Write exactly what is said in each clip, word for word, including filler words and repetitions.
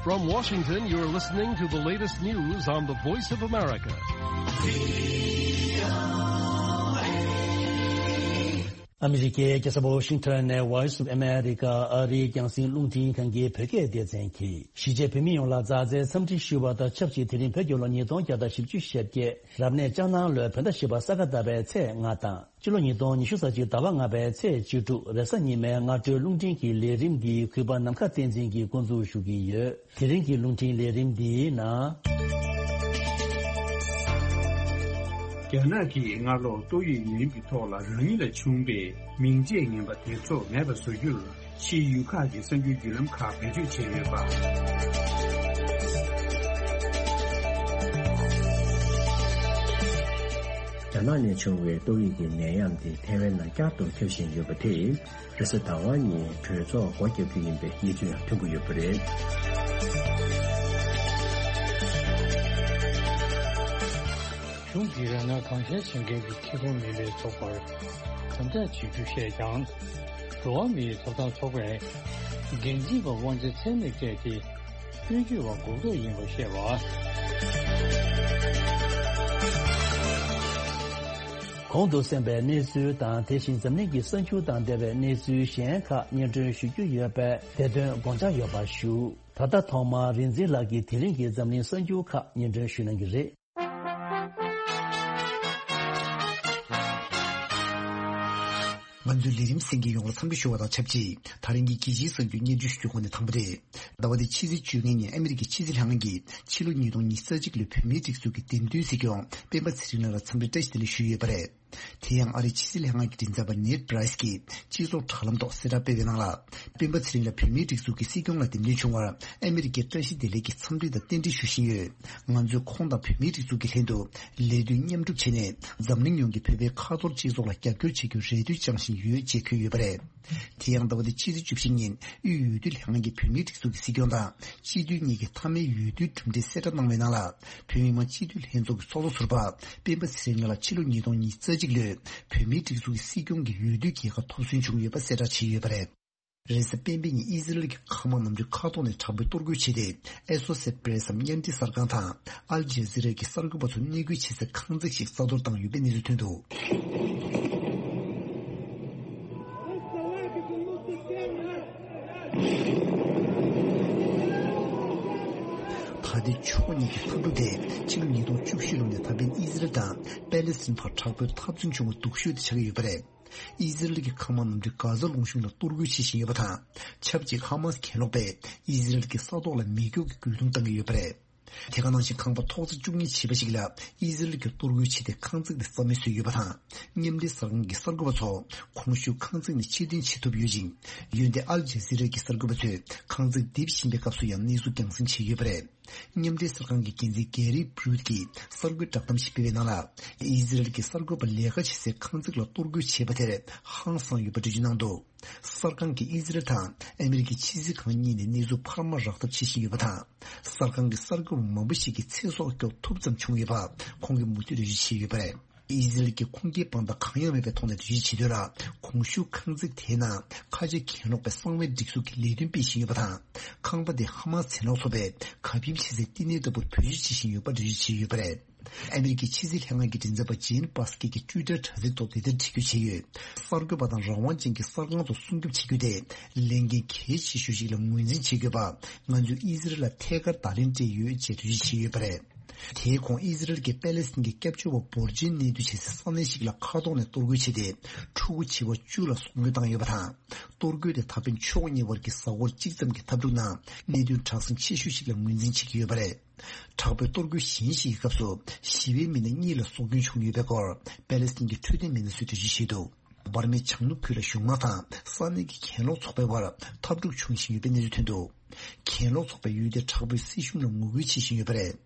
From Washington, you're listening to the latest news on the Voice of America. ཨ་མི་རི་ཀའི་རྒྱལ་ས་ཝ་ཤིང་ཊོན་ནས་Voice of America ཨ་རིའི་རྒྱང་སྲིང་རླུང་འཕྲིན་ཁང་གི་བོད་སྐད་སྡེ་ཚན་གྱིས་གཞིས་བྱེས་བོད་མི་ཡོངས་ལ་མཛའ་བརྩེའི་འཚམས་འདྲི་ཞུ་བ་དང་ཆབས་ཅིག་དེ་རིང་བོད་རྒྱལ་ལོ་ཉིས་སྟོང་བརྒྱ་དང་བཞི་བཅུ་ཞེ་བརྒྱད། རབ་གནས་ལྕགས་ནག་ལོའི་བོད་ཟླ་བཞི་པ་ས་ག་ཟླ་བའི་ཚེས་ལྔ་དང་། སྤྱི་ལོ་ཉིས་སྟོང་ཉི་ཤུ་རྩ་གཅིག་ཟླ་བ་ལྔ་པའི་ཚེས་བཅུ་དྲུག་རེས་གཟའ་ཉི་མའི་སྔ་དྲོའི་རླུང་འཕྲིན་གྱི་ལས་རིམ་འདི་གུས་པ་ནམ་མཁའ་བསྟན་འཛིན་གྱིས་འགོ་འཛུགས་ཞུ་གི་ཡོད། དེ་རིང་གི་རླུང་འཕྲིན་ལས་རིམ་འདིའི་ནང་། རྒྱ་ནག་གིས་སྔ་ལོ་ཏོག་དབྱིབས་ནད་ཡམས་ཀྱི་ཐོག་ལ་རང་ཉིད་ལ་བྱུང་བའི་མིང་ཆད་ངན་པ་དེ་ཚོ་མེད་པ་བཟོ་རྒྱུར། ཕྱིའི་ཡུལ་ཁག་གི་གསར་འགྱུར་བརྒྱུད་ལམ་ཁག་བེད་སྤྱོད་བྱས་ཡོད་པ། རྒྱ་ནག་ནས་བྱུང་བའི་ཏོག་དབྱིབས་ཀྱི་ནད་ཡམས་དེ་ཐའེ་ཝན་ནང་བསྐྱར་དུ་ཁྱབ་བཞིན་ཡོད་པ་དེས། རེས་གཟའ་ཟླ་བ་ཉིན་གྲོས་ཚོགས་སྒོ་བརྒྱབ་རྒྱུ་ཡིན་པའི་གནས་ཚུལ་ཡང་ཐོན་གྱི་ཡོད་པ་རེད། གཞུང་གིས་རང་དབང་གང་འཚམ་བྱེད་མཁན་གྱི་ཁེ་ཕན་མིན་པའི་ཚོགས་པར་དམ་དྲག་བྱེད་རྒྱུ་བཤད་ཀྱང་། འགྲོ་བ་མིའི་ཐོབ་ཐང་ཚོགས་པས་འགན་འཛིན་པ་དབང་ཆ་ཚད་མེད་སྤྲད་དེ། སྐྱོན་བརྗོད་པ་འགུག་ཐབས་ཡིན་པ་བཤད་པ། གོང་དུ་གསན་པའི་གནས་ཚུལ་དང་། དེ་བཞིན་འཛམ་གླིང་གི་གསར་འགྱུར་དང་འབྲེལ་བའི་གནས་ཚུལ་གཞན་ཁག་སྙན་སྒྲོན་ཞུ་རྒྱུ་ཡོད་པས། དེ་དོན་དགོངས་འཇགས་ཡོད་པ་ཞུ། ད་ལྟ་ཐོག་མར་རིག་འཛིན་ལགས་ཀྱིས་དེ་རིང་གི་འཛམ་གླིང་གསར་འགྱུར་ཁག་སྙན་སྒྲོན་ཞུ་གནང་གི་རེད། ང་ཚོའི་ལས་རིམ་གསན་མཁན་ཡོངས་ལ་འཚམས་འདྲི་ཞུ་བ་དང་ཆབས་ཅིག་ད་རིང་གི་རྒྱལ་སྤྱིའི་གསར་འགྱུར་སྙན་སྒྲོན་ཞུ་རྒྱུའི་སྒོ་ནས་དང་པོ་རེད། ཟླ་བ་འདིའི་ཕྱི་ཚེས་བཅོ་ལྔ་ཉིན་ཨ་མི་རི་ཀའི་ཕྱི་སྲིད་ལྷན་ཁང་གིས་ཕྱི་ལོ་ཉིས་སྟོང་ཉི་ཤུ་རྩ་གཅིག་ལོའི་བོད་མིའི་སྒྲིག་འཛུགས་ཀྱི་འདེམས་ཐོན་སྲིད་སྐྱོང་སྤེན་པ་ཚེ་རིང་ལགས་ལ་འཚམས་འདྲི་བཀྲ་ཤིས་བདེ་ལེགས་ཞུས་ཡོད་པ་རེད། དེ་ཡང་ཨ་རིའི་ཕྱི་སྲིད་ལྷན་ཁང་གི་མགྲིན་ཚབ་པ་ནེད་པྲའི་སི་གིས་སྤྱི་ཚོགས་དྲ་ལམ་ཐོག་གསལ་བསྒྲགས་སྤེལ་བའི་ནང་ལ། སྤེན་པ་ཚེ་རིང་ལགས་བོད་མིའི་སྒྲིག་འཛུགས་ཀྱི་སྲིད་སྐྱོང་ལ་འདེམས་ཐོན་བྱུང་བར་ཨ་མི་རི་ཀས་བཀྲ་ཤིས་བདེ་ལེགས་ཀྱི་འཚམས་འདྲི་དང་རྟེན་འབྲེལ་ཞུ་བཞིན་ཡོད། ང་ཚོས་ཁོང་དང་བོད་མིའི་སྒྲིག་འཛུགས་ཀྱི་ལྷན་དུ་ལས་དོན་མཉམ་སྒྲུབ་བྱས་ནས། འཛམ་གླིང་ཡོངས་ཀྱིས་བོད་པའི་ཁ་ཐོར་སྤྱི་ཚོགས་ལ་རྒྱབ་སྐྱོར་བྱེད་རྒྱུར་རེ་ལྟོས་བཅངས་བཞིན་ཡོད་ཅེས་འཁོད་ཡོད་པ་རེད། དེ་ཡང་ཟླ་བ་འདིའི་ཕྱི་ཚེས་བཅུ་བཞི་ཉིན་དབུས་འོས་བསྡུ་ལྷན་ཁང་གིས་བོད་མིའི་སྒྲིག་འཛུགས་ཀྱི་སྲིད་སྐྱོང་དང་སྤྱི་འཐུས་གཉིས་ཀྱི་མཐའ་མའི་འོས་བསྡུའི་གྲུབ་འབྲས་གསལ་བསྒྲགས་གནང་བའི་ནང་ལ། བོད་མི་མང་སྤྱི་འཐུས་ལྷན་ཚོགས་ཀྱི་ཚོགས་གཙོ་ཟུར་པ་སྤེན་པ་ཚེ་རིང་ལགས་ལ་ཕྱི་ལོ་ཉིས་སྟོང་ཉི་ཤུ་རྩ་གཅིག་ལོའི་བོད་མིའི་སྒྲིག་འཛུགས་ཀྱི་སྲིད་སྐྱོང་གི་འོས་བསྡུའི་རྒྱལ་ཁ་ཐོབ་སོན་བྱུང་ཡོད་པ་གསལ་བསྒྲགས་བྱས་ཡོད་པ་རེད། རེས་གཟའ་སྤེན་པའི་ཉིན་ཨི་ཟི་རལ་གྱི་མཁའ་དམག་གནམ་གྲུའི་མཁའ་ཐོག་ནས་དྲག་པོའི་གཏོར་རྒོལ་བྱས་ཏེ། ཨེ་སོ་སེ་པྲེ་སི་འམ་མཉམ་འབྲེལ་གསར་ཁང་དང་ཨལ་ཇེ་ཛི་ར་གྱི་གསར་འགོད་པ་ཚོ་གནས་སྐུལ་བྱེད་སའི་ཁང་བརྩེགས་ཤིག་རྩ་གཏོར་བཏང་ཡོད་པའི་གནས་ཚུལ་ཐོན་འདུག་ད་ལྟའི་ཕྱོགས་གཉིས་ཀྱི་འཐབ་འཁྲུག་དེ་ཕྱི་ལོ་ཉིས་སྟོང་བཅུ་བཞི་ལོ་ནས་ད་ཕན་ཨི་ཟི་རལ་དང་པེ་ལེ་སི་ཐན་བར་དྲག་པོའི་འཐབ་རྩོད་བྱུང་བ་སྡུག་ཤོས་དེ་ཆགས་ཀྱི་ཡོད་པ་རེད། ཨི་ཟི་རལ་གྱི་མཁའ་དམག་གནམ་གྲུས་གྷ་ཛ་ལུང་གཤོང་ལ་གཏོར་རྒོལ་བྱེད་བཞིན་ཡོད་པ་དང་། ཆབས་ཅིག་ཧ་མ་སི་གྱེན་ལོག་པས་ཨི་ཟི་རལ་གྱི་ས་ཐོག་ལ་མེ་སྒྱོགས་ཀྱི་རྒོལ་རྡུང་བཏང་གི་ཡོད་པ་རེད། དེ་ག་ནང་བཞིན་ཁང་པ་ཐོག་བརྩེགས་བཅུ་གཉིས་བྱས་པ་ཞིག་ལ་ཨི་ཟི་རལ་གྱིས་གཏོར་རྒོལ་བྱས་ཏེ་ཁང་བརྩེགས་དེ་རྩ་མེད་བཟོས་ཡོད་པ་དང་། མཉམ་འབྲེལ་གསར་ཁང་གི་གསར་འགོད་པ་ཚོ་གོང་ཞུས་ཁང་བརྩེགས་ནས་ཕྱིར་འཐེན་བྱེད་ཐུབ་ཡོད་ཅིང་། འོན་ཏེ་ཨལ་ཇེ་ཛི་ར་གྱི་གསར་འགོད་པ་ཚོས་ཁང་བརྩེགས་རྡིབ་བཞིན་པའི་སྐབས་སུ་ཡང་གནས་ཚུལ་རྒྱང་སྲིང་བྱས་ཡོད་པ་རེད། མཉམ་འབྲེལ་གསར་ཁང་གི་འགན་འཛིན་གེ་རི་བྷི་རུད་ཀྱིས་གསར་འགོད་བསྒྲགས་གཏམ་ཞིག་སྤེལ་བའི་ནང་ལ། ཨི་ཟི་རལ་གྱི་གསར་འགོད་པ་ལས་ཀ་བྱེད་སའི་ཁང་བརྩེགས་ལ་གཏོར་རྒོལ་བྱས་པ་དེར་ཧང་སངས་ཡོད་པ་འགྲེལ་བརྗོད་གནང་འདུག་གསར་ཁང་གིས་ཨི་ཟི་རལ་དང་ཨ་མི་རི་ཀའི་ཕྱི་སྲིད་ཁང་གཉིས་ནས་གནས་ཚུལ་འཕར་མ་རག་ཐབས་བྱེད་བཞིན་ཡོད་པ་དང་། གསར་ཁང་གི་གསར་འགོད་པ་མང་པོ་ཞིག་གིས་ཚེ་སྲོག་སྐྱོབ་ཐུབ་ཙམ་བྱུང་ཡོད་པ་ཁོང་གིས་མུ་མཐུད་འགྲེལ་བརྗོད་བྱས་ཡོད་པ་རེད། ཨི་ཟི་རལ་གྱིས་ཁུངས་སྐྱེལ་དཔང་རྟགས་གང་ཡང་མེད་པའི་ཐོག་ནས་འགྲེལ་བརྗོད་བྱེད་དོན་ལ། གོང་ཞུས་ཁང་བརྩེགས་དེའི་ནང་ཁ་ཆེ་གྱེན་ལོག་པའི་གསང་བའི་སྒྲིག་འཛུགས་ཀྱི་ལས་དོན་སྤེལ་བཞིན་ཡོད་པ་དང་། ཁང་པ་དེ་ཧ་མ་སི་གྱེན་ལོག་ཚོགས་པས་གབ་ཡིབ་བྱེད་སའི་བསྟི་གནས་ལྟ་བུར་བེད་སྤྱོད་བྱེད་བཞིན་ཡོད་པ་འགྲེལ་བརྗོད་བྱས་ཡོད་པ་རེད། ཨ་མི་རི་ཀའི་ཕྱི་སྲིད་ལྷན་ཁང་གི་མགྲིན་ཚབ་པ་ཇེན་པ་སི་ཀི་གིས་ཊུའི་ཊར་དྲ་ཚིགས་ཐོག་འདི་ལྟར་བྲིས་བཀོད་བྱས་ཡོད། གསར་འགོད་པ་དང་རང་དབང་ཅན་གྱི་གསར་ཁང་ཚོ་སྲུང་སྐྱོབ་བྱེད་རྒྱུ་དེ་ལས་འགན་གལ་ཆེ་ཤོས་ཤིག་ལ་ངོས་འཛིན་བྱེད་དགོས་པ། ང་ཚོས་ཨི་ཟི་རལ་ལ་ཐད་ཀར་བརྡ་ལན་སྤྲད་ཡོད་ཅེས་འགྲེལ་བརྗོད་བྱས་ཡོད་པ་རེད། དེའི་གོང་ཨི་ཟི་རལ་གྱིས་པེ་ལེ་སི་ཐན་གྱི་སྐྱབས་བཅོལ་བ་འབོར་ཆེན་གནས་སྡོད་བྱེད་སའི་ས་གནས་ཤིག་ལ་མཁའ་ཐོག་ནས་གཏོར་རྒོལ་བྱས་ཏེ། ཕྲུ་གུ་བྱིས་པ་བཅུ་ལ་སྲོག་སྐྱོན་བཏང་ཡོད་པ་དང་། གཏོར་རྒོལ་དེ་ད་ཕན་ཕྱོགས་གཉིས་བར་གྱི་གཟའ་འཁོར་གཅིག་ཙམ་གྱི་འཐབ་འཁྲུག་ནང་གནད་དོན་དྲག་ཟིང་ཆེ་ཤོས་ཤིག་ལ་ངོས་འཛིན་བྱེད་ཀྱི་ཡོད་པ་རེད། དྲག་པོའི་གཏོར་རྒོལ་གཞན་ཞིག་གི་སྐབས་སུ་ཞི་བའི་མི་སྣ་གཉིས་ལ་སྲོག་སྐྱོན་བྱུང་ཡོད་པའི་སྐོར་པེ་ལེ་སི་ཐན་གྱི་འཕྲོད་བསྟེན་མི་སྣ་ཚོས་འགྲེལ་བརྗོད་བྱས་འདུག་འབར་མའི་བྱང་ནུབ་ཁུལ་ལ་གཞུང་དམག་དང་ས་གནས་ཀྱི་གྱེན་ལོག་ཚོགས་པའི་བར་འཐབ་འཁྲུག་འབྱུང་བཞིན་ཡོད་པའི་གནས་ཚུལ་ཐོན་འདུག་གྱེན་ལོག་ཚོགས་པས་ཡུལ་དེའི་དྲག་པོའི་སྲིད་གཞུང་ལ་ངོ་རྒོལ་བྱེད་བཞིན་ཡོད་པ་རེད།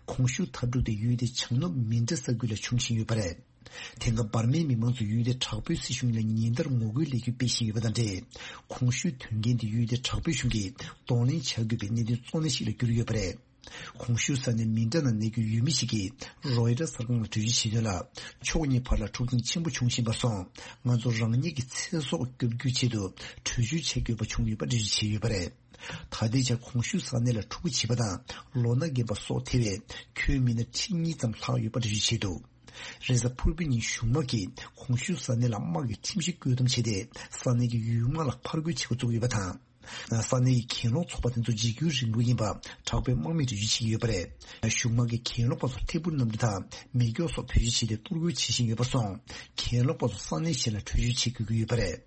གོང་ཞུས་འཐབ་འཁྲུག་དེ་ཡུལ་དེའི་བྱང་ནུབ་མིན་ཏྲ་ས་ཁུལ་ལ་འབྱུང་བཞིན་ཡོད་པ་རེད། དེང་སྐབས་འབར་མའི་མི་མང་ཚོས་ཡུལ་དེའི་དྲག་པོའི་སྲིད་གཞུང་ལ་ཉིན་ལྟར་ངོ་རྒོལ་ལས་འགུལ་སྤེལ་བཞིན་ཡོད་པ་དང་འབྲེལ། གོང་ཞུས་དོན་རྐྱེན་དེ་ཡུལ་དེའི་དྲག་པོའི་གཞུང་གིས་གདོང་ལེན་བྱ་དགོས་པའི་གནད་དོན་གཙོ་གནད་ཞིག་ལ་གྱུར་ཡོད་པ་རེད། གོང་ཞུས་ས་གནས་མི་འདྲ་ནང་གནས་འཁོད་ཡུལ་མི་ཞིག་གིས་རོའི་ཊར་གསར་ཁང་ལ་གྲོས་ཆོད་བྱས་དོན་ལ། ཕྱོགས་གཉིས་བར་ལ་འཁྲུག་རྐྱེན་ཆེན་པོ་བྱུང་བཞིན་པ་སོང་། ང་ཚོ་རང་ཉིད་ཀྱི་ཚེ་སྲོག་སྐྱོབ་རྒྱུའི་ཆེད་དུ་གྲོས་ཆོད་བྱེད་དགོས་པ་བྱུང་ཡོད་པ་འགྲེལ་བརྗོད་བྱས་ཡོད་པ་རེད། ད་ལྟའི་ཆར་གོང་ཞུས་ས་གནས་ལ་འཁྲུག་པ་བྱེད་པ་དང་ལོ་ན་རྒན་པ་སོགས་ཐེ་བའི་ཁྱོན་མི་སྣ་ཁྲི་གཉིས་ཙམ་ལྷག་ཡོད་པ་འགྲེལ་བརྗོད་བྱས་འདུག་རེས་གཟའ་ཕུར་བུའི་ཉིན་གཞུང་དམག་གིས་གོང་ཞུས་ས་གནས་ལ་དམག་གི་ཁྲིམས་གཞི་བཀོད་གཏོང་བྱས་ཏེ། ས་གནས་ཀྱི་ཡུལ་དམག་ལ་ཕར་རྒོལ་བྱེད་འགོ་བཙུགས་ཡོད་པ་དང་། ས་གནས་ཀྱི་གྱེན་ལོག་ཚོགས་པ་དེ་ཚོ་འཇིགས་སྐུལ་རིང་ལུགས་ཡིན་པ་དྲག་པོའི་དམག་མིས་འགྲེལ་བརྗོད་བྱེད་ཀྱི་ཡོད་པ་རེད། གཞུང་དམག་གིས་གྱེན་ལོག་པ་ཚོར་ཐད་འཕུར་གནམ་གྲུ་དང་མེ་སྒྱོགས་སོགས་བེད་སྤྱོད་བྱས་ཏེ་གཏོར་རྒོལ་བྱེད་བཞིན་ཡོད་པར་སོང་། གྱེན་ལོག་པ་ཚོ་ས་གནས་གཞན་ལ་བྲོས་བྱོལ་བྱེད་དགོས་ཀྱི་ཡོད་པ་རེད།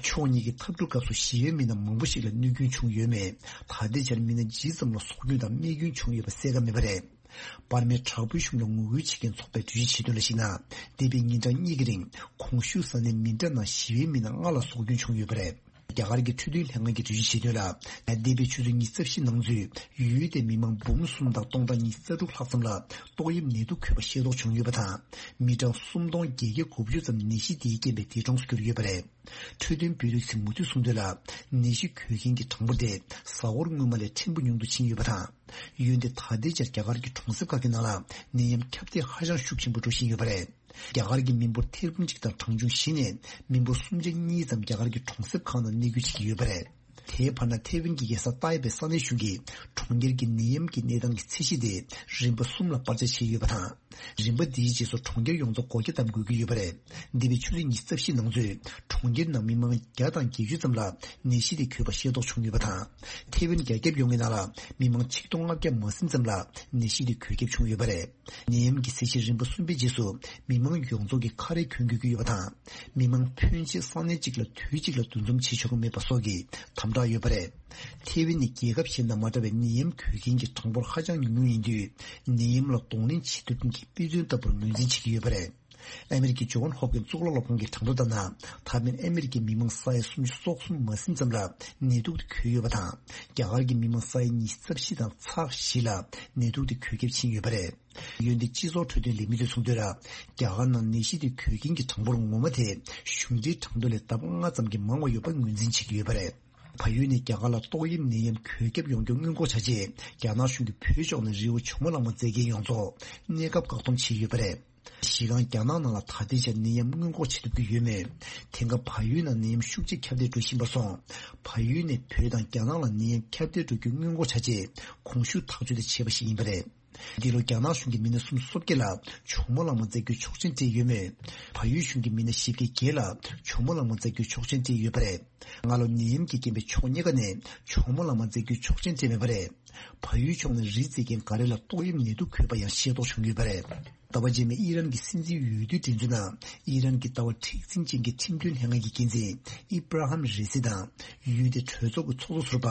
ཕྱོགས་གཉིས་ཀྱི་འཐབ་འཁྲུག་སྐབས་སུ་ཞི་བའི་མི་སྣ་མང་པོ་ཞིག་ལ་གནོད་སྐྱོན་བྱུང་ཡོད་མེད། ད་ལྟའི་ཆར་མི་སྣ་ཇི་ཙམ་ལ་སྲོག་སྐྱོན་དང་རྨས་སྐྱོན་བྱུང་ཡོད་པ་གསལ་ཁ་མེད་པ་རེད། བར་མའི་དྲག་པོའི་གཞུང་ལ་ངོ་རྒོལ་བྱེད་མཁན་ཚོགས་པས་འགྲེལ་བརྗོད་བྱས་དོན་ལ་གཞིགས་ན། འདས་པའི་ཉིན་གྲངས་གཉིས་ཀྱི་རིང་གོང་ཞུས་ས་གནས་མི་འདྲ་ནང་ཞི་བའི་མི་སྣ་ལྔ་ལ་སྲོག་སྐྱོན་བྱུང་ཡོད་པ་རེད། རྒྱ་གར་གྱི་འཕྲོད་བསྟེན་ལྷན་ཁང་གིས་འགྲེལ་བརྗོད་བྱས་དོན་ལ། འདས་པའི་ཆུ་ཚོད་ཉི་ཤུ་རྩ་བཞི་ནང་ཚུད་ཡུལ་དེའི་མི་མང་འབུམ་གསུམ་དང་སྟོང་ཕྲག་ཉི་ཤུ་རྩ་དྲུག་ལྷག་ཙམ་ལ་ཏོག་དབྱིབས་ནད་དུག་འགོས་པ་ཤེས་རྟོགས་བྱུང་ཡོད་པ་དང་། མི་གྲངས་སུམ་སྟོང་བརྒྱད་བརྒྱ་དགུ་བཅུ་ཙམ་ནད་གཞི་དེའི་རྐྱེན་པས་འདས་གྲོངས་སུ་གྱུར་ཡོད་པ་རེད། འཕྲོད་བསྟེན་བོད་རིགས་ཚོས་མུ་མཐུད་གསུངས་དོན་ལ། ནད་གཞི་འགོས་མཁན་གྱི་གྲངས་འབོར་དེ་གཟའ་འཁོར་སྔོན་མ་ལས་ཕྲན་བུ་ཉུང་དུ་ཕྱིན་ཡོད་པ་དང་། འོན་ཏེ་ད་ལྟའི་ཆར་རྒྱ་གར་གྱི་གྲོང་གསེབ་ཁག་གི་ནང་ལ་ནད་ཡམས་ཁྱབ་གདལ་ཧ་ཅང་ཤུགས་ཆེན་པོ་འགྲོ་བཞིན་ཡོད་པ་རེད། རྒྱ་གར་གྱི་མི་འབོར་ཐེར་འབུམ་གཅིག་དང་གྲངས་ཆུང་བཞི་ནས་མི་འབོར་སུམ་ཆ་གཉིས་ཙམ་རྒྱ་གར་གྱི་གྲོང་གསེབ་ཁག་ནང་གནས་སྐྱོད་བྱེད་ཀྱི་ཡོད་པ་རེད། དེའི་བར་ན་ཐེ་ཝན་གྱི་རྒྱལ་ས་ཏཱའེ་པའི་ས་གནས་གཞུང་གིས་གྲོང་ཁྱེར་གྱི་ནད་ཡམས་ཀྱི་གནས་སྟངས་ཀྱི་ཚད་གཞི་དེ་རིམ་པ་གསུམ་ལ་སྤར་ཆ་བྱས་ཡོད་པ་དང་། རིམ་པ་འདིའི་རྗེས་སུ་གྲོང་ཁྱེར་ཡོངས་རྫོགས་སྒོ་རྒྱ་བསྡམ་དགོས་ཀྱི་ཡོད་པ་རེད། འདས་པའི་ཆུ་ཚོད་ཉི་ཤུ་རྩ་བཞི་ནང་ཚུད་གྲོང་ཁྱེར་ནང་མི་མང་བརྒྱ་དང་བརྒྱད་ཅུ་ཙམ་ལ་ནད་གཞི་དེ་འགོས་པ་ཤེས་རྟོགས་བྱུང་ཡོད་པ་དང་། ཐེ་ཝན་རྒྱ་ཁྱབ་ཡོངས་ཀྱི་ནང་ལ་མི་མང་ཆིག་སྟོང་ལྔ་བརྒྱ་མ་ཟིན་ཙམ་ལ་ནད་གཞི་དེ་འགོས་ཁྱབ་བྱུང་ཡོད་པ་རེད། ནད་ཡམས་ཀྱི་ཚད་གཞི་རིམ་པ་གསུམ་པའི་རྗེས་སུ་མི་མང་ཡོངས་རྫོགས་ཀྱིས་ཁ་རས་གྱོན་དགོས་ཀྱི་ཡོད་པ་དང་། མི་མང་ཕོན་ཆེ་ས་གནས་གཅིག་ལ་དུས་གཅིག་ལ་འདུ་འཛོམས་བྱེད་ཆོག་གི་མེད་པ་སོགས་ཀྱི་དམ་དྲག་ཡོད་པ་རེད། ཐེ་ཝན་ནི་རྒྱལ་ཁབ་གཞན་དང་མ་འདྲ་བའི་ནད་ཡམས་འགོས་མཁན་གྱི་གྲངས་འབོར་ཧ་ཅང་ཉུང་ཉུང་ཡིན་དུས། ནད་ཡམས་ལ་གདོང་ལེན་བྱེད་ཐུབ་མཁན་གྱི་དཔེ་མཚོན་ལྟ་བུར་ངོས་འཛིན་བྱེད་ཀྱི་ཡོད་པ་རེད། ཨ་མེ་རི་ཀའི་ཇོན་ཧོབ་ཀིན་གཙུག་ལག་སློབ་ཁང་གི་གྲངས་ཐོ་ལྟར་ན། ད་ཕན་ཨ་མེ་རི་ཀའི་མི་མང་ས་ཡ་སུམ་ཅུ་སོ་གསུམ་མ་ཟིན་ཙམ་ལ་ནད་དུག་དེ་འགོས་ཡོད་པ་དང་། རྒྱ་གར་གྱི་མི་མང་ས་ཡ་ཉི་ཤུ་རྩ་བཞི་དང་ཚེག་བཞི་ལ་ནད་དུག་དེ་འགོས་ཁྱབ་ཕྱིན་ཡོད་པ་རེད། འོན་ཏེ་སྤྱི་ཚོགས་འཕྲོད་བསྟེན་ལས་མི་ཚོས་གསུངས་དོན་ལ། རྒྱ་གར་ནང་ནད་གཞི་དེ་འགོས་མཁན་གྱི་གྲངས་འབོར་ངོ་མ་དེ་གཞུང་འབྲེལ་གྲངས་ཐོ་ལས་ལྡབ་ལྔ་ཙམ་གྱིས་མང་བ་ཡོད་པ་ངོས་འཛིན་བྱེད་ཀྱི་ཡོད་པ་རེད། བལ་ཡུལ་ནས་རྒྱ་གར་ལ་ཏོག་དབྱིབས་ནད་ཡམས་འགོས་ཁྱབ་ཡོང་རྒྱུ་སྔོན་འགོག་བྱ་ཆེད། རྒྱ་ནག་གཞུང་གིས་བོད་ཕྱོགས་ནས་རི་བོ་ཇོ་མོ་གླང་མ་མཛད་མཁན་ཡོངས་རྫོགས་གནས་སྐབས་བཀག་སྡོམ་བྱས་ཡོད་པ་རེད། གཞི་རྐང་རྒྱ་ནག་ནང་ལ་ད་ལྟའི་ཆར་ནད་ཡམས་སྔོན་འགོག་བྱེད་ཐུབ་ཀྱི་ཡོད་མོད། དེང་སྐབས་བལ་ཡུལ་ནང་ནད་ཡམས་ཤུགས་ཆེ་ཁྱབ་གདལ་འགྲོ་བཞིན་པར་སོང་། བལ་ཡུལ་ནས་བོད་དང་རྒྱ་ནག་ལ་ནད་ཡམས་ཁྱབ་གདལ་འགྲོ་རྒྱུ་སྔོན་འགོག་བྱ་ཆེད་གོང་ཞུས་ཐག་གཅོད་དེ་བྱས་པ་ཞིག་ཡིན་པ་རེད། འདི་ལོ་རྒྱ་ནག་གཞུང་གིས་མི་སྣ་སུམ་ཅུ་སོ་བརྒྱད་ལ་ཇོ་མོ་གླང་མ་མཛད་རྒྱུའི་ཆོག་མཆན་སྤྲད་ཡོད་མོད། བལ་ཡུལ་གཞུང་གིས་མི་སྣ་བཞི་བརྒྱ་བརྒྱད་ལ་ཇོ་མོ་གླང་མ་མཛད་རྒྱུའི་ཆོག་མཆན་སྤྲད་ཡོད་པ་རེད། སྔ་ལོ་ནད་ཡམས་ཀྱི་རྐྱེན་པས་ཕྱོགས་གཉིས་ཀ་ནས་ཇོ་མོ་གླང་མ་མཛད་རྒྱུའི་ཆོག་མཆན་སྤྲད་མེད་པ་རེད། བལ་ཡུལ་ཕྱོགས་ནས་རི་འཛེག་མཁན་འགའ་རེ་ལ་ཏོག་དབྱིབས་ནད་དུག་འགོས་པ་ཡང་ཤེས་རྟོགས་བྱུང་ཡོད་པ་རེད། ཟླ་བ་རྗེས་མའི་ཨི་རན་གྱི་སྲིད་འཛིན་འོས་བསྡུའི་འགྲན་བསྡུར་ནང་ཨི་རན་གྱི་ལྟ་བ་མཁྲེགས་འཛིན་ཅན་གྱི་ཁྲིམས་དོན་ལྷན་ཁང་གི་འགན་འཛིན་ཨི་བྷ་ར་ཧམ་རེ་སི་དང་ཡུལ་དེའི་གྲོས་ཚོགས་ཀྱི་ཚོགས་གཙོ་ཟུར་པ་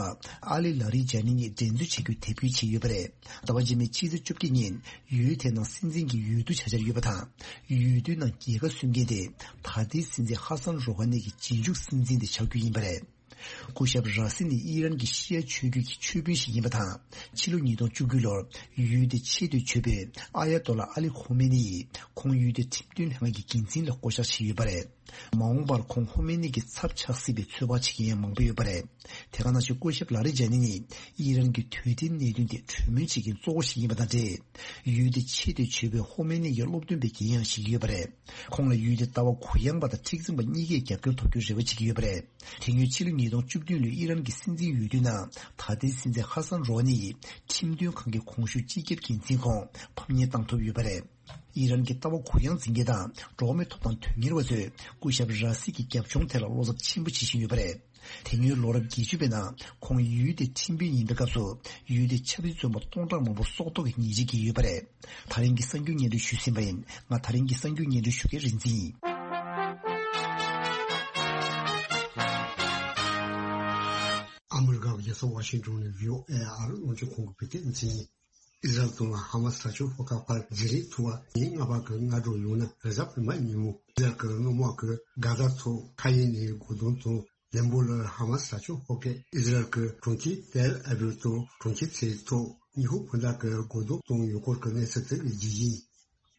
ཨ་ལི་ལ་རི་ཇཱ་ནི་གཉིས་འགྲན་རྩོད་བྱེད་རྒྱུའི་དེབ་སྐྱེལ་བྱས་ཡོད་པ་རེད། ཟླ་བ་རྗེས་མའི་ཕྱི་ཚེས་བཅོ་བརྒྱད་ཉིན་ཡུལ་དེའི་ནང་སྲིད་འཛིན་གྱི་འོས་བསྡུ་བྱ་འཆར་ཡོད་པ་དང་། འོས་བསྡུའི་ནང་རྒྱལ་ཁ་སོན་མཁན་དེ་ད་ལྟའི་སྲིད་འཛིན་ཧ་སན་རོ་ཧ་ནི་གི་རྗེས་འཇུག་སྲིད་འཛིན་དེ་ཆགས་རྒྱུ་ཡིན་པ་རེད། སྐུ་ཞབས་ར་སི་ནི་ཨི་རན་གྱི་ཤི་ཡ་ཆོས་བརྒྱུད་ཀྱི་ཆོས་དཔོན་ཞིག་ཡིན་པ་དང་། ཕྱི་ལོ་ཉིས་སྟོང་བཅུ་དགུ་ལོར་ཡུལ་དེའི་ཆེས་མཐོའི་ཆོས་དཔོན་ཨ་ཡ་ཏོ་ལ་ཨ་ལི་ཁོ་མེ་ནི་ཡིས་ཁོང་ཡུལ་དེའི་ཁྲིམས་དོན་ལྷན་ཁང་གི་འགན་འཛིན་ལ་བསྐོ་གཞག་བྱས་ཡོད་པ་རེད། མ་འོངས་པར་ཁོང་ཁོ་མེ་ནི་གི་ཚབ་ཆགས་སྲིད་པའི་ཚོད་དཔག་བྱེད་མཁན་ཡང་མང་པོ་ཡོད་པ་རེད། དེ་ག་ནང་བཞིན་སྐུ་ཞབས་ལ་རི་ཇཱ་ནི་ནི་ཨི་རན་གྱི་དུས་བདེའི་གནད་དོན་ཐད་གྲོས་མོལ་བྱེད་མཁན་གཙོ་བོ་ཞིག་ཡིན་པ་དང་འབྲེལ། ཡུལ་དེའི་ཆེས་མཐོའི་ཆོས་དཔོན་ཧོ་མེ་ནི་ཡི་སློབ་སྟོན་པའི་འགན་ཡང་བཞེས་ཀྱི་ཡོད་པ་རེད། ཁོང་ལ་ཡུལ་དེའི་ལྟ་བ་གུ་ཡངས་པ་དང་མཁྲེགས་འཛིན་པ་གཉིས་ཀས་རྒྱབ་སྐྱོར་ཐོབ་རྒྱུའི་རེ་བ་བྱེད་ཀྱི་ཡོད་པ་རེད། དེ་སྔོན་ཕྱི་ལོ་ཉིས་སྟོང་བཅུ་བདུན་ལོའི་ཨི་རན་གྱི་སྲིད་འཛིན་འོས་བསྡུའི་ནང་ད་ལྟའི་སྲིད་འཛིན་ཧ་སན་རོ་ཧ་ནི་ཡིས་ཁྲིམས་དོན་ཁང་གི་གོང་ཞུས་སྤྱི་ཁྱབ་འགན་འཛིན་ཁོངས་ཕམ་ཉེས་བཏང་ཐུབ་ཡོད་པ་རེད། ཨི་རན་གྱི་ལྟ་བ་གུ་ཡངས་འཛིན་མཁན་དང་འགྲོ་བ་མིའི་ཐོབ་ཐང་དོན་གཉེར་བ་ཚོས་སྐུ་ཞབས་ར་སི་གི་རྒྱབ་ལྗོངས་ཐད་ལ་བློ་འཚབ་ཆེན་པོ་བྱེད་བཞིན་ཡོད་པ་རེད། དེ་སྔོན་ལོ་རབས་བརྒྱད་ཅུ་པའི་ནང་ཁོང་ཡུལ་དེའི་ཁྲིམས་དཔོན་ཡིན་པའི་སྐབས་སུ་ཡུལ་དེའི་ཆབ་སྲིད་བཙོན་པ་སྟོང་ཕྲག་མང་པོ་སྲོག་ཐོག་གི་ཉེས་ཆད་བཀལ་ཡོད་པ་རེད། ད་རིང་གི་གསར་འགྱུར་སྙན་སྒྲོན་ཞུས་ཟིན་པ་ཡིན། ང་ད་རིང་གི་གསར་འགྱུར་སྙན་སྒྲོན་ཞུ་མཁན་རིག་འཛིན་ཡིན། ཨ་མི་རི་ཀའི་རྒྱལ་ས་ཝ་ཤིང་ཏོན་ནས་བྷི་ཨོ་ཨེ་ཨར་རླུང་འཕྲིན་ཁང་གི་བོད་སྐད་སྡེ་ཚན་ཡིན། ཨི་ཟ་རལ་དང་ཧ་མ་སི་དྲག་སྤྱོད་ཤོག་ཁག་བར་བརྗེ་རེས་ཐུབ་པ་ཉིན་ལྔ་པ་གི་སྔ་དྲོ་ཡང་ན་རེས་གཟའ་སྤེན་པ་ཉིན་མོ་ཨི་ཟ་རལ་གྱི་དངུལ་དམག་གིས་གྷ་ཟ་ཐོག་མཁའ་དབྱིངས་ནས་སྒོ་རྡུང་དང་། ལན་པོ་ལ་ཧ་མ་སི་དྲག་སྤྱོད་ཤོག་ཁག་ཨི་ཟ་རལ་གྱི་གྲོང་ཁྱེར་ཏེལ་ཨ་བིབ་དང་གྲོང་ཁྱེར་ཚོའི་ཐོག་ཉི་ཤུ་བུ་དག་གི་སྒོ་རྡུང་བཏང་ཡོད་སྐོར་གྱི་གནས་ཚུལ་དེ་གི་རྒྱུ་ཡིན།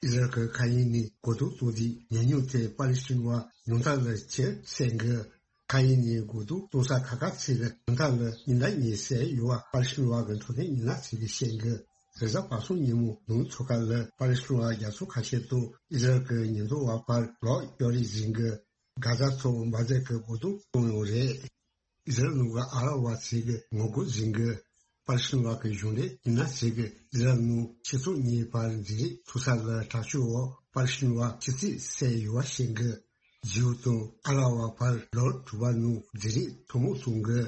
ཨི་ཟ་རལ་གྱི་མཁའ་དབྱིངས་ནས་སྒོ་རྡུང་གཏོང་རྒྱུའི་ཉེན་མྱོང་དེ་པ་ལི་སི་ཐན་བ་ཉུང་མཐའ་ལ་ཆེར་གསལ་གི། མཁའ་དབྱིངས་ནས་སྒོ་རྡུང་གཏོང་ས་ཁག་ཁག་ཚོ་ལ་ཉུང་མཐའ་ལ་ཉིན་ལྟར་ཉིན་གསལ་ཡོད་པ་པ་ལི་སི་ཐན་བ་གི་འཕྲོད་བསྟེན་མི་སྣ་ཚོས་བཤད་གི། རེས་གཟའ་པ་སངས་ཉིན་མོ་ནུབ་མཚོ་ཁ་ལ་པ་ལི་སི་ཐན་བ་རྒྱ་མཚོ་ཁ་ཤས་དང་ཨི་ཟ་རེལ་གྱི་ཉེན་རྟོག་པ་བར་ལོག་གཡོག་རེས་ཟིན་གི། གྷ་ཛ་ཐོག་འབར་རྫས་ཀྱི་སྒོ་རྡུང་བཏང་ཡོད་རེད། ཨི་ཟ་རེལ་ནང་གི་ཨ་རབ་པ་ཚོས་ཀྱི་ངོ་རྒོལ་ཟིན་གི། པ་ལི་སི་ཐན་བ་གི་གཞུང་འབྲེལ་མི་སྣ་ཚོས་ཀྱི་ཨི་ཟ་རེལ་ནང་སྤྱི་ཚོགས་གཉིས་བར་འཛིང་རེས་ཐུག་ས་ལ་དྲག་སྤྱོད་འོག་པ་ལི་སི་ཐན་བ་ཆུ་ཚོད་བསད་ཡོད་པ་བཤད་གི། ཇིའུ་དང་ཨ་རབ་པ་བར་ལོ་དྲུག་པ་ནང་འཛིང་རེས་ཐུན་མོང་བྱུང་གི།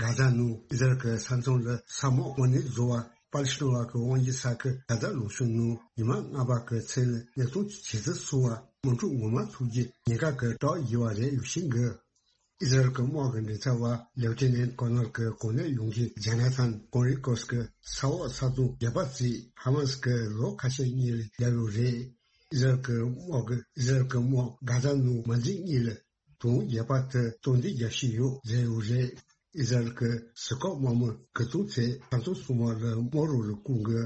གྷ་ཛ་ནང་ཨི་ཟ་རེལ་གྱི་ས་མཚམས་ལ་ས་དམག་དངོས་གནས་བཟོ་བ་པ་ལི་སི་ཐན་བ་གི་དབང་སྒྱུར་ས་ཁུལ་གྷ་ཛ་ལུང་གཤོང་ནང་ཉི་མ་ལྔ་པ་གི་མཚན་ལ་གནས་སྟངས་ཇེ་ཚབས་སོང་བ་དམག་འཁྲུག་ངོ་མ་ཐུག་རྒྱུ་ཉེན་ཁ་གི་གྲགས་ཡོད་པ་རེད་ཡོད་ཤིང་གི། ཨི་ཟ་རེལ་གྱི་དམག་གི་མགྲིན་ཚབ་པ་ལེབ་ཊི་ནན་ཊི་ཀོ་ནར་གྱི་གོ་གནས་ཡོང་མཁན་ཇོ་ན་ཐན་ཀོ་རི་ཀོས་ཀྱི་ས་འོག་ས་དོང་རྒྱག་པ་བརྩིས་ཧ་མ་སི་གི་ལོ་ཁ་ཤས་གཉིས་ལ་བརྒྱབ་ཡོད་རེད། ཨི་ཟ་རེལ་གྱི་དམག་གིས་ཨི་ཟ་རེལ་གྱི་དམག་གྷ་ཛ་ནང་མ་འཛེགས་གཉིས་ལ་དོན་རྒྱག་པ་དེ་སྟངས་འཛིན་རྒྱག་བཞིན་ཡོད་ཟེར་ཡོད་རེད། ཨི་ཟ་རེལ་གྱི་ཟུར་བཀག་དམག་མི་དགུ་སྟོང་ཚོས་ས་མཚམས་སྲུང་དམག་ལ་དམག་རོགས་ལ་བསྐུལ་གི།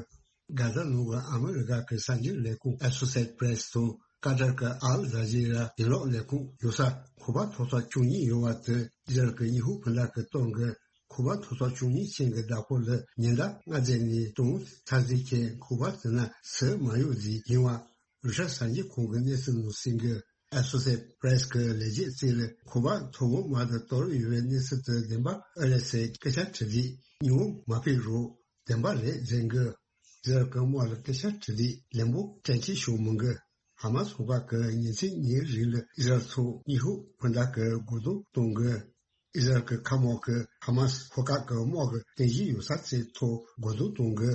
གྷ་ཛ་ནང་གི་ཨ་མི་རི་ཀ་གི་གསར་འགྱུར་ལས་ཁུངས་ཨེ་སོ་སི་ཨེ་ཊི་པི་རེ་སི་དང་ཀ་ཏར་གྱི་ཨལ་ཛ་ཛི་ར་ཡིག་ཀློག་ལས་ཁུངས་ཡོད་ས་ཁང་པ་མཐོ་ས་བཅུ་གཉིས་ཡོད་པ་དེ་ཨི་ཟ་རེལ་གྱི་དངོས་ཤུགས་སྤུན་ཟླ་གིས་བཏང་གི། ཁང་པ་མཐོ་ས་བཅུ་གཉིས་ཅན་གྱི་བདག་པོ་ལ་ཉིན་ལྟར་ལྔ་བརྒྱ་ནས་སྟོང་ཚར་རྩིས་ཀྱི་ཁང་པ་དེ་ན་ཟས་མ་ཡོད་ཟིག་ཡིན་པ། རུ་ཤ་གསར་འགྱུར་ཁང་གི་གནས་ཚུལ་ནང་གསན་གི། ཨེ་སོ་སི་ཨེཊི་པི་རེ་སི་གི་ལས་བྱེད་ཅིག་ལ་ཁང་པ་མཐོ་སྒང་མར་དུ་གཏོར་ཡོད་པའི་གནས་ཚུལ་དེ་བདེན་པ་ཨེ་རེད་ཟེར་སྐད་ཆ་དྲིས་དུས་སྙིང་བོ་མ་ཕེབས་རོགས་བདེན་པ་རེད་ཟེར་གི། ཨི་ཟ་རེལ་གྱི་དམག་ལ་སྐད་ཆ་དྲིས་དུས་ལན་པོ་དྲན་གྱི་ཤོག་མི་འགི། ཧ་མ་སི་ཚོགས་པ་གིས་ཉིན་མཚན་གཉིས་རིང་ལ་ཨི་ཟ་རེལ་ཚོ་དངོས་ཤུགས་སྤུན་ཟླ་གི་སྒོ་རྡུང་གཏོང་གི། ཨི་ཟ་རེལ་གྱི་མཁའ་དམག་གིས་ཧ་མ་སི་ཤོག་ཁག་གི་དམག་གི་རྟེན་གཞི་ཡོད་ས་ཚོའི་ཐོག་སྒོ་རྡུང་གཏོང་གི།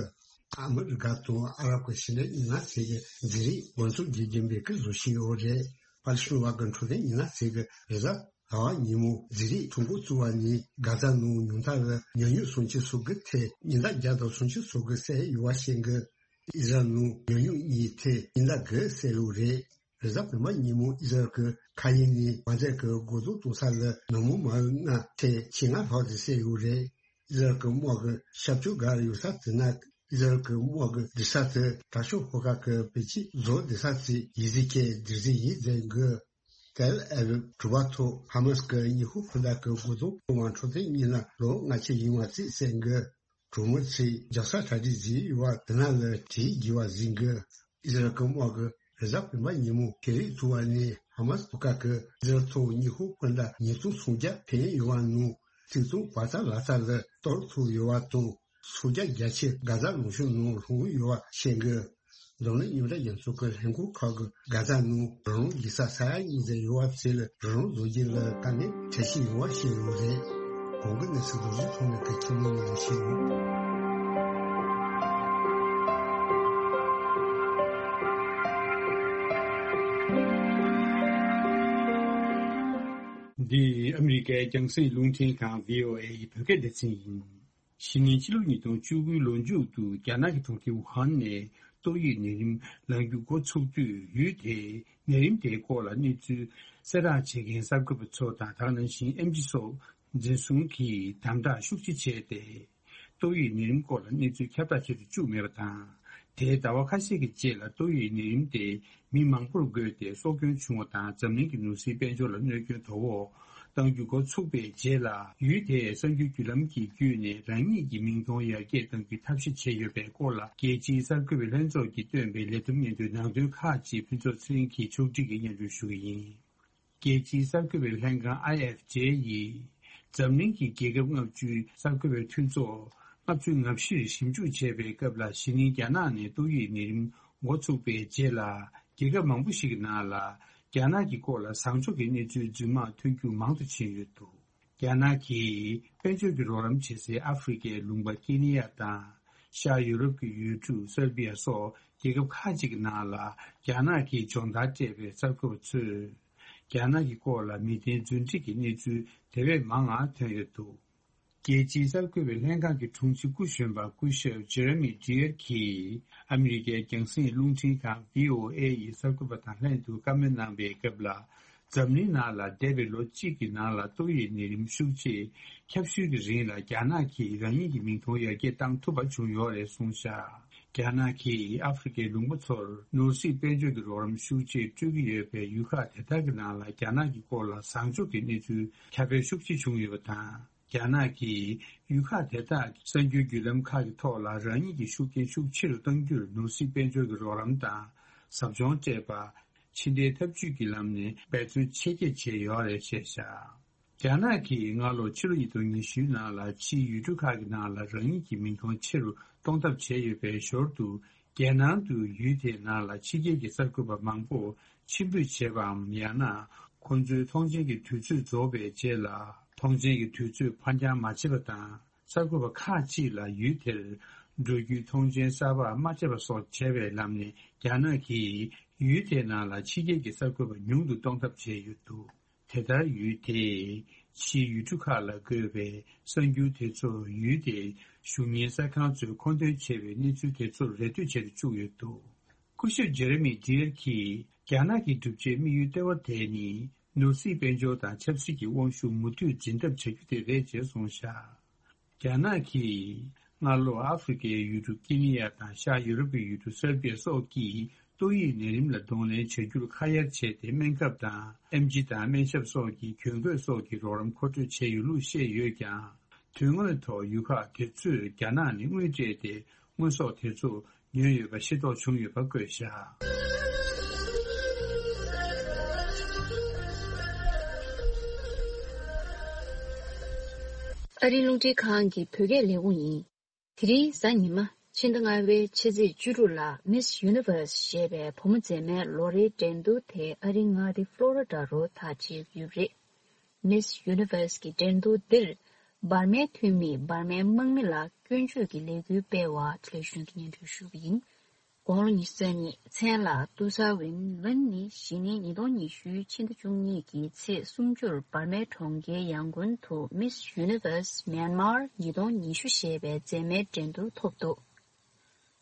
ཨ་མི་རི་ཀ་དང་ཨ་རབ་ཀྱི་ཕྱི་འབྲེལ་མི་སྣ་ཚོས་ཀྱི་འཛིང་རེས་འགོ་འཛུགས་རྒྱུ་རྒྱུན་པའི་ཀི་བཟོ་བཞིན་ཡོད་རེད། པ་ལི་སི་ཐན་བ་གི་འཕྲོད་བསྟེན་མི་སྣ་ཚོས་ཀྱི་རེས་གཟའ་ཟླ་བ་ཉིན་མོ་འཛིང་རེས་ཐུགས་འགོ་བཙུགས་པ་ནས་གྷ་ཛ་ནང་ཉུང་མཐའ་ལ་ཉེས་དམིགས་སུམ་ཅུ་སོ་དགུ་ཐེ་ཉིན་ལྟར་བརྒྱ་དང་སུམ་ཅུ་སོ་དགུ་བསད་ཡོད་པ་བཤད་གི། ཨི་ཟ་རེལ་ནང་ཉེས་དམིགས་གཉིས་ཐེ་ཉིན་ལྟར་དགུ་བསད་ཡོད་རེད། རེས་གཟའ་སྤེན་པ་ཉིན་མོ་ཨི་ཟ་རེལ་གྱི་མཁའ་དབྱིངས་ནས་འབར་རྫས་ཀྱི་སྒོ་རྡུང་གཏོང་ས་ལ་ནང་མི་མ་ལྔ་ཐེ་ཁྱི་ལྔ་ལྷག་ཙམ་བསད་ཡོད་རེད། ཨི་ཟ་རེལ་གྱི་དམག་གི་ཤར་ཕྱོགས་སྒར་ཡོད་ས་དེ་ན་ཨི་ཟ་རེལ་གྱི་དམག་གི་སྡོད་ས་དེ་དྲག་ཤོས་ཤོག་ཁག་གི་བེད་སྤྱོད་བཟོ་བསྡད་ས་ཚོའི་ཡིག་གཟུགས་ཀྱི་སྡེར་རྫས་ཡིན་ཟེར་གི། ཏེལ་ཨ་བིབ་གྲུ་པ་ཐོག་ཧ་མ་སི་གི་དངོས་ཤུགས་སྤུན་ཟླ་གི་སྒོ་རྡུང་གཏོང་བ་འཕྲོད་བསྟེན་གཉིས་ལ་ལོ་ལྔ་བཅུ་ཡིན་པ་རྩིས་གསལ་གི། གྲོང་མི་ཚོས་རྒྱབ་ས་གྲ་སྒྲིག་བྱས་ཡོད་པ་དེ་ན་ལ་དྲིས་དགོས་པ་ཟིན་གི། ཨི་ཟ་རེལ་གྱི་དམག་གིས་རེས་གཟའ་སྤེན་པ་ཉིན་མོ་ཤེས་རིག་ཚོགས་པ་ནས་ཧ་མ་སི་ཤོག་ཁག་གི་ཨི་ཟ་རེལ་ཐོག་དངོས་ཤུགས་སྤུན་ཟླ་ཉིས་སྟོང་སུམ་བརྒྱ་འཕེན་ཡོད་པ་ནང་གཅིག་སྟོང་བར་ཐག་ལྷག་ཙམ་ལ་གཏོར་ཐུབ་ཡོད་པ་དང་སུམ་བརྒྱ་བརྒྱད་ཅུ་གྷ་ཛ་ལུང་གཤོང་ནང་ལྷུང་ཡོད་པ་བཤད་གི། འཛམ་གླིང་མཉམ་འབྲེལ་རྒྱལ་ཚོགས་ཀྱི་ལྷན་ཁང་ཁག་གིས་གྷ་ཛ་ནང་རང་དབང་ཡོད་ས་ས་ཡ་གཉིས་ཙམ་ཡོད་པ་ཚོ་ལ་རང་དབང་བཟོ་རྒྱུ་ལ་དཀའ་ངལ་འཕྲད་བཞིན་ཡོད་པ་བཤད་ཡོད་རེད། གོང་གི་གནས་ཚུལ་རྡོ་རྗེ་ཐོགས་མེད་ཀྱིས་ཁྱིམ་ནང་ནས་བཤད་ཡོད། འདི་ཨ་མི་རི་ཀའི་རྒྱང་སྲིང་རླུང་འཕྲིན་ཁང་བྷི་ཨོ་ཨེ་ཡི་བོད་སྐད་སྡེ་ཚན་ཡིན། གཞེས་ནིང་ཕྱི་ལོ་ཉིས་སྟོང་བཅུ་དགུའི་ལོ་མཇུག་ཏུ་རྒྱ་ནག་གི་གྲོང་ཁྱེར་ཝུ་ཧན་ནས་ཏོག་དབྱིབས་ནད་རིམས་ལངས་རྒྱུ་འགོ་ཚུགས་དུས། ཡུལ་དེས་ནད་རིམས་དེའི་སྐོར་ལ་གནས་ཚུལ་གསལ་བསྒྲགས་བྱེད་མཁན་གསར་འགོད་པ་ཚོ་དང་། དེ་ནང་བཞིན་ཨེམ་ཆི་སོགས་འཛིན་བཟུང་གིས་དམ་དྲག་ཤུགས་ཆེ་བྱས་ཏེ། ཏོག་དབྱིབས་ནད་རིམས་སྐོར་ལ་གནས་ཚུལ་ཁྱབ་བསྒྲགས་བྱེད་དུ་བཅུག་མེད་པ་དང་། དེའི་ཟླ་བ་ཁ་ཤས་ཀྱི་རྗེས་ལ་ཏོག་དབྱིབས་ནད་རིམས་དེ་མི་མང་པོར་འགོས་ཏེ་སྲོག་སྐྱོན་བྱུང་བ་དང་། འཛམ་གླིང་གི་ནོར་སྲིད་དཔལ་འབྱོར་ལ་གནོད་སྐྱོན་དོ་ཕོག་གཏང་རྒྱུ་འགོ་ཚུགས་པའི་རྗེས་ལ། ཡུལ་དེས་གསར་འགྱུར་བརྒྱུད་ལམ་གྱི་བརྒྱུད་ནས་རང་ཉིད་ཀྱི་མིང་མཐོང་ཡར་རྒྱས་གཏང་རྒྱུའི་ཐབས་ཤེས་བྱས་ཡོད་པའི་སྐོར་ལ། རྒྱལ་སྤྱིའི་གསར་འགོད་པའི་ལྷན་ཚོགས་ཀྱིས་བཏོན་པའི་ལས་བསྡོམས་སྙན་ཐོའི་ནང་དོན་ཁག་ཅིག་ཕུན་ཚོགས་ཚེ་རིང་གིས་ཕྱོགས་སྒྲིག་གིས་སྙན་སྒྲོན་ཞུ་གི་ཡིན། རྒྱལ་སྤྱིའི་གསར་འགོད་པའི་ལྷན་ཁང་ཨའི་ཨེཕ་ཇེ་ཡིས། འཛམ་གླིང་གི་རྒྱལ་ཁབ་ལྔ་བཅུའི་གསར་འགོད་པའི་མཐུན་ཚོགས་ལྔ་བཅུ་ང་བཞིར་ཞིབ་འཇུག་བྱས་པའི་སྐབས་ལ། གཞེས་ནིང་རྒྱ་ནག་ནས་ཏོག་དབྱིབས་ནད་རིམས་འགོ་ཚུགས་པའི་རྗེས་ལ། རྒྱལ་ཁབ་མང་པོ་ཞིག་གི་ནང་ལ་རྒྱ་ནག་གི་སྐོར་ལ་བཟང་ཕྱོགས་ཀྱི་གནས་ཚུལ་རྫུན་མ་ཐོན་རྒྱུ་མང་དུ་ཕྱིན་ཡོད་འདུག་རྒྱ་ནག་གིས་དཔལ་འབྱོར་གྱི་རོགས་རམ་བྱེད་སའི་ཨ་ཧྥེ་རི་ཁའི་ལུང་པ་ཀེ་ནི་ཡ་དང་། ཤར་ཡུ་རོབ་ཀྱི་ཡུལ་གྲུ་སར་བྷི་ཡ་སོགས་རྒྱལ་ཁབ་ཁག་ཅིག་གི་ནང་ལ་རྒྱ་ནག་གིས་སྦྱོང་བརྡར་སྤྲད་པའི་གསར་འགོད་པ་ཚོས། རྒྱ་ནག་གི་སྐོར་ལ་མི་བདེན་རྫུན་སྒྲིག་གི་གནས་ཚུལ་དེ་བས་མང་བ་ཐོན་ཡོད་འདུག་རྒྱལ་སྤྱིའི་གསར་འགོད་པའི་ལྷན་ཁང་གི་དྲུང་ཆེ་སྐུ་གཞོན་པ་སྐུ་ཞབས་ཇེ་རེ་མི་ཌི་ཡར་གྱིས་ཨ་མི་རི་ཀའི་རྒྱང་སྲིང་རླུང་འཕྲིན་ཁང་བྷི་ཨོ་ཨེ་ཡི་གསར་འགོད་པ་དང་ལྷན་དུ་བཀའ་མོལ་གནང་པའི་སྐབས་ལ། འཛམ་གླིང་ནང་ལ་འདས་པའི་ལོ་གཅིག་གི་ནང་ལ་ཏོག་དབྱིབས་ནད་རིམས་ཤུགས་ཆེ་ཁྱབ་ཤུལ་གྱི་རིང་ལ་རྒྱ་ནག་གིས་རང་ཉིད་ཀྱི་མིང་མཐོང་ཡར་རྒྱས་བཏང་ཐུབ་པ་བྱུང་ཡོད་རེད་གསུངས་བཞག་རྒྱ་ནག་གིས་ཨ་ཧྥེ་རི་ཁའི་ལུང་པ་ཚོར་ནོར་སྲིད་དཔལ་འབྱོར་གྱི་རོགས་རམ་ཤུགས་ཆེ་སྤྲོད་ཀྱི་ཡོད་པའི་ཡུལ་ཁག་དེ་དག་གི་ནང་ལ་རྒྱ་ནག་གི་སྐོར་ལ་བཟང་ཕྱོགས་ཀྱི་གནས་ཚུལ་ཁྱབ་སྤེལ་ཤུགས་ཆེ་བྱུང་ཡོད་པ་དང་། རྒྱ་ནག་གིས་ཡུལ་ཁག་དེ་དག་གི་གསར་འགྱུར་བརྒྱུད་ལམ་ཁག་གི་ཐོག་ལ་རང་ཉིད་ཀྱི་ཤུགས་རྐྱེན་ཤུགས་ཆེ་རུ་གཏང་རྒྱུར་ནོར་སྲིད་དཔལ་འབྱོར་གྱི་རོགས་རམ་དང་ཟབ་སྦྱོང་སྤྲད་པ། ཕྱི་འབྲེལ་འཐབ་ཇུས་ཀྱི་ལམ་ནས་འབད་བརྩོན་ཆེ་བསྐྱེད་བྱས་ཡོད་རེད་བཤད་བཞག་རྒྱ་ནག་གིས་སྔ་ལོ་ཕྱི་ལོ་ཉིས་སྟོང་ཉི་ཤུའི་ནང་ལ་ཕྱིའི་ཡུལ་གྲུ་ཁག་གི་ནང་ལ་རང་ཉིད་ཀྱི་མིང་ཐོ་ཆེ་རུ་གཏོང་ཐབས་བྱས་ཡོད་པའི་ཞོར་དུ། རྒྱལ་ནང་དུ་ཡུལ་དེའི་ནང་ལ་ཕྱི་རྒྱལ་གྱི་གསར་འགོད་པ་མང་པོ་ཕྱིར་འབུད་བྱས་པའམ། ཡང་ན་ཁོ་ཚོའི་ཐོངས་མཆན་གྱི་དུས་ཚོད་རྫོགས་པའི་རྗེས་ལ་ཐོངས་མཆན་གྱི་དུས་ཚོད་ཕར་འགྱངས་མ་བྱས་པ་དང་། གསར་འགོད་པ་ཁག་ཅིག་ལ་ཡུལ་དེར་འགྲོ་རྒྱུའི་ཐོངས་མཆན་གསར་པ་མ་སྤྲད་པ་སོགས་བྱས་པའི་ལམ་ནས། རྒྱ་ནག་གིས་ཡུལ་དེའི་ནང་ལ་ཕྱི་རྒྱལ་གྱི་གསར་འགོད་པ་ཉུང་དུ་གཏོང་ཐབས་བྱས་ཡོད་འདུག་དེ་ལྟར་ཡུལ་དེས་ཕྱིའི་ཡུལ་གྲུ་ཁག་ལ་འགོད་པའི་གསར་འགྱུར་དེ་ཚོ་ཡུལ་དེའི་གཞུང་གཉེར་གསར་ཁང་ཚོས་མཁོ་འདོན་བྱས་པའི་གནས་ཚུལ་དེ་ཚོར་རེ་ལྟོས་བྱེད་དུ་བཅུག་ཡོད་འདུག་སྐུ་ཞབས་ཇེ་རེ་མི་ཌི་ཡར་གྱིས། རྒྱ་ནག་གི་གྲུབ་ཆའི་དམིགས་ཡུལ་ལྟེ་བ་དེ་ནི་ནོར་སྲིད་དཔལ་འབྱོར་དང་ཆབ་སྲིད་ཀྱི་དབང་ཤུགས་མུ་མཐུད་འཛིན་ཐབས་བྱ་རྒྱུ་དེ་རེད་ཅེས་གསུངས་བཞག་རྒྱ་ནག་གིས་སྔ་ལོ་ཨ་ཧྥེ་རི་ཁའི་ཡུལ་གྲུ་ཀེ་ནི་ཡ་དང་ཤར་ཡུ་རོབ་ཀྱི་ཡུལ་གྲུ་སེར་བྷི་ཡ་སོགས་ཀྱིས་ཏོག་དབྱིབས་ནད་རིམས་ལ་གདོང་ལེན་བྱ་རྒྱུར་ཁ་གཡར་བྱས་ཏེ། སྨན་ཁབ་དང་ཨེམ་ཆི་དང་སྨན་ཞབས་སོགས་ཀྱི་གྱོན་གོས་སོགས་ཀྱི་རོགས་རམ་མཁོ་སྤྲོད་བྱས་ཡོད་ལུགས་བཤད་ཡོད་ཀྱང་། དོན་དངོས་ཐོག་ཡུལ་ཁག་དེ་ཚོས་རྒྱ་ནག་ནས་དངུལ་སྤྲད་དེ། དངོས་ཟོག་དེ་ཚོ་ཉོས་ཡོད་པ་ཤེས་རྟོགས་བྱུང་ཡོད་པ་བཀོད་བཞག་ཨ་རིའི་རླུང་འཕྲིན་ཁང་གི་བོད་སྐད་ལས་ཁུངས་ཡིན། དེ་རིང་གཟའ་ཉི་མ། ཕྱི་ཟླ་ལྔ་པའི་ཕྱི་ཚེས་བཅུ་དྲུག་ལ་Miss Universe ཞེས་པའི་བུ་མོ་མཛེས་མའི་ལོ་རེའི་འགྲན་བསྡུར་དེ་ཨ་རིའི་མངའ་སྡེ་ཕློ་རི་ཌ་རུ་མཐའ་དཔྱད་ཀྱི་ཡོད་པ་རེད། Miss Universe གྱི་འགྲན་བསྡུར་འདིར། འབར་མའི་འཐུས་མིས་འབར་མའི་དམག་མི་ལ་སྐྱོན་བརྗོད་ཀྱི་ལས་འགུལ་སྤེལ་བ། ལེགས་ཤོམ་གྱི་སྙན་སྒྲོན་ཞུ་གི་ཡིན། དགུང་ལོ་ཉི་ཤུ་རྩ་གཉིས། མཚན་ལ་ཏུ་ས་ཝིན་ལོན་ནི་གཞེས་ནིང་ཉིས་སྟོང་ཉི་ཤུའི་ཕྱི་ཟླ་བཅུ་གཉིས་ཀྱི་ཚེས་སུམ་ཅུར་འབར་མའི་གྲོང་ཁྱེར་ཡང་གུན་དུ་Miss Universe Myanmar ཉིས་སྟོང་ཉི་ཤུ་ཞེས་པའི་མཛེས་མའི་འགྲན་བསྡུར་ཐོབ་འདུག་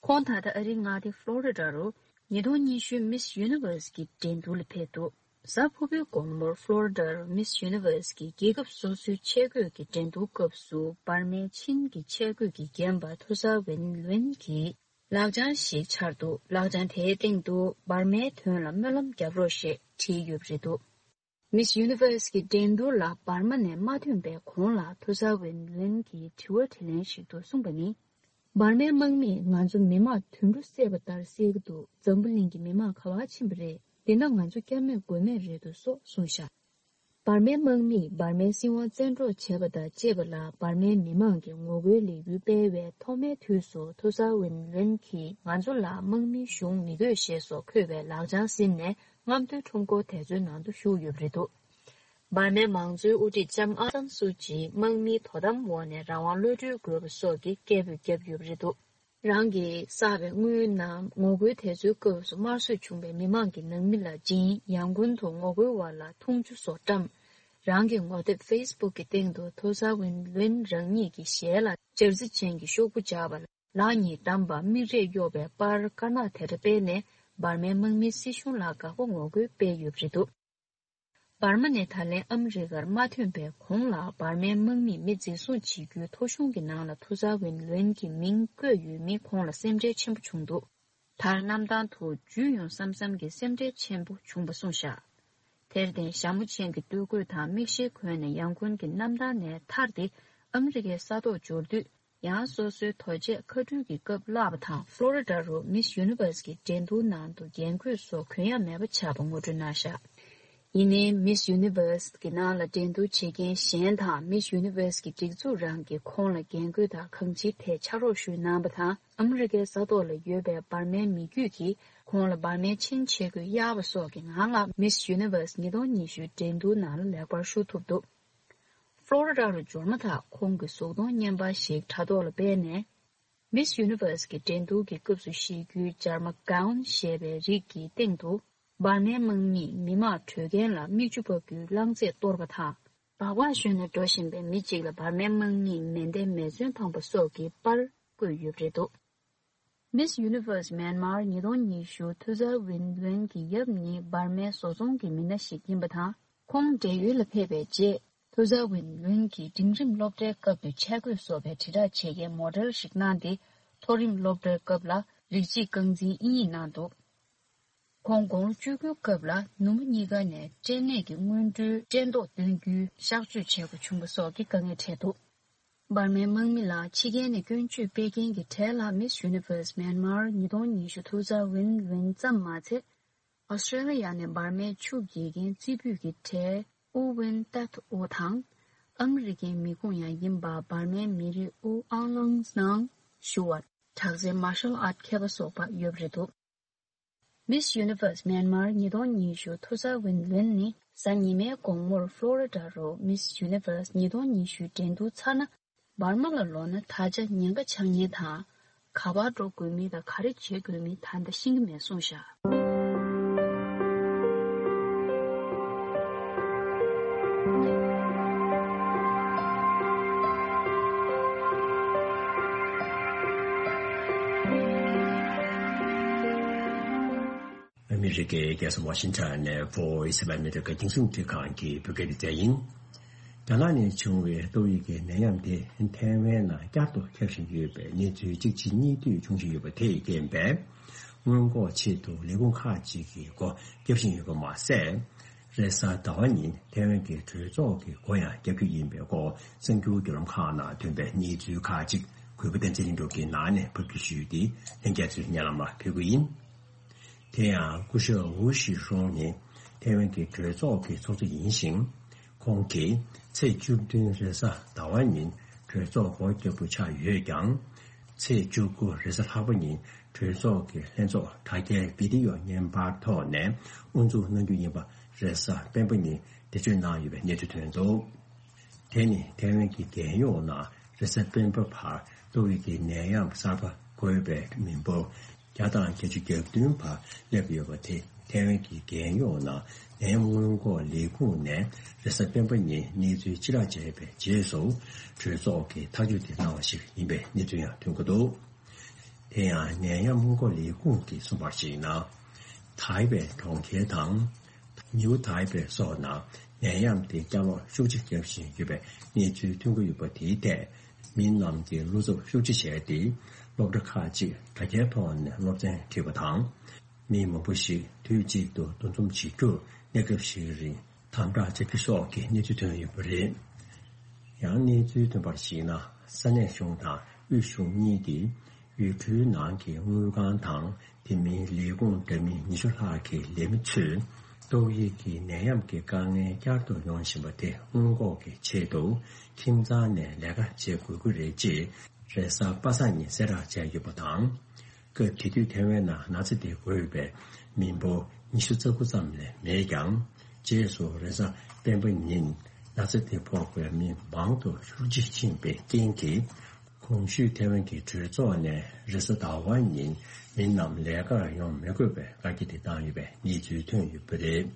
ཁོང་ད་ལྟ་ཨ་རིའི་མངའ་སྡེ་ཕློ་རི་ཌ་རུ་ཉིས་སྟོང་ཉི་ཤུ་Miss Universe གྱི་འགྲན་བསྡུར་ལ་ཕེབས་འདུག་གཟའ་ཕུར་བུའི་དགོང་མོར་ཕློ་རི་ཌར་Miss Universe གྱི་རྒྱལ་ཁབ་སོ་སོའི་ཆས་གོས་ཀྱི་འགྲན་བསྡུར་སྐབས་སུ་འབར་མའི་ཆིན་གྱི་ཆས་གོས་ཀྱིས་བརྒྱན་པ་ཐུ་ས་ཝེན་ལུན་གྱི་ལག་བྱང་ཞིག་འཆར་འདུག་ལག་བྱང་དེའི་སྟེང་དུ་འབར་མའི་དོན་ལ་སྨོན་ལམ་རྒྱབ་རོགས་ཞེས་བྲིས་ཡོད་པ་རེད་འདུག Miss Universe གྱི་འགྲན་བསྡུར་ལ་འབར་མ་ནས་མ་ཐོན་པའི་གོང་ལ་ཐུ་ས་ཝེན་ལུན་གྱིས་དྲི་བ་དྲིས་ལན་ཞིག་ཏུ་གསུངས་པ་ནི། འབར་མའི་དམག་མིས་ང་ཚོ་མི་མང་དུད་འགྲོ་བསད་པ་ལྟར་བསད་ཀྱི་འདུག་འཛམ་བུ་གླིང་གི་མི་མང་ག་པར་ཕྱིན་པ་རེད། འདི་ན་ང་ཚོ་སྐྱབས་མེད་མགོན་མེད་རེད་འདུག་སོགས་གསུངས་བཞག་འབར་མའི་དམག་མིས་འབར་མའི་སྲིད་དབང་བཙན་འཕྲོག་བྱས་པ་དང་བཅས་པ་ལ་འབར་མའི་མི་མང་གིས་ངོ་རྒོལ་ལས་འགུལ་སྤེལ་བའི་ཐོག་མའི་དུས་སུ་ཐུ་ས་ཝིན་ལུན་གྱིས་ང་ཚོ་ལ་དམག་མིའི་གཞུང་མི་དགོས་ཞེས་སོགས་འཁོད་པའི་ལག་བྱང་ཟིན་ནས་རྔམ་སྟོན་ཁྲོམ་སྐོར་དེ་ཚོའི་ནང་དུ་ཞུགས་ཡོད་པ་རེད་འདུག་འབར་མའི་མང་གཙོའི་དབུ་ཁྲིད་ལྕམ་ཨང་སན་སུའུ་ཅིས་དམག་མིའི་དོ་དམ་འོག་ནས་རང་དབང་གློད་གྲོལ་དགོས་པ་སོགས་ཀྱི་སྐད་འབོད་བརྒྱབ་ཡོད་པ་རེད་འདུག་རང་གིས་བསགས་པའི་དངུལ་རྣམས་ངོ་རྒོལ་དེ་ཚོའི་སྐབས་སུ་དམར་གསོད་བྱུང་བའི་མི་མང་གི་ནང་མི་ལ་སྦྱིན། ཡང་ཀུན་ཏུ་ངོ་རྒོལ་བ་ལ་འཐུང་ཆུ་སོགས་བཀྲམ། རང་གི་ངོ་དེབ་ཕེ་སི་བུག་གི་སྟེང་དུ་ཐུ་ས་ཝིན་ལུན་རང་ཉིད་ཀྱི་ཞལ་ལ་འབྱར་རྩི་ཅན་གྱི་ཤོག་བུ་སྦྱར་བ། ལག་གཉིས་བསྡམས་པ། མིག་རས་གཡོགས་པའི་པར་དཀར་ནག་དེ་འདྲ་སྤེལ་ནས་འབར་མའི་དམག་མིའི་སྲིད་གཞུང་ལ་དགག་པ་ངོ་རྒོལ་སྤེལ་ཡོད་པ་རེད་འདུག་འབར་མ་ནས་ད་ལན་ཨ་མི་རི་ཀར་མ་ཐོན་པའི་གོང་ལ་འབར་མའི་དམག་མིས་མི་འཛིན་བཟུང་བྱེད་རྒྱུའི་ཐོ་གཞུང་གི་ནང་ལ་ཐུ་ས་ཝིན་ལུན་གྱི་མིང་བཀོད་ཡོད་མི་ཁོང་ལ་སེམས་ཁྲལ་ཆེན་པོ་བྱུང་འདུག་མཐར་གནམ་ཐང་དུ་འཇུས་ཡོང་བསམ་བསམ་གྱི་སེམས་ཁྲལ་ཆེན་པོ་བྱུང་པ་གསུངས་བཞག་དེར་བརྟེན་ཞྭ་མོ་ཅན་གྱི་སྟོད་གོས་དང་མིག་ཤེལ་གོན་ནས་ཡང་ཀུན་གྱི་གནམ་ཐང་ནས་ཐར་ཏེ་ཨ་མི་རི་ཀའི་ས་ཐོག་འབྱོར་དུས། ཡང་སོ་སོའི་དོ་ཆས་མཁའ་འགྲུལ་གྱི་སྐབས་བརླག་པ་དང་ཕློ་རི་ཌ་རུ་མིས་ཡུ་ནི་ཝར་སི་གི་འགྲན་བསྡུར་ནང་དུ་རྒྱན་གོས་སོགས་གོན་ཡ་མེད་པ་ཆགས་པ་ངོ་སྤྲོད་གནང་བཞག་ཡིན་ནའི་མིས་ཡུ་ནི་ཝར་སི་གི་ནང་ལ་འགྲན་བསྡུར་བྱེད་མཁན་གཞན་དང་མིས་ཡུ་ནི་ཝར་སི་གི་སྒྲིག་འཛུགས་རང་གིས་ཁོང་ལ་རྒྱན་གོས་དང་གང་ཅིའི་ཐད་ཕྱག་རོགས་ཞུས་གནང་བ་དང་། ཨ་མི་རི་ཀའི་ས་ཐོག་ལ་ཡོད་པའི་འབར་མའི་མི་རྒྱུད་ཀྱིས་ཁོང་ལ་འབར་མའི་ཆིན་ཆས་གོས་གཡར་བ་སོགས་ཀྱི་ངང་ལ་མིས་ཡུ་ནི་ཝར་སི་ཉིས་སྟོང་ཉི་ཤུའི་འགྲན་བསྡུར་ནང་ལ་ལེགས་པར་ཞུགས་ཐུབ་འདུག་ཕློ་རི་ཌ་རུ་འབྱོར་མ་ཐག་ཁོང་གིས་གཟུགས་མཐོང་བརྙན་པར་ཞིག་དྲ་ཐོག་ལ་སྤེལ་ནས། མིས་ཡུ་ནི་ཝར་སི་གི་འགྲན་བསྡུར་གྱི་སྐབས་སུ་བཞེས་རྒྱུའི་ཇར་མ་གའོན་ཞེས་པའི་རིགས་ཀྱི་སྟེང་དུ། འབར་མའི་དམག་མིས་མི་དམངས་བྲོས་མཁན་ལ་མིག་ཆུ་ཕབ་རྒྱུའི་རླངས་རྫས་གཏོར་བ་དང་། སྦག་སྦག་ཞོན་ནས་འགྲོ་བཞིན་པའི་མི་གཅིག་ལ་འབར་མའི་དམག་མིས་མེ་མདའི་མེ་མཚོན་འཕངས་པ་སོགས་ཀྱི་པར་བཀོད་ཡོད་པ་རེད་འདུག་མིས་ཡུ་ནི་ཝར་སི་མེན་མར་ཉིས་སྟོང་ཉི་ཤུ་ཐུ་ཛར་ཝིན་ལུན་གྱི་ཡབ་ནི་འབར་མའི་བཟོ་ཚོང་གི་མི་སྣ་ཞིག་ཡིན་པ་དང་། ཁོང་བགྲེས་ཡོལ་ལ་ཕེབས་པའི་རྗེས། ཐུ་ཛར་ཝིན་ལུན་གྱིས་འབྲིང་རིམ་སློབ་གྲྭའི་སྐབས་སུ་ཆས་གོས་བཟོ་བའི་དྲིལ་བསྒྲགས་བྱེད་མཁན་མོ་ཌེལ་ཞིག་གནང་སྟེ། མཐོ་རིམ་སློབ་གྲྭའི་སྐབས་ལ་རིགས་གཅིག་རྐང་འཛིན་དབྱིན་ཡིག་གནང་འདུག་ཁོང་དགུང་ལོ་བཅུ་དགུའི་སྐབས་ལ་ནུ་མོ་གཉིས་ཀ་ནས་སྐྲན་ནད་ཀྱི་སྔོན་འགྲོའི་སྐྲན་ཐོག་བཏོན་རྒྱུའི་གཤགས་བཅོས་བྱེད་དགོས་བྱུང་བ་སོགས་ཀྱི་དཀའ་ངལ་འཕྲད་འདུག་འབར་མའི་དམག་མི་ལ་ཕྱི་རྒྱལ་ནས་སྐྱོན་བརྗོད་སྤེལ་མཁན་གྱི་གྲས་ལ་Miss Universe Myanmar ཉིས་སྟོང་ཉི་ཤུ་ཐུགས་གཙང་ཝིན་ཝིན་ཙམ་མ་ཚད། ཨོ་སི་ཀྲེ་ལི་ཡ་ནས་འབར་མའི་ཆུ་རྒྱས་མཁན་རྩེ་ཕུད་ཀྱི་གྲས་ཨུ་ཝིན་ཏད་ཨོ་དང་། ཨ་མི་རི་ཀའི་མི་ཁུངས་ཡང་ཡིན་པ་འབར་མའི་མི་རིགས་ཨུ་ཨང་ལང་ནང་ཞུ་བ། དྲག་རྩལ་མར་ཤལ་ཨརྟ་མཁས་པ་སོགས་པ་ཡོད་པ་རེད་འདུག Miss Universe Myanmar ཉིས་སྟོང་ཉི་ཤུ་ཐུགས་གཙང་ཝིན་ཝིན་ནི་གཟའ་ཉི་མའི་དགོང་མོར་ཕློ་རི་ཌ་རུ་Miss Universe ཉིས་སྟོང་ཉི་ཤུའི་འགྲན་བསྡུར་ཚར་ན། འབར་མ་ལ་ལོག་ན་ད་ཆ་ཉེན་ཁ་ཆགས་ཉེན་དང་། ག་པར་འགྲོ་དགོས་མིན་དང་ག་རེ་བྱེད་དགོས་མིན་ད་ལྟ་ཤེས་ཀྱི་མེད་གསུངས་བཞག་ཨ་མི་རི་ཀའི་རྒྱལ་ས་ཝ་ཤིང་ཊོན་ནས་Voice of America རྒྱང་སྲིང་རླུང་འཕྲིན་ཁང་གི་བོད་སྐད་སྡེ་ཚན་ཡིན། རྒྱ་ནག་ནས་བྱུང་བའི་ཏོག་དབྱིབས་ཀྱི་ནད་ཡམས་དེ་ཐའེ་ཝན་ནང་བསྐྱར་དུ་ཁྱབ་བཞིན་ཡོད་པའི་གནས་ཚུལ་གཅིག་རྗེས་གཉིས་མཐུད་འབྱུང་བཞིན་ཡོད་པ་དེས་རྐྱེན་པས། སྔོན་འགོག་ཆེད་དུ་ལས་ཁུངས་ཁག་ཅིག་གིས་སྒོ་བརྒྱབ་བཞིན་ཡོད་པ་མ་ཟད། རེས་གཟའ་ཟླ་བ་ཉིན་ཐའེ་ཝན་གྱི་གྲོས་ཚོགས་ཀྱི་སྒོ་ཡང་བརྒྱབ་རྒྱུ་ཡིན་པའི་སྐོར་གསར་འགྱུར་བརྒྱུད་ལམ་ཁག་ནང་ཐོན་པའི་གནས་ཚུལ་ཁག་ཅིག་གུས་པ་བསྟན་འཛིན་ལྷུན་གྲུབ་ཀྱིས་ནང་ནས་ཕབ་སྒྱུར་ཞུས་ཏེ་ལྷན་རྒྱས་ཚོའི་སྙན་ལམ་ལ་ཕུལ་གྱི་ཡིན། དེ་ཡང་སྐུ་ཞབས་ཝུ་ཞི་ཧྲུང་ནི་ཐའེ་ཝན་གྱི་གྲོས་ཚོགས་ཀྱི་ཚོགས་གཙོ་ཡིན་ཞིང་། ཁོང་གིས་ཚེས་བཅུ་བདུན་རེས་གཟའ་ཟླ་བ་ཉིན་གྲོས་ཚོགས་སྒོ་བརྒྱབ་པ་ཆགས་ཡོད་ཀྱང་། ཚེས་བཅུ་དགུ་རེས་གཟའ་ལྷག་པ་ཉིན་གྲོས་ཚོགས་ཀྱི་ལྷན་ཚོགས་དྲ་རྒྱའི་བི་ཌི་ཡོ་བརྙན་པར་ཐོག་ནས་དབུ་འཛུགས་གནང་རྒྱུ་ཡིན་པ་རེས་གཟའ་སྤེན་པ་ཉིན་འགྲེལ་བརྗོད་གནང་ཡོད་པའི་གནས་ཚུལ་ཐོན་འདུག་དེ་ནི་ཐའེ་ཝན་གྱི་རྒྱལ་ཡོངས་ནང་རེས་གཟའ་སྤེན་པ་བར་ཏོག་དབྱིབས་ཀྱི་ནད་ཡམས་གསར་པ་འགོས་པའི་མི་འབོར་བརྒྱ་དང་བརྒྱད་ཅུ་གྱ་བདུན་བར་སླེབས་ཡོད་པ་དེ་ཐའེ་ཝན་གྱི་རྒྱལ་ཡོངས་ནང་ནད་ཡམས་སྔོན་འགོག་ལས་ཁུངས་ནས་རེས་གཟའ་སྤེན་པ་ཉིན་གནས་ཚུལ་ཕྱིར་བསྒྲགས་བྱས་པའི་རྗེས་སུ་གྲོས་ཚོགས་ཀྱིས་ཐག་གཅོད་དེ་གནང་བ་ཞིག་ཡིན་པའི་གནས་ཚུལ་ཡང་ཐོན་གྱི་འདུག་དེ་ཡང་ནད་ཡམས་སྔོན་འགོག་ལས་ཁུངས་ཀྱིས་གསུངས་པར་གཞིགས་ན། ཐའེ་པེ་གྲོང་ཁྱེར་དང་། ཉིའུ་ཐའེ་པེ་སོགས་ནང་ནད་ཡམས་དེ་བསྐྱར་ལོག་ཤུགས་ཆེ་བརྒྱབ་བཞིན་ཡོད་པའི་གནས་ཚུལ་ཐོན་གྱི་ཡོད་པ་དེའི་ཐད། མི་རྣམས་ཀྱིས་བློ་འཚབ་ཤུགས་ཆེ་བྱས་ཏེ། སློབ་གྲྭ་ཁག་ཅིག་དྲ་རྒྱའི་ཐོག་ནས་སློབ་ཚན་ཁྲིད་པ་དང་། མི་མང་པོ་ཞིག་དུས་གཅིག་ཏུ་འདུ་འཛོམས་བྱེད་རྒྱུར་གནས་སྐབས་ཤིག་རིང་དམ་དྲག་བྱ་རྒྱུ་སོགས་ཀྱི་གནས་ཚུལ་ཐོན་ཡོད་པ་རེད། ཡང་གནས་ཚུལ་ཐོན་པར་གཞིགས་ན། ས་གནས་གཞུང་དང་དབུས་གཞུང་གཉིས་ཀྱིས་ཡུལ་གྲུའི་ནང་གི་དངུལ་ཁང་དང་དེ་མིན་ལས་ཁུངས་འདྲ་མིན་ཉི་ཤུ་ལྷག་གི་ལས་མི་ཚོས་ཏོག་དབྱིབས་ཀྱི་ནད་ཡམས་ཀྱི་དཀའ་ངལ་བསྐྱར་དུ་ཡོང་བཞིན་པ་དེ་སྔོན་འགོག་གི་ཆེད་དུ་ཁྱིམ་ཚང་ནས་ལས་ཀ་བྱེད་དགོས་ཀྱི་རེད་ཅེས་རེས་གཟའ་པ་སངས་ཉིན་གསལ་བསྒྲགས་བྱས་ཡོད་པ་དང་། སྐབས་དེ་དུས་ཐའེ་ཝན་ནང་ན་ཚ་དེ་འགོས་པའི་མི་འབོར་ཉི་ཤུ་རྩ་དགུ་ཙམ་ལས་མེད་ཀྱང་། རྗེས་སུ་རེས་གཟའ་སྤེན་པ་ཉིན་ན་ཚ་དེ་ཕོག་པའི་མི་མང་དུ་ཤུགས་ཆེ་ཕྱིན་པའི་རྐྱེན་གྱིས། གོང་ཞུས་ཐའེ་ཝན་གྱི་གྲོས་ཚོགས་ནས་རེས་གཟའ་ཟླ་བ་ཉིན་མི་རྣམས་ལས་ཀར་ཡོང་མི་དགོས་པའི་བཀའ་རྒྱ་དེ་བཏང་ཡོད་པའི་གནས་ཚུལ་ཐོན་ཡོད་པ་རེད།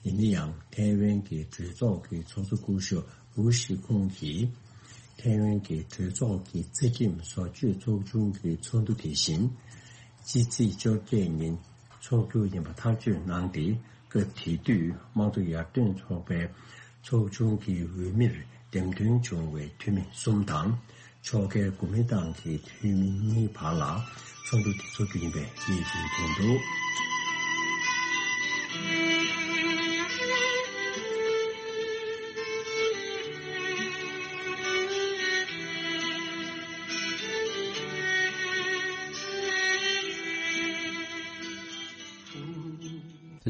ཡིན་ན་ཡང་ཐའེ་ཝན་གྱི་གྲོས་ཚོགས་ཀྱི་ཚོགས་གཙོ་སྐུ་ཞབས་ཝུ་ཤི་ཁུང་གིས། ཐའེ་ཝན་གྱི་གྲོས་ཚོགས་ཀྱི་རྩ་ཁྲིམས་བཟོ་བཅོས་ཚོགས་ཆུང་གི་ཚོགས་འདུ་དེ་བཞིན། ཕྱི་ཚེས་བཅོ་བརྒྱད་ཉིན་འཚོགས་རྒྱུ་ཡིན་པ་ཐག་གཅོད་གནང་སྟེ། སྐབས་དེ་དུས་དམངས་གཙོ་ཡར་ཐོན་ཚོགས་པའི་ཚོགས་ཆུང་གི་འོས་མིར་འདེམས་ཐོན་བྱུང་བའི་འཐུས་མི་གསུམ་དང་། ཕྱོགས་འགལ་གོ་མིན་ཏང་གི་འཐུས་མི་གཉིས་བར་ལ་ཚོགས་འདུ་དེ་ཚོགས་རྒྱུ་ཡིན་པའི་གནས་ཚུལ་ཐོན་འདུག་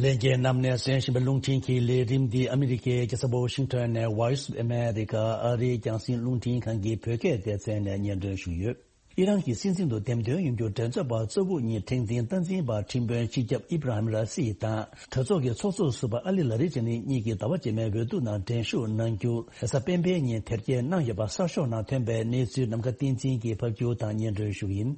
ལྷན་རྒྱས་རྣམས་ནས་གསན་བཞིན་པའི་རླུང་འཕྲིན་གྱི་ལས་རིམ་འདི་ཨ་མི་རི་ཀའི་རྒྱལ་ས་ཝ་ཤིང་ཊོན་ནས་Voice of America ཨ་རིའི་རྒྱང་སྲིང་རླུང་འཕྲིན་ཁང་གི་བོད་སྐད་སྡེ་ཚན་ནས་སྙན་སྒྲོན་ཞུས་ཡོད། ཨི་རན་གྱི་སྲིད་འཛིན་དུ་འདེམས་ཐོན་ཡོང་རྒྱུར་མགྲོན་ཚབ་པ་གཙོ་བོ་གཉིས་ཁྲེང་ཏིང་སྟངས་འཛིན་པ་ཁྲིམས་དཔོན་སྤྱི་ཁྱབ་ཨི་བྷ་ར་ཧིམ་ར་སི་དང་གྲོས་ཚོགས་ཀྱི་ཚོགས་གཙོ་ཟུར་པ་ཨ་ལི་ལ་རི་ཇི་ནི་གཉིས་ཀྱིས་ཟླ་བ་རྗེས་མའི་འོས་བསྡུ་ནང་འགྲན་ཞུགས་གནང་རྒྱུ་རེས་གཟའ་སྤེན་པའི་ཉིན་དེབ་སྐྱེལ་གནང་ཡོད་པ་གསར་ཤོག་ནང་ཐོན་པའི་གནས་ཚུལ་ནམ་མཁའ་བསྟན་འཛིན་གྱིས་ཕབ་སྒྱུར་དང་སྙན་སྒྲོན་ཞུ་གི་ཡིན།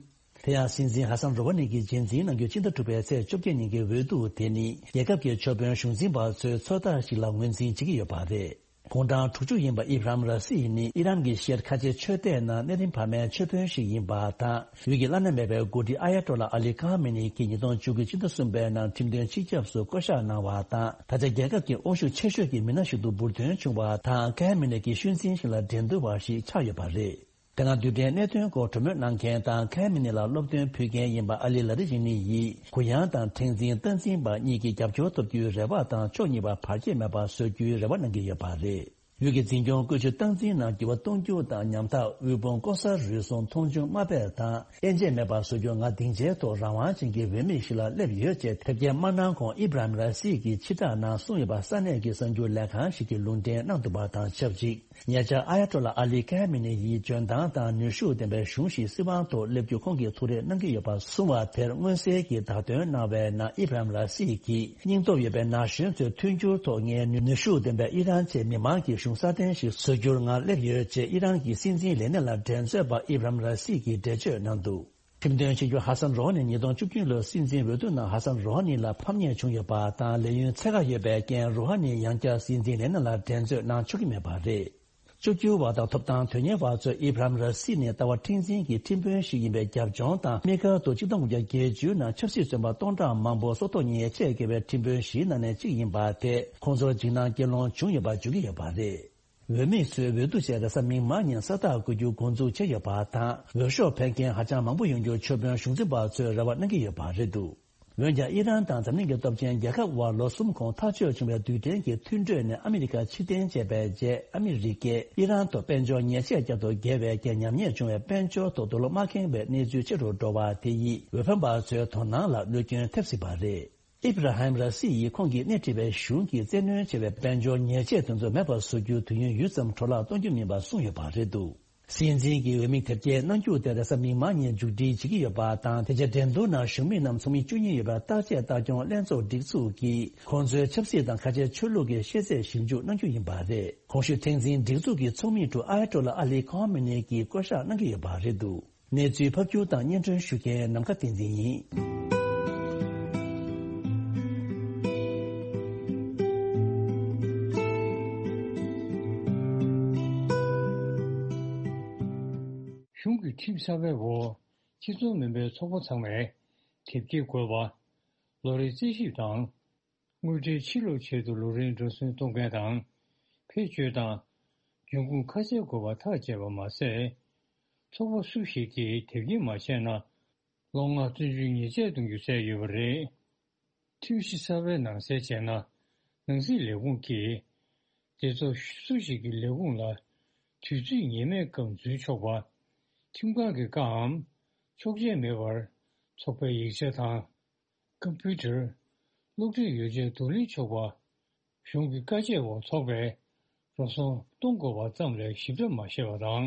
དེ་ཡང་སྲིད་འཛིན་ཧ་སན་རོ་ཧ་ནི་གྱིས་རྗེས་འཛིན་གནང་རྒྱུ་ཕྱི་ཟླ་དྲུག་པའི་ཚེས་བཅོ་བརྒྱད་ཉིན་གྱི་འོས་བསྡུ་དེ་ནི་རྒྱལ་ཁབ་ཀྱི་ཆོས་དཔོན་གཞུང་འཛིན་པ་ཚོའི་ཚོད་ལྟ་ཞིག་ལ་ངོས་འཛིན་བྱེད་ཀྱི་ཡོད་པ་རེད། དགུང་གྲངས་དྲུག་ཅུ་ཡིན་པ་ཨི་བྷ་རམ་ར་སི་ནི་ཨི་རན་གྱི་ཤར་ཁ་ཆེ་ཆོས་སྡེ་ནང་གནས་རིམ་བར་མའི་ཆོས་དཔོན་ཞིག་ཡིན་པ་དང་། ཡུལ་གྱི་བླ་ན་མེད་པའི་འགོ་ཁྲིད་ཨ་ཡ་ཏོ་ལ་ཨ་ལི་ཁ་མེ་ནི་གྱིས་ཉིས་སྟོང་བཅུ་དགུ་ཕྱི་ཟླ་གསུམ་པའི་ནང་ཁྲིམས་དོན་སྤྱི་ཁྱབ་སུ་བསྐོ་གཞག་གནང་བ་དང་། ད་ཆ་རྒྱལ་ཁབ་ཀྱི་དབང་ཤུགས་ཆེ་ཤོས་ཀྱི་མི་སྣ་ཞིག་ཏུ་འབུར་ཐོན་བྱུང་བ་དང་། ཁ་མེ་ནི་གྱི་ཤུལ་འཛིན་ཞིག་ལ་འགྲན་བསྡུར་བ་ཞིག་ཆགས་ཡོད་པ་རེད། དེ་སྔ་རྡུལ་ཕྲན་གནད་དོན་སྐོར་གྲོས་མོལ་གནང་མཁན་དང་ཁ་མི་ནི་ལ་སློབ་སྟོན་ཕུལ་མཁན་ཡིན་པ་ཨ་ལི་ལ་རི་ཡི་ནི་ཡིས་གུ་ཡངས་དང་མཁྲེགས་འཛིན་སྟངས་འཛིན་པ་གཉིས་ཀྱི་རྒྱབ་སྐྱོར་ཐོབ་རྒྱུའི་རེ་བ་དང་ཕྱོགས་གཉིས་པ་བར་ཆད་མེད་པ་བཟོ་རྒྱུའི་རེ་བ་གནང་གི་ཡོད་པ་རེད། ཡུལ་གྱི་འཛིན་སྐྱོང་བཀོལ་སྤྱོད་སྟངས་འཛིན་ནང་འགྱུར་བ་གཏོང་རྒྱུ་དང་ཉམ་ཐག་དབུལ་ཕོངས་ལྐོག་ཟ་རུལ་སུངས་མཐོང་ཆུང་དམའ་འབེབས་དང་དབྱེ་འབྱེད་མེད་པ་བཟོ་རྒྱུ་ང་སྡིངས་ཆའི་ཐོག་རང་དབང་ཅན་གྱི་འོས་མི་ཞིག་ལ་སླེབས་ཡོད་ཅེས་དེབ་སྐྱེལ་མ་གནང་གོང་ཨི་བྷ་ར་ཧིམ་ར་སི་གིས་ཕྱིར་བསྒྲགས་ནང་གསུངས་ཡོད་པ་ས་གནས་ཀྱི་གསར་འགྱུར་ལས་ཁང་ཞིག་གིས་ལུང་འདྲེན་གནང་འདུག་པ་དང་ཆབས་ཅིག་ཉེ་ཆར་ཨ་ཡ་ཏོ་ལ་ཨ་ལི་ཁ་མི་ནི་ཡིས་འཇོན་ཐང་དང་ནུས་ཤུགས་ལྡན་པའི་གཞུང་ཞིག་སྲིད་དབང་ཐོག་སླེབས་རྒྱུ་ཁོང་གིས་ཐུགས་རེ་གནང་གི་ཡོད་པ་གསུངས་པ་དེར་མངོན་གསལ་གྱིས་བརྡ་སྟོན་གནང་བའི་ནང་ཨི་བྷ་ར་ཧིམ་ར་སི་གིས་སྙིང་སྟོབས་ཡོད་པའི་ན་གཞོན་ཚོའི་མཐུན་འགྱུར་ཐོག་ངའི་ནུས་ཤུགས་ལྡན་པའི་ཨི་རན་ཆེད་མི་མང་གི་གཞུང་སྲ་བརྟན་ཞིག་བཟོ་རྒྱུར་ང་སླེབས་ཡོད་ཅེས་ཨི་རན་གྱི་སྲིད་འཛིན་ལས་སྣེ་ལ་འགྲན་རྩོད་པ་ཨི་བྷ་ར་ཧིམ་ར་སི་གིས་འགྲེལ་བརྗོད་གནང་འདུག་ཁྲིམས་དོན་ཆེད་སྒྱུར་ཧ་སན་རོ་ཧ་ནི་ཉིས་སྟོང་བཅུ་བདུན་ལོའི་སྲིད་འཛིན་འོས་བསྡུ་ནང་ཧ་སན་རོ་ཧ་ནི་ལ་ཕམ་ཉེས་བྱུང་ཡོད་པ་དང་ལས་ཡུན་ཚད་བཀག་ཡོད་པའི་རྐྱེན་རོ་ཧ་ནི་ཡང་བསྐྱར་སྲིད་འཛིན་ལས་སྣེ་ལ་འགྲན་རྩོད་གནང་ཆོག་གི་མེད་པ་རེད། བཅོས་བསྒྱུར་བ་དང་ཐོབ་ཐང་དོན་གཉེར་བ་ཚོས་ཨི་བྷ་རམ་ར་སི་ནི་ལྟ་བ་མཁྲེགས་འཛིན་གྱི་ཁྲིམས་དཔོན་ཞིག་ཡིན་པའི་རྒྱབ་ལྗོངས་དང་དམིགས་བཀར་དུ་ཆིག་སྟོང་དགུ་བརྒྱ་བརྒྱད་ཅུ་ནང་ཆབ་སྲིད་བཙོན་པ་སྟོང་ཕྲག་མང་པོ་སྲོག་ཐོག་ཉེས་ཆད་བཀལ་བའི་ཁྲིམས་དཔོན་བཞིའི་ནང་ནས་གཅིག་ཡིན་པ་དེ་ཁོང་ཚོར་འཇིགས་སྣང་སྐྱེ་ལོང་བྱུང་ཡོད་པ་བརྗོད་ཀྱི་ཡོད་པ་རེད། འོས་མི་ཚོས་འོས་བསྡུ་བྱས་རེས་གཟའ་མིག་དམར་ཉིན་ས་རྟགས་བཀོད་རྒྱུ་འགོ་འཛུགས་བྱས་ཡོད་པ་དང་འོས་ཤོག་འཕེན་མཁན་ཧ་ཅང་མང་པོ་ཡོང་རྒྱུར་ཆོས་དཔོན་གཞུང་འཛིན་པ་ཚོས་རེ་བ་གནང་གི་ཡོད་པ་རེད་འདུག་འོན་ཀྱང་ཨི་རན་དང་འཛམ་གླིང་གི་སྟོབས་ཆེན་རྒྱལ་ཁབ་དབར་ལོ་གསུམ་གོང་ཐག་གཅོད་བྱུང་བའི་རྡུལ་ཕྲན་གྱི་མཐུན་གྲོས་ནས་ཨ་མི་རི་ཀ་ཕྱིར་འཐེན་བྱས་པའི་རྗེས་ཨ་མི་རི་ཀས་ཨི་རན་དུ་དཔལ་འབྱོར་ཉེས་ཆད་བསྐྱར་དུ་འགེལ་བའི་རྐྱེན་ཉམས་ཉེས་བྱུང་བའི་དཔལ་འབྱོར་ཐོག་རྡོ་ལོ་མ་ཁེངས་པའི་གནས་ཚུལ་ཆེ་རུ་འགྲོ་བ་དེ་ཡིས་འོས་འཕེན་པ་ཚོའི་དོ་སྣང་ལ་གནོད་སྐྱོན་ཐེབས་སྲིད་པ་རེད། ཨིབ་ར་ཧིམ་ར་སི་ཡིས་ཁོང་གིས་སྣེ་ཁྲིད་པའི་གཞུང་གིས་བཙན་གནོན་བྱས་པའི་དཔལ་འབྱོར་ཉེས་ཆད་དེ་ཚོ་མེད་པར་བཟོ་རྒྱུའི་དུས་ཡུན་ཡུད་ཙམ་འཕྲོ་བརླག་གཏོང་རྒྱུ་མིན་པ་གསུངས་ཡོད་པ་རེད་འདུག་སྲིད་འཛིན་གྱི་འོས་མི་དེབ་སྐྱེལ་གནང་རྒྱུ་དེ་རེས་གཟའ་མིག་དམར་ཉིན་མཇུག་སྒྲིལ་བྱེད་ཀྱི་ཡོད་པ་དང་། དེ་རྗེས་འགྲན་བསྡུར་ནང་ཞུགས་མི་རྣམས་ཚོགས་མི་བཅུ་གཉིས་ཡོད་པའི་བརྟག་དཔྱད་ལྟ་སྐྱོང་ལྷན་ཚོགས་སྒྲིག་འཛུགས་ཀྱིས་ཁོང་ཚོའི་ཆབ་སྲིད་དང་ཁ་ཆེ་ཆོས་ལུགས་ཀྱི་ཤེས་ཚད་ཞིབ་འཇུག་གནང་རྒྱུ་ཡིན་པ་རེད། གོང་ཞུས་མཁྲེགས་འཛིན་སྒྲིག་འཛུགས་ཀྱི་ཚོགས་མི་ཀྲུའུ་ཨ་ཡ་ཏོ་ལ་ཨ་ལི་ཁོ་མེ་ནེ་གིས་བསྐོ་བཞག་གནང་གི་ཡོད་པ་རེད་འདུག་གནས་ཚུལ་ཕབ་སྒྱུར་དང་སྙན་སྒྲོན་ཞུ་མཁན་ནམ་མཁའ་བསྟན་འཛིན་ཡིན། གཞུང་གི་ཁྲིམས་གསར་པའི་འོག་སྤྱི་ཚོགས་མིན་པའི་ཚོགས་པ་ཚང་མས་དེབ་སྐྱེལ་དགོས་པ། ལོ་རེའི་རྩིས་ཞིབ་དང་། དངུལ་ཁྲལ་ཕྱིར་སློག་ཆེད་དུ་ལོ་རེའི་འགྲོ་སོན་གཏོང་མཁན་དང་། བེད་སྤྱོད་དང་། འབྱུང་ཁུངས་ཁ་གསལ་དགོས་པ་ཐག་བཅད་པ་མ་ཟད། ཚོགས་པ་སུ་ཞིག་གིས་དེབ་སྐྱེལ་མ་བྱས་ན། ལོ་ལྔ་བཙོན་འཇུག་ཉེས་ཆད་གཏོང་རྒྱུ་གསལ་ཡོད་པ་རེད། ཁྲིམས་གཞི་གསར་པའི་ནང་གསལ་བྱས་ན། ནང་སྲིད་ལས་ཁུངས་ཀྱིས། སྡེ་ཚོགས་སུ་ཞིག་གི་ལས་ཁུངས་ལ། དུས་ཚོད་ངེས་མེད་སྐབས་འཛུལ་ཆོག་པ། ཁྲིམས་ཁང་གི་བཀའམ། ཆོག་མཆན་མེད་པར། ཚོགས་པའི་ཡིག་ཆ་དང་། ཀམ་པུ་ཊར། གློག་འཕྲིན་ཡོ་བྱད་བསྡུ་ལེན་ཆོག་པ། གཞུང་གི་བཀའ་ཆད་འོག་ཚོགས་པས་འགྲོ་སོང་གཏོང་དགོས་པ་ཙམ་ལས་ཞིབ་ཕྲ་མ་བཤད་པ་དང་།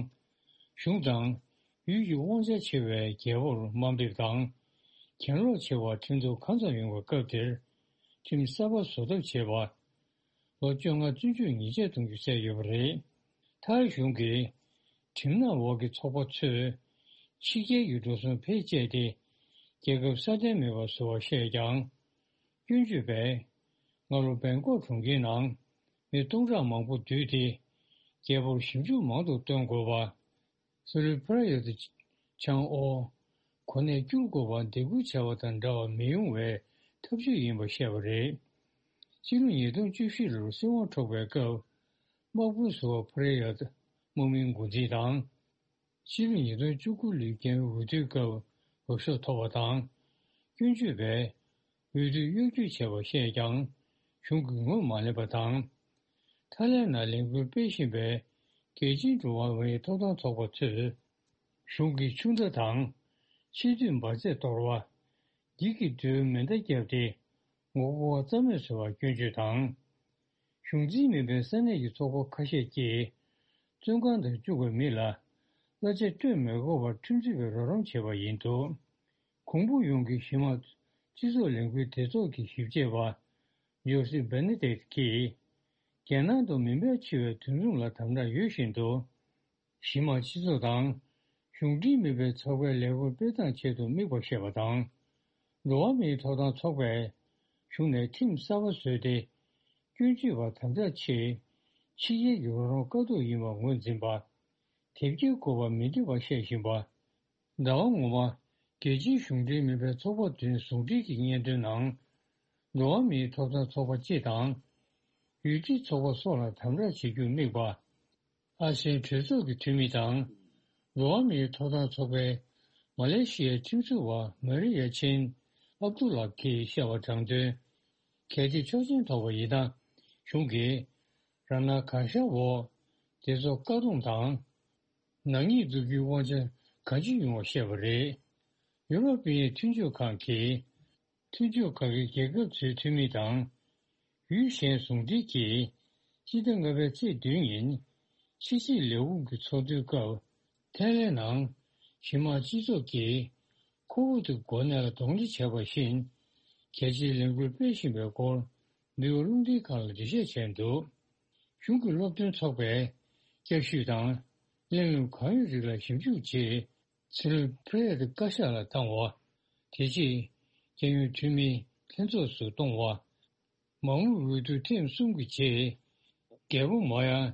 གཞུང་དང་ཡུལ་གྱི་དབང་ཆ་ཆེ་བའི་རྒྱལ་པོར་དམའ་འབེབས་དང་། གྱེན་ལོག་ཆེ་བ་ཁྲིམས་ཐོག་གང་ཙམ་ཡོང་བའི་སྐབས་དེར་ཁྲིམས་གསར་པ་བཟོ་ཐབས་བྱེད་པ། ལོ་བཅོ་ལྔ་བཙོན་འཇུག་ཉེས་ཆད་གཏོང་རྒྱུ་བསྩལ་ཡོད་པ་རེད། ཐའི་གཞུང་གིས་ཁྲིམས་ནག་འོག་གི་ཚོགས་པ་ཚོས་ཕྱི་རྒྱལ་གྱི་འགྲོ་སོང་བེད་སྤྱད་དེ་རྒྱལ་ཁབ་སྲ་བརྟན་མེད་པ་བཟོ་བར་བཤད་ཀྱང་། སྐྱོན་བརྗོད་པས། སྔ་ལོ་སྦེང་ཀོག་གྲོང་ཁྱེར་ནང་མི་སྟོང་ཕྲག་མང་པོ་འདུས་ཏེ། རྒྱལ་པོར་ཞིབ་འཇུག་མང་དུ་བཏོན་དགོས་པ། སི་རི་ཕ་ར་ཡ་ཏི་ཆང་ཨོ། གོ་གནས་བསྐྱུར་དགོས་པ་འདེད་སྐུལ་བྱ་བ་དང་འདྲ་བ་མི་ཡོང་བའི་ཐབས་ཇུས་ཡིན་པ་བཤད་པ་རེད། སྤྱི་ལོ་ཉིས་སྟོང་བཅུ་བཞི་ལོར་སྲིད་དབང་འཕྲོག་པའི་སྐབས། དམག་དཔོན་ཟུར་པ་ཕ་ར་ཡ་ཏི་དམག་མིའི་འགོ་འཛིན་དང་། ཕྱི་ལོ་ཉིས་སྟོང་བཅུ་དགུ་ལོའི་རྒྱལ་བའི་འོས་བསྡུའི་སྐབས་འོས་ཤོག་ཐོབ་པ་དང་། སྐྱོན་བརྗོད་པས་འོས་བསྡུ་གཡོ་སྒྱུ་བྱས་པ་བཤད་ཀྱང་གཞུང་གིས་ངོས་མ་ལེན་པ་དང་། ཐའི་ལེན་ནང་ལས་འགུལ་སྤེལ་བཞིན་པའི་རྒྱལ་སྤྱིའི་འགྲོ་བ་མིའི་ཐོབ་ཐང་ཚོགས་པ་ཚོས་གཞུང་གིས་ཆུ་མདའ་དང་ཆེས་མཐོའི་འབར་རྫས་གཏོར་བ། འགྱིག་གི་རྡོའི་མེ་མདའ་བརྒྱབ་སྟེ་ངོ་རྒོལ་བ་རྩ་མེད་བཟོ་བར་སྐྱོན་བརྗོད་དང་། གཞུང་འཛིན་མིན་པའི་ས་གནས་ཀྱི་ཚོགས་པ་ཁ་ཤས་ཀྱིས་བཙོན་ཁང་དུ་བཅུག་པའི་མི་ལ་གླ་ཆ་སྤྲོད་མི་དགོས་པར་ཁྲིམས་རྩོད་པས་རོགས་རམ་བྱས་པ་ཡིན་འདུག་གོང་བུ་ཡོངས་ཀྱི་གཞི་མ་སྤྱི་ཚོགས་ལས་འགུལ་སྡེ་ཚོགས་ཀྱི་ཞིབ་དཔྱད་པ་ཇོ་སི་བེ་ནེ་ཏེག་གིས། རྒྱལ་ནང་དུ་མི་འབོར་ཆེ་བའི་དུས་མཚུངས་ལ་དམ་དྲག་ཡོད་བཞིན་དུ། གཞི་མ་སྤྱི་ཚོགས་དང་གཞུང་འབྲེལ་མིན་པའི་ཚོགས་པའི་ལས་འགུལ་སྤེལ་སྟངས་ཆེད་དུ་དམིགས་པ་བཤད་པ་དང་། འགྲོ་བ་མིའི་ཐོབ་ཐང་ཚོགས་པས་གཞུང་ནས་ཁྲིམས་གསར་པ་བཟོས་ཏེ། སྐྱོན་བརྗོད་པ་དམ་དྲག་ཆེད་ཕྱི་རྒྱལ་གྱི་རོགས་རམ་དཀའ་སྡུག་ཡིན་པར་ངོས་འཛིན་པ། དེབ་སྐྱེལ་དགོས་པ་མི་འདོད་པ་བཤད་བཞིན་པ། ཟླ་བ་སྔོན་མ། རྒྱལ་སྤྱིའི་གཞུང་འབྲེལ་མིན་པའི་ཚོགས་པ་བདུན་ཟུང་འབྲེལ་གྱི་སྙན་ཐོའི་ནང་། འགྲོ་བ་མིའི་ཐོབ་ཐང་ཚོགས་པ་སྤྱི་དང་། ཡུལ་སྤྱིའི་ཚོགས་པ་སོགས་ལ་དམ་དྲག་བྱེད་རྒྱུར་དམིགས་པ། ཨ་སེའི་གྲོས་ཚོགས་ཀྱི་འཐུས་མི་དང་། འགྲོ་བ་མིའི་ཐོབ་ཐང་ཚོགས་པའི་མ་ལེ་ཤི་ཡའི་ཁྲིམས་རྩོད་པ་མ་རི་ཡ་ཆིན་ཨབ་དུ་ལག་གིས་བཤད་པ་དྲང་དོན། གལ་ཏེ་ཆོག་མཆན་ཐོབ་པ་ཡིན་ན། གཞུང་གིས་རང་སྣང་གང་ཤར་འོག་སྡེ་ཚོགས་བཀག་སྡོམ་དང་། ནག་ཉེས་འཛུགས་རྒྱུའི་དབང་ཆ་གང་ཅི་ཡོང་བ་བཤད་པ་རེད། ཡུ་རོབ་པའི་མཐུན་སྦྱོར་ཁང་གིས། མཐུན་སྦྱོར་ཁང་གི་རྒྱལ་ཁབ་ཚོའི་འཐུས་མི་དང་། ཡུལ་གཞན་ཟུང་འབྲེལ་གྱིས། སྤྱི་ཟླ་ལྔ་པའི་ཚེས་བདུན་ཉིན། ཕྱི་སྲིད་ལས་ཁུངས་ཀྱི་ཚོགས་འདུའི་སྐབས། ཐའི་ལེན་ནང་གཞི་མ་སྤྱི་ཚོགས་ཀྱིས་ཁོ་བོ་དེ་འགོ་ནས་གདོང་ལེན་བྱས་པ་བཞིན། རྒྱལ་སྤྱིའི་ལས་འགུལ་སྤེལ་བཞིན་པའི་སྐོར། འདི་ག་རླུང་འཕྲིན་ཁང་ལ་འགྲེལ་བཤད་བྱས་འདུག་གཞུང་གི་སློབ་སྟོན་ཚོགས་པས་བསྐྱར་ཞིབ་དང་། གླེང་སློང་གང་ཡོད་རིགས་ལ་ཞིབ་འཇུག་བྱས། ཚེ་རིང་ཕུ་རེད་བཀའ་ཤག་ལ་བཏང་བ། དེ་རྗེས་རྒྱལ་ཡོངས་འཐུས་མིའི་ལྷན་ཚོགས་སུ་གཏོང་བ། མ་དངུལ་འོས་བསྡུ་ཐེངས་གསུམ་གྱི་རྗེས། རྒྱལ་པོ་མོ་ཡང་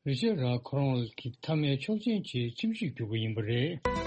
རི་ཅར་རང་ཁོ་རང་གི་མཐའ་མའི་ཆོག་མཆན་གྱི་ཁྲིམས་གཞི་བསྒྱུར་བ་ཡིན་པ་རེད།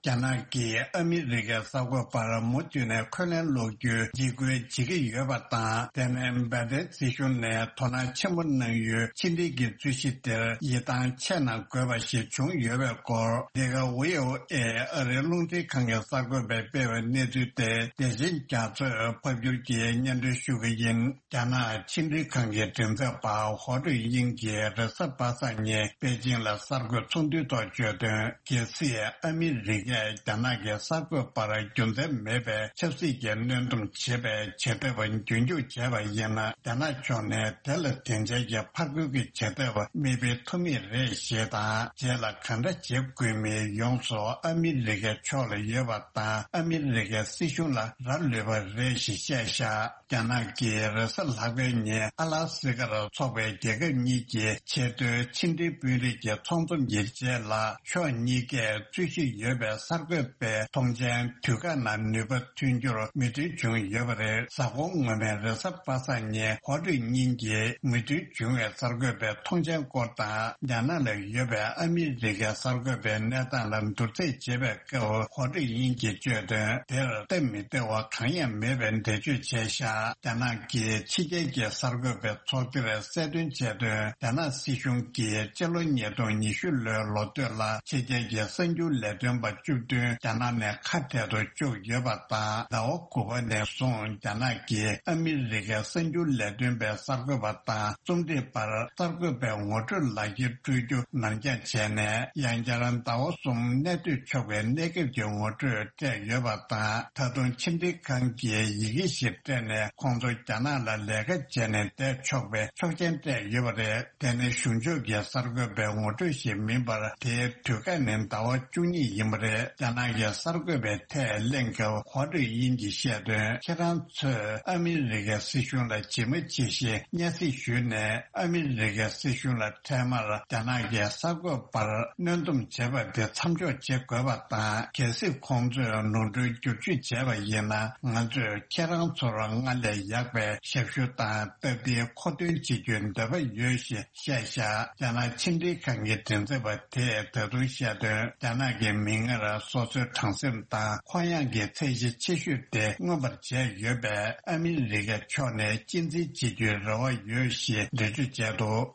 རྒྱ་ནག་གིས་ཨ་མི་རི་ཀའི་གསར་འགོད་པར་མུ་མཐུད་ནས་འཁོན་ལན་སློག་རྒྱུའི་འཇིགས་སྐུལ་བྱེད་ཀྱི་ཡོད་པ་དང་། དེ་ནས་འབའ་ཏན་སྲིད་གཞུང་ནས་དོ་སྣང་ཆེན་པོ་གནང་ཡུལ་ཕྱི་འབྲེལ་གྱི་རྩོད་གཞི་དེར་ཡིད་ཐང་ཆད་ན་དགོས་པ་ཞིག་བྱུང་ཡོད་པའི་སྐོར། འདི་ག་ཝི་ཨོ་ཨེ་ཨ་རིའི་རླུང་འཕྲིན་ཁང་གི་གསར་འགོད་པས་སྤེལ་བའི་གནས་ཚུལ་དེ་བདེ་ཆེན་རྒྱ་མཚོས་ཕབ་སྒྱུར་གྱིས་སྙན་སྒྲོན་ཞུ་གི་ཡིན། རྒྱ་ནག་ཕྱི་འབྲེལ་ཁང་གི་མགྲིན་ཚབ་པ་ཧོ་ཀྲུའུ་དབྱིང་གིས་རེས་གཟའ་པ་སངས་ཉིན་པེ་ཅིང་ལ་གསར་འགོད་ཚོགས་འདུའི་ཐོག་བརྗོད་དོན། གལ་སྲིད་ཨ་མི་རི་ཀས་རྒྱ་ནག་གི་གསར་འགོད་པར་རྒྱུ་མཚན་མེད་པའི་ཆབ་སྲིད་ཀྱི་གནོན་སྡོམ་བྱེད་པའི་བྱེད་ཐབས་རྒྱུན་འཁྱོངས་བྱས་པ་ཡིན་ན། རྒྱ་ནག་ཕྱོགས་ནས་དེ་ལ་དེ་འབྲེལ་གྱི་ཕར་རྒོལ་གྱི་བྱེད་ཐབས་མི་སྤེལ་ཐུབ་མེད་རེད་ཞེས་དང་། རྗེས་ལ་གང་འདྲ་བྱེད་དགོས་མིན་ཡོངས་སུ་ཨ་མི་རི་ཀའི་ཕྱོགས་ལ་ཡོད་པ་དང་། ཨ་མི་རི་ཀའི་སྲིད་གཞུང་ལ་རག་ལུས་པ་རེད་ཞེས་བཤད་བཞག་རྒྱ་ནག་གིས་རེས་གཟའ་ལྷག་པའི་ཉིན་ཨ་ལ་སི་ཀར་འཚོགས་པའི་རྒྱལ་ཁབ་གཉིས་ཀྱི་ཆེས་མཐོའི་ཕྱི་འབྲེལ་དཔོན་རིགས་ཀྱི་ཚོགས་འཛོམས་ཀྱི་རྗེས་ལ། ཕྱོགས་གཉིས་ཀས་རྩོད་གཞི་ཡོད་པའི་གསར་འགོད་པའི་ཐོངས་མཆན་དུས་བཀག་ནང་ནུས་པ་ཐོན་རྒྱུར་མོས་མཐུན་བྱུང་ཡོད་པ་རེད། གཟའ་འཁོར་སྔོན་མའི་རེས་གཟའ་པ་སངས་ཉིན་ཧོ་ཀྲུའུ་དབྱིང་གིས་མོས་མཐུན་བྱུང་བའི་གསར་འགོད་པའི་ཐོངས་མཆན་སྐོར་དང་། རྒྱ་ནག་ལ་ཡོད་པའི་ཨ་མི་རི་ཀའི་གསར་འགོད་པའི་གནས་སྟངས་ལ་བསྡུར་ཚད་བྱེད་པའི་སྐབས། ཧོ་ཀྲུའུ་དབྱིང་གིས་བརྗོད་དོན། དེར་སྟབས་མི་བདེ་བ་གང་ཡང་མེད་པའི་འགྲེལ་བརྗོད་བྱས་བཞག་རྒྱ་ནག་གིས་ཕྱི་རྒྱལ་གྱི་གསར་འགོད་པའི་ཚོགས་འདུར་གསལ་སྟོན་བྱས་དོན། རྒྱ་ནག་སྲིད་གཞུང་གིས་སྤྱི་ལོ་ཉིས་སྟོང་ཉི་ཤུ་ལོའི་ལོ་སྟོད་ལ་ཕྱི་རྒྱལ་གྱི་གསར་འགྱུར་ལས་དོན་པ་བཅུ་བདུན་རྒྱ་ནག་ནས་ཁ་བྲལ་དུ་བཅུག་ཡོད་པ་དང་། ཟླ་བ་དགུ་པ་ནས་བཟུང་རྒྱ་ནག་གིས་ཨ་མི་རི་ཀའི་གསར་འགྱུར་ལས་དོན་པའི་གསར་འགོད་པ་དང་རྩོམ་སྒྲིག་པར་གསར་འགོད་པའི་ངོ་སྤྲོད་ལག་འཁྱེར་སྤྲོད་རྒྱུ་ནར་འགྱངས་བྱས་ནས། ཡང་བསྐྱར་ཟླ་བ་གསུམ་གནས་སྡོད་ཆོག་པའི་གནས་སྐབས་ཀྱི་ངོ་སྤྲོད་སྤྲད་ཡོད་པ་དང་། ད་དུང་ཕྱི་འབྲེལ་ཁང་གིས་ཡི་གེ་ཞིག་སྤྲད་ནས་ཁོང་ཚོ་རྒྱ་ནག་ལ་ལས་ཀ་བྱས་ནས་བསྡད་ཆོག་པའི་ཆོག་མཆན་སྤྲད་ཡོད་པ་རེད། དེ་ནི་གཞུང་ཕྱོགས་ཀྱི་གསར་འགོད་པའི་ངོ་སྤྲོད་ཞིག་མིན་པར། དེའི་དུས་བཀག་ནི་ཟླ་བ་བཅུ་གཉིས་ཡིན་པ་རེད། རྒྱ་ནག་གི་གསར་འགོད་པས་ཐད་གླེང་སྐབས་ཧོ་ཀྲུའུ་དབྱིང་གིས་བཤད་དོན། ཁྱེད་རང་ཚོས་ཨ་མི་རི་ཀའི་སྲིད་གཞུང་ལ་ཇི་མ་ཇི་བཞིན་སྙན་སེང་ཞུས་ནས། ཨ་མི་རི་ཀའི་སྲིད་གཞུང་ལ་འཕྲལ་མར་རྒྱ་ནག་གི་གསར་འགོད་པར་གནོན་སྡོམ་བྱས་པ་དེ་མཚམས་འཇོག་བྱེད་དགོས་པ་དང་། གལ་སྲིད་ཁོང་ཚོས་ནོར་འཁྲུལ་བསྒྱུར་བཅོས་བྱས་པ་ཡིན་ན། ང་ཚོས་ཁྱེད་རང་ཚོར་སྔར་ལས་ཡག་པའི་ཞབས་ཞུ་དང་སྟབས་བདེའི་མཁོ་འདོན་བྱེད་རྒྱུའི་འདོད་པ་ཡོད་ཞེས་བཤད་བཞག་རྒྱ་ནག་ཕྱི་འབྲེལ་ཁང་གི་མགྲིན་ཚབ་པ་དེས་ད་དུང་བཤད་དོན། རྒྱ་ནག་གི་མིག་སྔར་སོ་སོའི་དྲང་སེམས་དང་ཁོག་ཡངས་ཀྱི་ཚད་གཞི་ཆེ་ཤོས་དེ་མངོན་པར་བྱས་ཡོད་པས། ཨ་མི་རི་ཀའི་ཕྱོགས་ནས་གཅེས་འཛིན་བྱེད་རྒྱུའི་རེ་བ་ཡོད་ཞེས་འགྲེལ་བརྗོད་བྱས་འདུག་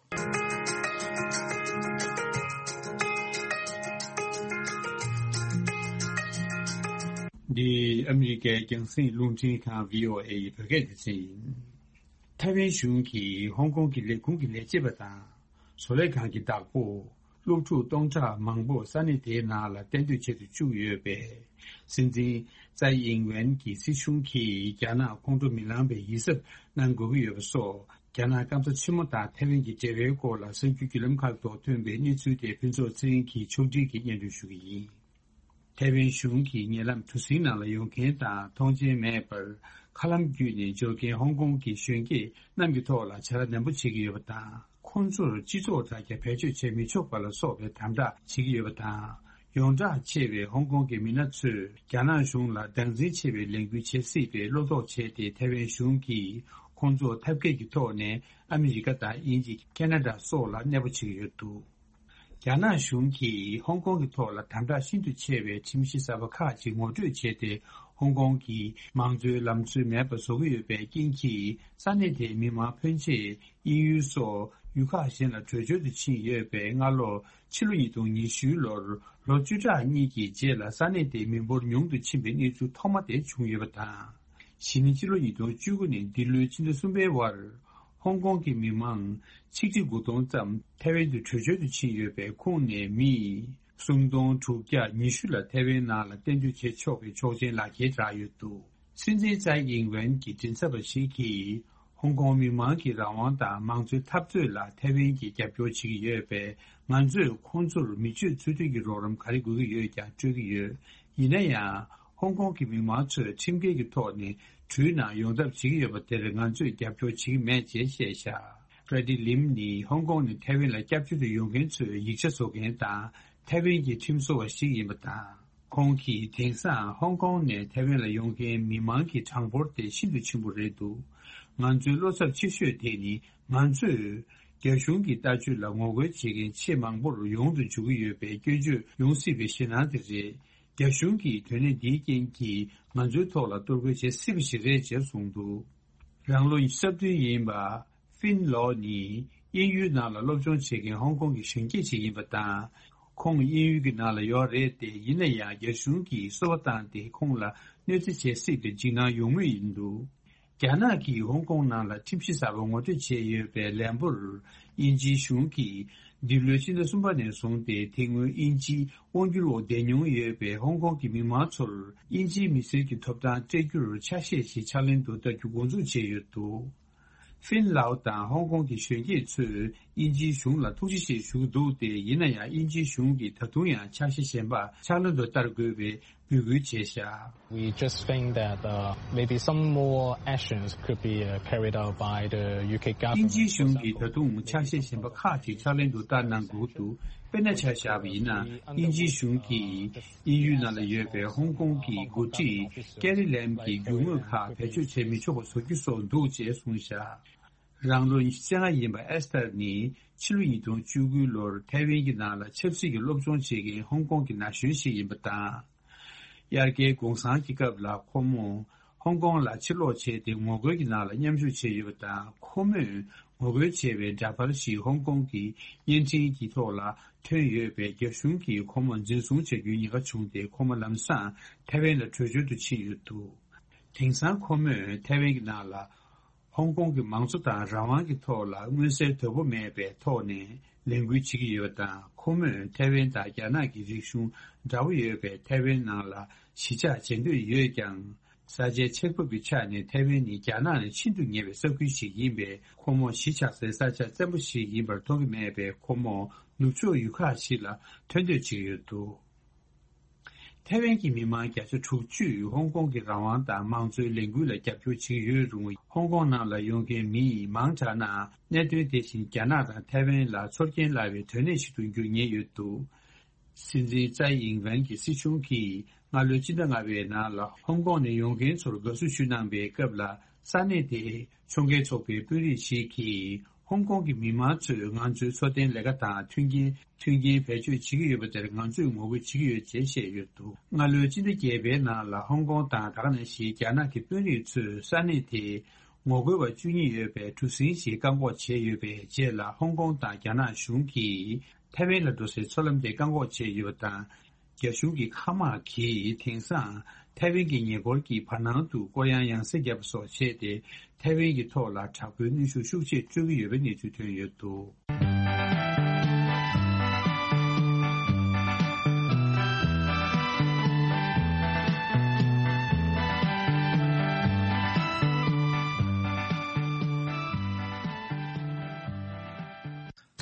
འདི་ཨ་མི་རི་ཀའི་རྒྱང་སྲིང་རླུང་འཕྲིན་ཁང་བྷི་ཨོ་ཨེ་ཡི་བོད་སྐད་སྡེ་ཚན་ཡིན། ཐའེ་ཝན་གཞུང་གིས་ཧོང་ཀོང་གི་ལས་ཁུངས་ཀྱི་ལས་བྱེད་པ་དང་། བཟོ་ལས་ཁང་གི་བདག་པོ། སློབ་ཕྲུག་སྟོང་ཕྲག་མང་པོ་ས་གནས་དེའི་ནང་ལ་གཏན་སྡོད་བྱེད་དུ་བཅུག་ཡོད་པས། སྲིད་འཛིན་ཙའི་ཨིང་ཝེན་གྱི་སྲིད་གཞུང་གིས་རྒྱ་ནག་ཁོང་ཁྲོ་མི་ལངས་པའི་ཡིད་གཟབ་གནང་དགོས་ཀྱི་ཡོད་པ་སོགས། རྒྱ་ནག་སྐམ་ས་ཆེན་མོ་དང་ཐའེ་ཝན་གྱི་འབྲེལ་བའི་སྐོར་ལ་གསར་འགྱུར་བརྒྱུད་ལམ་ཁག་ཐོག་ཐོན་པའི་གནས་ཚུལ་དེ་ཕུན་ཚོགས་ཚེ་རིང་གིས་ཕྱོགས་སྒྲིག་གིས་སྙན་སྒྲོན་ཞུ་གི་ཡིན། ཐའེ་ཝན་གཞུང་གིས་ཉེ་ལམ་གྲུ་གཟིངས་ནང་ལ་ཡོང་མཁན་དང་མཐོང་མཆན་མེད་པར་མཁའ་ལམ་བརྒྱུད་ནས་འབྱོར་མཁན་ཧོང་ཀོང་གི་གཞོན་སྐྱེས་རྣམས་ཀྱི་ཐོག་ལ་བྱ་དགའ་ནན་པོ་བྱེད་ཀྱི་ཡོད་པ་དང་། ཁོང་ཚོར་སྤྱི་ཚོགས་དྲ་རྒྱ་བེད་སྤྱོད་བྱེད་མི་ཆོག་པ་ལ་སོགས་པའི་དམ་དྲག་བྱེད་ཀྱི་ཡོད་པ་དང་། ཡོངས་གྲགས་ཆེ་བའི་ཧོང་ཀོང་གི་མི་སྣ་ཚོས་རྒྱ་ནག་གཞུང་ལ་བདག་འཛིན་ཆེ་བའི་ལས་འགུལ་བྱེད་སྲིད་པའི་བློ་དོགས་བྱས་ཏེ། ཐའེ་ཝན་གཞུང་གིས་ཁོང་ཚོར་ཐབས་མཁས་ཀྱི་ཐོག་ནས་ཨ་མི་རི་ཀ་དང་དབྱིན་ཇི། ཁེ་ན་ཌ་སོགས་ལ་གནས་སྤོ་བྱེད་ཀྱི་ཡོད་འདུག་རྒྱ་ནག་གཞུང་གིས་ཧོང་ཀོང་གི་ཐོག་ལ་དམ་དྲག་ཤིན་ཏུ་ཆེ་བའི་ཁྲིམས་གཞི་གསར་པ་ཁག་ཅིག་ངོ་སྤྲོད་བྱས་ཏེ། ཧོང་ཀོང་གི་མང་གཙོའི་ལམ་སྲོལ་མེད་པ་བཟོ་གི་ཡོད་པའི་རྐྱེན་གྱིས། ས་གནས་དེའི་མི་མང་ཕོན་ཆེ་དབྱིན་ཡུལ་སོགས་ཡུལ་ཁག་གཞན་ལ་བྲོས་བྱོལ་དུ་ཕྱིན་ཡོད་པའི་སྔ་ལོ། ཕྱི་ལོ་ཉིས་སྟོང་ཉི་ཤུ་ལོར་ལོ་བཅུ་ཕྲག་གཉིས་ཀྱི་རྗེས་ལ་ས་གནས་དེའི་མི་འབོར་ཉུང་དུ་ཕྱིན་པའི་གནས་ཚུལ་ཐོག་མ་དེ་བྱུང་ཡོད་པ་དང་། གཞེས་ནིང་ཕྱི་ལོ་ཉིས་སྟོང་བཅུ་དགུ་ནས་འདི་ལོའི་ཕྱི་ཟླ་གསུམ་པའི་བར། ཧོང་ཀོང་གི་མི་མང་ཆིག་ཁྲི་དགུ་སྟོང་ཙམ་ཐའེ་ཝན་དུ་བྲོས་བྱོལ་དུ་ཕྱིན་ཡོད་པའི་ཁོངས་ནས་མི་སུམ་སྟོང་དྲུག་བརྒྱ་ཉི་ཤུ་ལ་ཐའེ་ཝན་ནང་ལ་གཏན་སྡོད་བྱེད་ཆོག་པའི་ཆོག་མཆན་ལག་ཁྱེར་བསྒྲགས་ཡོད་འདུག། སྲིད་འཛིན་ཙའི་ཨིང་ཝེན་གྱི་མགྲིན་ཚབ་པ་ཞིག་གིས། ཧོང་ཀོང་མི་མང་གི་རང་དབང་དང་མང་གཙོའི་འཐབ་རྩོད་ལ་ཐའེ་ཝན་གྱིས་རྒྱབ་སྐྱོར་བྱེད་ཀྱི་ཡོད་པས། ང་ཚོས་ཁོང་ཚོར་མི་སྤྱོད་ཚུལ་མཐུན་གྱི་རོགས་རམ་ག་རེ་དགོས་ཀྱི་ཡོད་ཀྱང་སྤྲོད་ཀྱི་ཡོད། ཡིན་ན་ཡང་། ཧོང་ཀོང་གི་མི་མང་ཚོས་ཁྲིམས་འགལ་གྱི་ཐོག་ནས་གྲུའི་ནང་ཡོང་ཐབས་བྱེད་ཀྱི་ཡོད་པ་དེར་ང་ཚོས་རྒྱབ་སྐྱོར་བྱེད་ཀྱི་མེད་ཅེས་བཤད་བཞག། ཕྲེ་ཌི་ལིམ་ནི་ཧོང་ཀོང་ནས་ཐའེ་ཝན་ལ་སྐྱབས་བཅོལ་དུ་ཡོང་མཁན་ཚོའི་ཡིག་ཆ་བཟོ་མཁན་དང་། ཐའེ་ཝན་གྱི་ཁྲིམས་བཟོ་བ་ཞིག་ཡིན་པ་དང་། ཁོང་གིས་དེང་སང་ཧོང་ཀོང་ནས་ཐའེ་ཝན་ལ་ཡོང་མཁན་མི་མང་གི་གྲངས་འབོར་དེ་ཤིན་ཏུ་ཆེན་པོ་རེད་འདུག། ང་ཚོའི་བློ་འཚབ་ཆེ་ཤོས་དེ་ནི་ང་ཚོས་རྒྱ་གཞུང་གི་ལྟ་སྤྱོད་ལ་ངོ་རྒོལ་བྱེད་མཁན་ཆེས་མང་པོར་ཡོང་དུ་འཇུག་གི་ཡོད་པའི་སྐྱོན་བརྗོད་ཡོང་སྲིད་པའི་ཞེད་སྣང་དེ་རེད། རྒྱ་གཞུང་གིས་དོན་གནད་འདིའི་རྐྱེན་གྱིས་ང་ཚོའི་ཐོག་ལ་གཏོར་རྒོལ་བྱེད་སྲིད་པ་ཞིག་རེད་ཅེས་གསུངས་འདུག། རང་ལོ་ཉི་ཤུ་རྩ་བདུན་ཡིན་པ། ཧྥིན་ལོ་ནི་དབྱིན་ཡུལ་ནང་ལ་སློབ་སྦྱོང་བྱེད་མཁན་ཧོང་ཀོང་གི་གཞོན་སྐྱེས་ཤིག་ཡིན་པ་དང་། ཁོང་དབྱིན་ཡུལ་གྱི་ནང་ལ་ཡོད་རེད་དེ། ཡིན་ན་ཡང་རྒྱ་གཞུང་གིས་སོ་པ་བཏང་སྟེ་ཁོང་ལ་གནོད་འཚེ་བྱེད་སྲིད་པའི་འཇིགས་སྣང་ཡོང་མུས་ཡིན་འདུག། རྒྱ་ནག་གིས་ཧོང་ཀོང་ནང་ལ་ཁྲིམས་གཞི་གསར་པ་ངོ་སྤྲོད་བྱས་ཡོད་པའི་ལན་པོར། དབྱིན་ཇིའི་གཞུང་གིས་འདི་ལོའི་ཕྱི་ཟླ་གསུམ་པ་ནས་བཟུང་སྟེ། དེ་སྔོན་དབྱིན་ཇིའི་དབང་སྒྱུར་འོག་བསྡད་མྱོང་ཡོད་པའི་ཧོང་ཀོང་གི་མི་མང་ཚོར། དབྱིན་ཇིའི་མི་སེར་གྱི་ཐོབ་ཐང་སྤྲད་རྒྱུར་ཆ་ཤས་ཤིག་ཕྱག་ལེན་དུ་བསྟར་རྒྱུ་འགོ་འཛུགས་བྱས་ཡོད་འདུག། ཧྥིན་ལའོ་དང་ཧོང་ཀོང་གི་གཞོན་སྐྱེས་ཚོས་དབྱིན་ཇིའི་གཞུང་ལ་ཐུགས་རྗེ་ཆེ་ཞུ་གི་འདུག་སྟེ། ཡིན་ན་ཡང་དབྱིན་ཇིའི་གཞུང་གིས་ད་དུང་ཡང་ཆ་ཤས་གཞན་པ་ཕྱག་ལེན་དུ་བསྟར་དགོས་པའི་འབོད་སྐུལ་བྱས་བཞག། We just think that, uh, maybe some more actions could be, uh, carried out by the U K government. དབྱིན་ཇིའི་གཞུང་གིས་ད་དུང་ཆ་ཤས་གཞན་པ་ཁག་ཅིག་ཕྱག་ལེན་དུ་བསྟར་གནང་དགོས་འདུག། དཔེར་ན་ཆ་བཞག་པ་ཡིན་ན། དབྱིན་ཇིའི་གཞུང་གིས་དབྱིན་ཡུལ་ནང་ལ་ཡོད་པའི་ཧོང་ཀོང་གི་འགོ་ཁྲིད་ཀེ་རི་ལེམ་གྱི་རྒྱུ་དངོས་ཁག་བེད་སྤྱོད་བྱེད་མི་ཆོག་པ་བཟོ་རྒྱུ་སོགས་འདུག་ཅེས་གསུངས་བཞག། རང་ལོ་ཉི་ཤུ་རྩ་ལྔ་ཡིན་པ་ཨེ་སི་ཐར་ནི་ཕྱི་ལོ་ཉིས་སྟོང་བཅུ་དགུ་ལོར་ཐའེ་ཝན་གྱི་ནང་ལ་ཆབ་སྲིད་ཀྱི་སློབ་སྦྱོང་བྱེད་མཁན་ཧོང་ཀོང་གི་ན་གཞོན་ཞིག་ཡིན་པ་དང་། དབྱར་ཁའི་གུང་སེང་གི་སྐབས་ལ་ཁོ་མོ་ཧོང་ཀོང་ལ་ཕྱིར་ལོག་བྱས་ཏེ་ངོ་རྒོལ་གྱི་ནང་ལ་མཉམ་ཞུགས་བྱས་ཡོད་པ་དང་། ཁོ་མོས་ངོ་རྒོལ་བྱས་པའི་འདྲ་པར་ཞིག་ཧོང་ཀོང་གི་བརྙན་འཕྲིན་གྱི་ཐོག་ལ་ཐོན་ཡོད་པས། རྒྱ་གཞུང་གིས་ཁོ་མོ་འཛིན་བཟུང་བྱ་རྒྱུའི་ཉེན་ཁ་བྱུང་སྟེ། ཁོ་མོ་ལམ་སང་ཐའེ་ཝན་ལ་བྲོས་བྱོལ་དུ་ཕྱིན་ཡོད་འདུག། དེང་སང་ཁོ་མོས་ཐའེ་ཝན་གྱི་ནང་ལ། ཧོང་ཀོང་གི་མང་གཙོ་དང་རང་དབང་གི་ཐོག་ལ་མངོན་གསལ་དོད་པོ་མེད་པའི་ཐོག་ནས་ལས་འགུལ་བྱེད་ཀྱི་ཡོད་པ་དང་། ཁོ་མོས་ཐའེ་ཝན་དང་རྒྱ་ནག་གི་རིག་གཞུང་འདྲ་པོ་ཡོད་པའི་ཐའེ་ཝན་ནང་ལ་གཞིས་ཆགས་བྱེད་འདོད་ཡོད་ཀྱང་། ས་ཆའི་ཆགས་བབ་ཀྱི་ཆ་ནས་ཐའེ་ཝན་ནི་རྒྱ་ནག་ནས་ཤིན་ཏུ་ཉེ་བའི་ས་ཁུལ་ཞིག་ཡིན་པས། ཁོ་མོ་གཞིས་ཆགས་སའི་ས་ཆ་བཙན་པོ་ཞིག་ཡིན་པར་མཐོང་གི་མེད་པས། ཁོ་མོ་ནུབ་ཕྱོགས་ཡུལ་ཁག་ཞིག་ལ་ཐོན་འདོད་བྱེད་ཀྱི་ཡོད་འདུག། ཐའེ་ཝན་གྱི་མི་མང་བརྒྱ་ཆ་དྲུག་ཅུས་ཧོང་ཀོང་གི་རང་དབང་དང་མང་གཙོའི་ལས་འགུལ་ལ་རྒྱབ་སྐྱོར་བྱེད་ཀྱི་ཡོད་རུང་། ཧོང་ཀོང་ནང་ལ་ཡོང་མཁན་མི་མང་དྲགས་ན། གནད་དོན་དེ་བཞིན་རྒྱ་ནག་དང་ཐའེ་ཝན་ལ་ཚོར་སྐྱེན་སླ་བའི་དོན་གནད་ཞིག་ཏུ་འགྱུར་ཉེན་ཡོད་འདུག། སྲིད་འཛིན་ཙའི་ཨིང་ཝན་གྱི་སྲིད་གཞུང་གིས་སྔ་ལོའི་ཕྱི་ཟླ་ལྔ་པའི་ནང་ལ་ཧོང་ཀོང་ནས་ཡོང་མཁན་ཚོར་དགའ་བསུ་ཞུ་གནང་པའི་སྐབས་ལ། ས་གནས་དེའི་ཕྱོགས་འགལ་ཚོགས་པའི་དཔོན་རིགས་ཤིག་གིས། ཧོང་ཀོང་གི་མི་མང་ཚོས་ང་ཚོའི་འཚོ་རྟེན་ལས་ཀ་དང་མཐུན་རྐྱེན་མཐུན་རྐྱེན་བེད་སྤྱོད་བྱེད་ཀྱི་ཡོད་པ་དེར་ང་ཚོས་ངོ་རྒོལ་བྱེད་ཀྱི་ཡོད་ཅེས་བཤད་ཡོད་འདུག། སྔ་ལོའི་ཕྱི་ཟླ་བརྒྱད་པའི་ནང་ལ་ཧོང་ཀོང་དང་། ད་ག་ནང་བཞིན་རྒྱ་ནག་གི་དཔོན་རིགས་ཚོས་ས་གནས་དེའི་ངོ་རྒོལ་བ་བཅུ་གཉིས་ཡོད་པའི་གྲུ་གཟིངས་ཤིག་བཀག་འགོག་བྱས་ཡོད་པའི་རྗེས་ལ། ཧོང་ཀོང་དང་རྒྱ་ནག་གཞུང་གིས་ཐའེ་ཝན་ལ་འགྲོ་སའི་མཚོ་ལམ་དེ་བཀག་འགོག་བྱས་ཡོད་པ་དང་། རྒྱ་གཞུང་གི་མཁའ་དམག་གིས་དེང་སང་ཐའེ་ཝན་གྱི་ཉེ་འཁོར་གྱི་བར་སྣང་དུ་སྐོར་གཡང་ཡང་སེ་བརྒྱབ་པ་སོགས་བྱས་ཏེ། ཐའེ་ཝན་གྱི་ཐོག་ལ་དྲག་པོའི་གནོན་ཤུགས་ཤུགས་ཆེ་སྤྲོད་ཀྱི་ཡོད་པའི་གནས་ཚུལ་ཐོན་ཡོད་འདུག།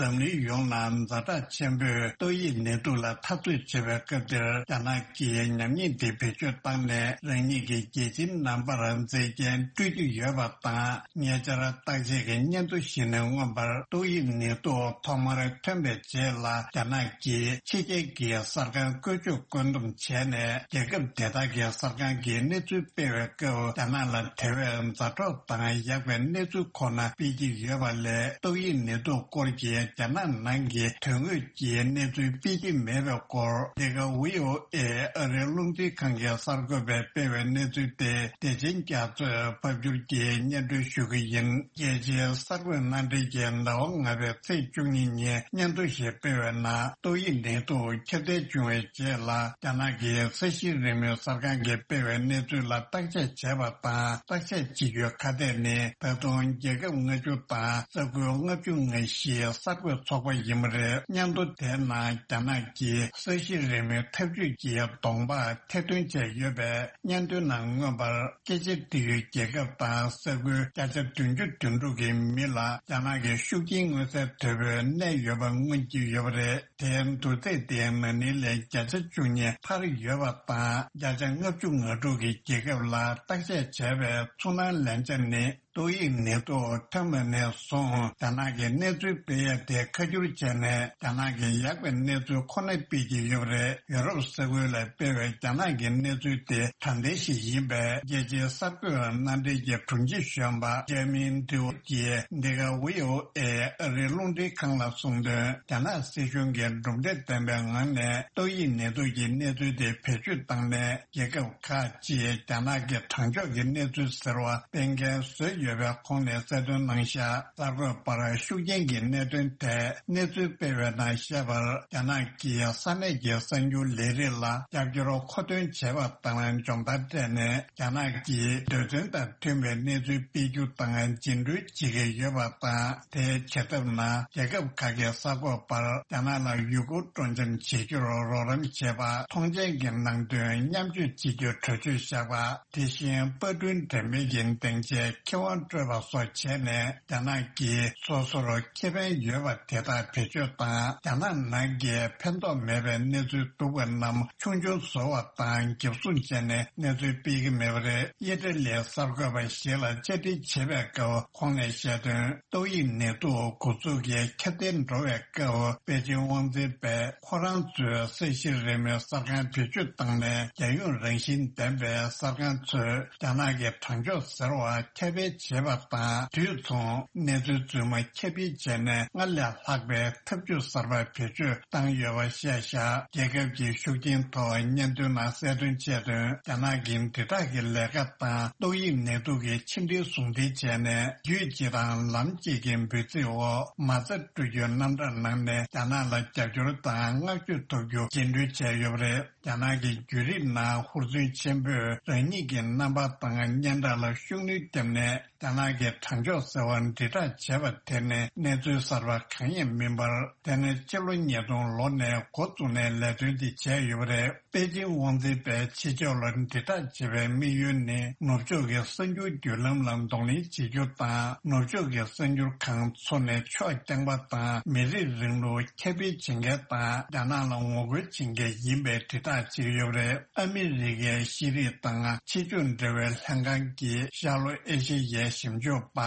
འཛམ་གླིང་ཡོངས་ལ་ཛ་དྲག་ཆེན་པོས་ཏོག་དབྱིབས་ནད་དུག་ལ་འཐབ་རྩོད་བྱེད་པའི་སྐབས་འདིར། རྒྱ་ནག་གིས་ཉམས་ཉེས་འདི་བེད་སྤྱོད་བཏང་ནས། རང་ཉིད་ཀྱི་རྒྱལ་ཁྱིམ་རྣམ་པར་མཛེས་རྒྱན་སྤྲོད་ཀྱི་ཡོད་པ་དང་། ཉེ་ཆར་བརྟག་དཔྱད་ཀྱི་སྙན་ཐོ་ཞིག་ནས་མངོན་པར། ཏོག་དབྱིབས་ནད་དུག་ཐོག་མར་ཐོན་པའི་རྗེས་ལ། རྒྱ་ནག་གིས་ཕྱི་རྒྱལ་གྱི་གསར་ཁང་བཀོལ་སྤྱོད་བཀོད་འདོམས་བྱས་ནས། རྒྱལ་ཁབ་དེ་དག་གི་གསར་ཁང་གིས་གནས་ཚུལ་སྤེལ་བའི་སྐབས། རྒྱ་ནག་ལ་དེ་བས་ཛ་དྲག་དང་ཡག་པའི་གནས་ཚུལ་ཁོ་ན་སྤེལ་གྱི་ཡོད་པ་ལས། ཏོག་དབྱིབས་ནད་དུག་སྐོར་གྱི་ རྒྱ་ནག་ནང་གི་དོན་དངོས་ཀྱི་གནས་ཚུལ་སྤེལ་གྱི་མེད་པའི་སྐོར། འདི་ག་ཝི་ཨོ་ཨེ་ཨ་རིའི་རླུང་འཕྲིན་ཁང་གི་གསར་འགོད་པས་སྤེལ་བའི་གནས་ཚུལ་དེ་བདེ་ཆེན་རྒྱ་མཚོས་ཕབ་སྒྱུར་གྱིས་སྙན་སྒྲོན་ཞུ་གི་ཡིན། རྒྱལ་སྤྱིའི་གསར་འགོད་སྣ་འདྲེན་གྱིས་ཟླ་བ་ལྔ་པའི་ཚེས་བཅུ་གཉིས་ཉིན་སྙན་ཐོ་ཞིག་སྤེལ་བའི་ནང་ཏོག་དབྱིབས་ནད་དུག་ཁྱབ་གདལ་བྱུང་བའི་རྗེས་ལ། རྒྱ་ནག་གི་ས་གཞི་རིམ་མེའི་གསར་ཁང་གིས་སྤེལ་བའི་གནས་ཚུལ་ལ་བརྟག་དཔྱད་བྱས་པ་དང་། བརྟག་དཔྱད་བྱེད་རྒྱུའི་ཁ་གཏད་ནི། ད་དུང་རྒྱལ་ཁབ་ལྔ་བཅུ་དང་ས་ཁུལ་ལྔ་བཅུ་ང་བཞིའི་གསར་འགོད་ཚོགས་པ་ཡིན་པ་རེད། སྙན་ཐོ་དེའི་ནང་རྒྱ་ནག་གིས་ས་གཞི་རིམ་མེའི་འཐབ་ཇུས་ཀྱི་གདོང་པ་ཐེར་འདོན་བྱས་ཡོད་པའི་སྙན་ཐོའི་ནང་མངོན་པར། སྐད་ཆ་འདྲི་ཡུལ་རྒྱལ་ཁབ་དང་ས་ཁུལ་བརྒྱ་ཆ་བདུན་ཅུ་དོན་དྲུག་གི་མི་ལ་རྒྱ་ནག་གི་ཤུགས་རྐྱེན་མངོན་གསལ་དོད་པོས་གནས་ཡོད་པ་མངོན་གྱི་ཡོད་པ་རེད། དེའི་བསྡུར་ཚད་དེ་ན་ནིང་ལས་བརྒྱ་ཆ་བཅུ་གཉིས་འཕར་ཡོད་པ་དང་། བརྒྱ་ཆ་ལྔ་བཅུ་ང་དྲུག་གི་རྒྱལ་ཁབ་ལ་བརྟག་དཔྱད་བྱས་པའི་ཚོར་སྣང་ལན་ཆ་ནི། ཏོག་དབྱིབས་ནད་དུག་ཐོན་པ་ནས་བཟུང་རྒྱ་ནག་གིས་གནས་ཚུལ་སྤེལ་ཡ་དེ་ཁ་བསྒྱུར་བྱས་ནས། རྒྱ་ནག་གིས་ཡག་པའི་གནས་ཚུལ་ཁོ་ན་སྤེལ་གྱི་ཡོད་པ་རེད། ཡོ་རོབ་ས་ཁུལ་ལ་སྤེལ་བའི་རྒྱ་ནག་གི་གནས་ཚུལ་དེ་དྲང་བདེན་ཞིག་ཡིན་པས། རྒྱལ་སྤྱིའི་གསར་འགོད་སྣ་འདྲེན་གྱི་དྲུང་ཆེ་གཞོན་པ་ཇེ་མིན་ཏིའུ་གྱིས་འདི་ག་ཝི་ཨོ་ཨེ་ཨ་རིའི་རླུང་འཕྲིན་ཁང་ལ་གསུངས་དོན། རྒྱ་ནག་སྲིད་གཞུང་གིས་གྲུབ་འབྲས་ལྡན་པའི་ངང་ནས་ཏོག་དབྱིབས་ནད་དུག་གི་གནས་ཚུལ་དེ་བེད་སྤྱོད་བཏང་ནས། རྒྱལ་ཁབ་ཁག་ཅིག་རྒྱ་ནག་གི་དྲང་ཕྱོགས་ཀྱི་གནས་ཚུལ་ཟེར་བ་སྤེལ་མཁན་བཟོས་ཡོད་པའི་ཁོངས་ནས་གསལ་སྟོན་གནང་བཞག་གསར་འགོད་པར་ཤུགས་རྐྱེན་གྱི་གནད་དོན་ཐད་གནས་ཚུལ་སྤེལ་བའི་ནང་བཤད་པར། རྒྱ་ནག་གིས་ས་གནས་ཀྱི་གསར་འགྱུར་ལས་རིགས་ལ་རྒྱབ་སྐྱོར་མཁོ་འདོན་བྱས་པ་དང་སྦྱོང་བརྡར་སྤྲད་ནས། རྒྱ་ནག་གི་འདོད་དོན་དང་མཐུན་པའི་གནས་ཚུལ་སྤེལ་རྒྱུ་དང་རྒྱུན་འགྲོལ་བྱེད་ཀྱི་ཡོད་པ་དང་། དེའི་བྱེད་ཐབས་ནང་རྒྱལ་ཁབ་ཁག་གིས་གསར་འགོད་པར་རྒྱ་ནག་ལ་ཡུལ་སྐོར་སྤྲོ་འཆམ་བྱེད་རྒྱུར་རོགས་རམ་བྱེད་པ། མཐོང་མཆན་གྱི་ནང་དོན་མཉམ་སྤྱོད་བྱེད་རྒྱུར་གྲོས་ཆོད་བཞག་པ། དེ་བཞིན་པར་སྐྲུན་འགྲེམས་སྤེལ་གྱི་སྡིངས་ཆའི་ཁེ་དབང་སྤྲོད་པ་སོགས་བྱས་ནས། རྒྱ་ནག་གིས་སོ་སོར་ཁེ་ཕན་ཡོད་པ་དེ་དག་བེད་སྤྱོད་དང་། རྒྱ་ནག་ནང་གི་ཕན་ཐོགས་མེད་པའི་གནས་ཚུལ་སྡུག་པ་རྣམས་ཆུང་ཆུང་བཟོ་བ་དང་། འགེབས་སྲུང་བྱས་ནས་གནས་ཚུལ་སྤེལ་གྱི་མེད་པ་རེད། ཨི་ཊ་ལིའི་གསར་འགོད་པ་ཞིག་ལ་བཅར་འདྲི་བྱེད་པའི་སྐབས་ཁོང་ནས་བཤད་དོན། ཏོག་དབྱིབས་ནད་དུག་འགོ་འཛུགས་ཀྱི་ཁྱབ་གདལ་འགྲོ་བའི་སྐབས། པེ་ཅིང་དབང་འཛིན་པས་ཁོ་རང་ཚོའི་ས་གཞི་རིམ་མེའི་གསར་ཁང་བེད་སྤྱོད་བཏང་ནས། རྒྱལ་ཡོངས་རང་བཞིན་ལྡན་པའི་གསར་ཁང་ཚོས་རྒྱ་ནག་གི་དྲང་ཕྱོགས་ཟེར་བ་ཁྱབ་སྤེལ་བྱེད་པ་དང་། དུས་མཚུངས་གནས་ཚུལ་རྫུན་མ་ཁྱབ་སྤེལ་བྱས་ནས་སྔར་ལས་ལྷག་པའི་ཐབས་ཇུས་གསར་པ་བེད་སྤྱོད་བཏང་ཡོད་པ་བཤད་བཞག་རྒྱལ་ཁབ་ཀྱི་ཤུགས་རྐྱེན་ཐོག་སྙན་ཐོའི་ནང་གསལ་སྟོན་བྱས་དོན། རྒྱ་ནག་གི་དྲིལ་བསྒྲགས་ཀྱི་ལས་ཀ་དང་ཏོག་དབྱིབས་ནད་དུག་གི་ཕྱི་འབྲེལ་ཟུང་འབྲེལ་བྱས་ནས། རྒྱུད་གཅིག་དང་ལམ་གཅིག་གི་འབོད་ཚིག་འོག་མ་རྩ་སྤྲོད་རྒྱུའི་རྣམ་གྲངས་ནང་ནས་རྒྱ་ནག་ལ་རྒྱབ་སྐྱོར་དང་བསྔགས་བརྗོད་ཐོབ་རྒྱུ་རྒྱུན་འགྲོལ་བྱས་ཡོད་པ་རེད། རྒྱ་ནག་གི་བརྒྱུད་རིམ་ནང་ཧུར་བརྩོན་ཆེན་པོས་རང་ཉིད་ཀྱི་རྣམ་པ་དང་སྙན་གྲགས་ལ་ཤུགས་སྣོན་བརྒྱབ་ནས། རྒྱ་ནག་གི་དྲང་ཕྱོགས་ཟེར་བ་དྲིལ་བསྒྲགས་བྱས་པ་དེ་ནི་གནས་ཚུལ་གསར་པ་གང་ཡང་མིན་པར། དེ་ནི་སྤྱི་ལོ་ཉིས་སྟོང་ལོ་ནས་འགོ་བཙུགས་ནས་ལས་དོན་འདི་བྱས་ཡོད་པ་རེད། པེ་ཅིང་དབང་འཛིན་པས་ཕྱི་ཕྱོགས་ལ་དྲིལ་བསྒྲགས་བྱེད་པའི་དམིགས་ཡུལ་ནི། ནུབ་ཕྱོགས་ཀྱི་གསར་འགྱུར་བརྒྱུད་ལམ་ལ་གདོང་ལེན་བྱེད་རྒྱུ་དང་། ནུབ་ཕྱོགས་ཀྱི་གསར་འགྱུར་ཁང་ཚོ་ནས་ཕྱོགས་རྐྱང་པ་དང་མི་རིགས་རིང་ལུགས་ཁྱབ་སྤེལ་བྱེད་མཁན་དང་། རྒྱ་ནག་ལ་ངོ་རྒོལ་བྱེད་མཁན་ཡིན་པའི་དྲིལ་བསྒྲགས་བྱེད་ཀྱི་ཡོད་པ་རེད། ཨ་མི་རི་ཀའི་ཤེས་རིག་དང་ཕྱི་ཕྱོགས་འབྲེལ་བའི་ལྷན་ཁང་གི་ཤར་ལྷོ་ཨེ་ཤེ་ཡའི་ཞིབ་འཇུག་པ་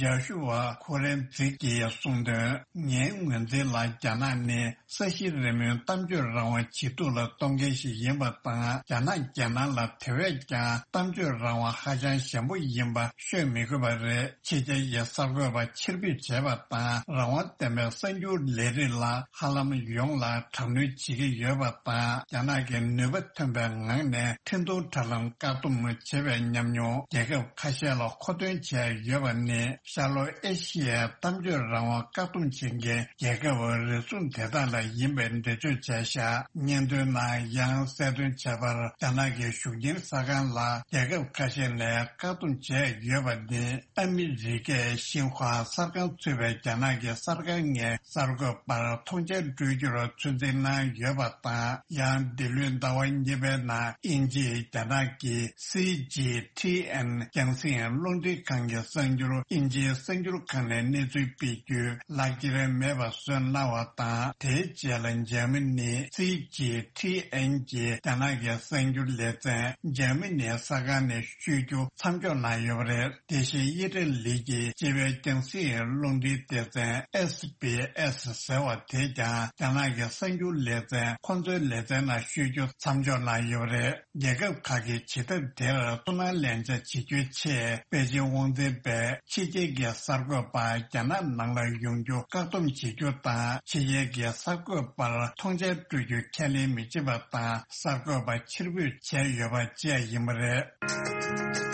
ཇཱ་ཤུ་ཝ་ཁོ་རན་ཛི་ཀྱིས་གསུངས་དོན། ངའི་ངོས་འཛིན་ལ་རྒྱ་ནག་ནི་ས་གཞི་རིམ་མེའི་གཏམ་བརྗོད་རང་དབང་ཇེ་སྡུག་ལ་གཏོང་མཁན་ཞིག་ཡིན་པ་དང་། རྒྱ་ནག་རྒྱལ་ནང་ལ་དེ་བས་ཀྱང་གཏམ་བརྗོད་རང་དབང་ཧ་ཅང་ཞན་པོ་ཡིན་པ་ཤོད་མི་དགོས་པ་རེད། ཕྱི་རྒྱལ་གྱི་གསར་འགོད་པ་ཕྱིར་འབུད་བྱས་པ་དང་། རང་དབང་ལྡན་པའི་གསར་འགྱུར་ལས་རིགས་ལ་ཧ་ལམ་ཡོངས་ལ་དྲག་གནོན་བྱེད་ཀྱི་ཡོད་པ་དང་། རྒྱ་ནག་གིས་ནུས་པ་ཐོན་པའི་ངང་ནས་འཕྲིན་ཐུང་དྲ་ལམ་བཀག་སྡོམ་བྱེད་པའི་ཉམས་མྱོང་རྒྱལ་ཁབ་ཁ་ཤས་ལ་མཁོ་འདོན་བྱས་ཡོད་པ་ནི། ཤར་ལྷོ་ཨེ་ཤི་ཡའི་གཏམ་བརྗོད་རང་དབང་བཀག་སྡོམ་བྱེད་མཁན་རྒྱལ་ཁབ་རེ་ཟུང་དེ་དག་ལ་ཡིན་པའི་འགྲེལ་བརྗོད་བྱས་བཞག་སྙན་ཐོའི་ནང་ཡང་གསལ་སྟོན་བྱས་པར། རྒྱ་ནག་གི་གཞུང་འབྲེལ་གསར་ཁང་ལ་རྒྱལ་ཁབ་ཁ་ཤས་ནས་བཀག་སྡོམ་བྱས་ཡོད་པ་ནི། ཨ་མི་རི་ཀས་ཤིན་ཧྭ་གསར་ཁང་ཚུད་པའི་རྒྱ་ནག་གི་གསར་ཁང་ལྔའི་གསར་འགོད་པར་མཐོང་མཆན་སྤྲོད་རྒྱུར་ཚོད་འཛིན་གནང་ཡོད་པ་དང་། ཡང་འདི་ལོའི་ཟླ་བ་གཉིས་པའི་ནང་དབྱིན་ཇིས་རྒྱ་ནག་གི་སི་ཇི་ཐི་ཨེན་རྒྱང་སྲིང་རླུང་འཕྲིན་ཁང་གི་གསར་འགྱུར་དབྱིན་ཇིའི་གསར་འགྱུར་ཁང་ནས་གནས་ཚུལ་སྤེལ་རྒྱུ་ལག་འཁྱེར་མེད་པ་བཟོས་གནང་བ་དང་། དེའི་རྗེས་ལ་འཇར་མ་ནི་སི་ཇི་ཐི་ཨེན་གྱིས་རྒྱ་ནག་གི་གསར་འགྱུར་ལེ་ཚན་འཇར་མ་ནིའི་གསར་ཁང་ནས་བཤུས་རྒྱུ་མཚམས་འཇོག་གནང་ཡོད་པ་རེད། དེ་བཞིན་ཨི་ཊ་ལི་གྱི་སྤྱི་པའི་རྒྱང་སྲིང་རླུང་འཕྲིན་སྡེ་ཚན་ཨེས་བི་ཨེས་ཟེར་བ་དེས་ཀྱང་རྒྱ་ནག་གི་གསར་འགྱུར་ལེ་ཚན་ཁོ་ཚོའི་ལེ་ཚན་ནང་བཤུས་ རྒྱུ་མཚམས་འཇོག་གནང་ཡོད་པ་རེད། རྒྱལ་ཁབ་ཁག་གིས་བྱེད་ཐབས་དེར་ཐུགས་སྣང་ལེན་བྱ་བྱེད་རྒྱུའི་ཆེད། པེ་ཅིང་དབང་འཛིན་པས་ཕྱི་རྒྱལ་གྱི་གསར་འགོད་པ་རྒྱ་ནག་ནང་ལ་ཡོང་རྒྱུ་བཀག་སྡོམ་བྱེད་རྒྱུ་དང་། ཕྱི་རྒྱལ་གྱི་གསར་འགོད་པར་མཐོང་མཆན་སྤྲོད་རྒྱུ་ཁས་ལེན་མི་བྱེད་པ་དང་། གསར་འགོད་པ་ཕྱིར་འབུད་བྱས་ཡོད་པ་བཅས་ཡིན་པ་རེད།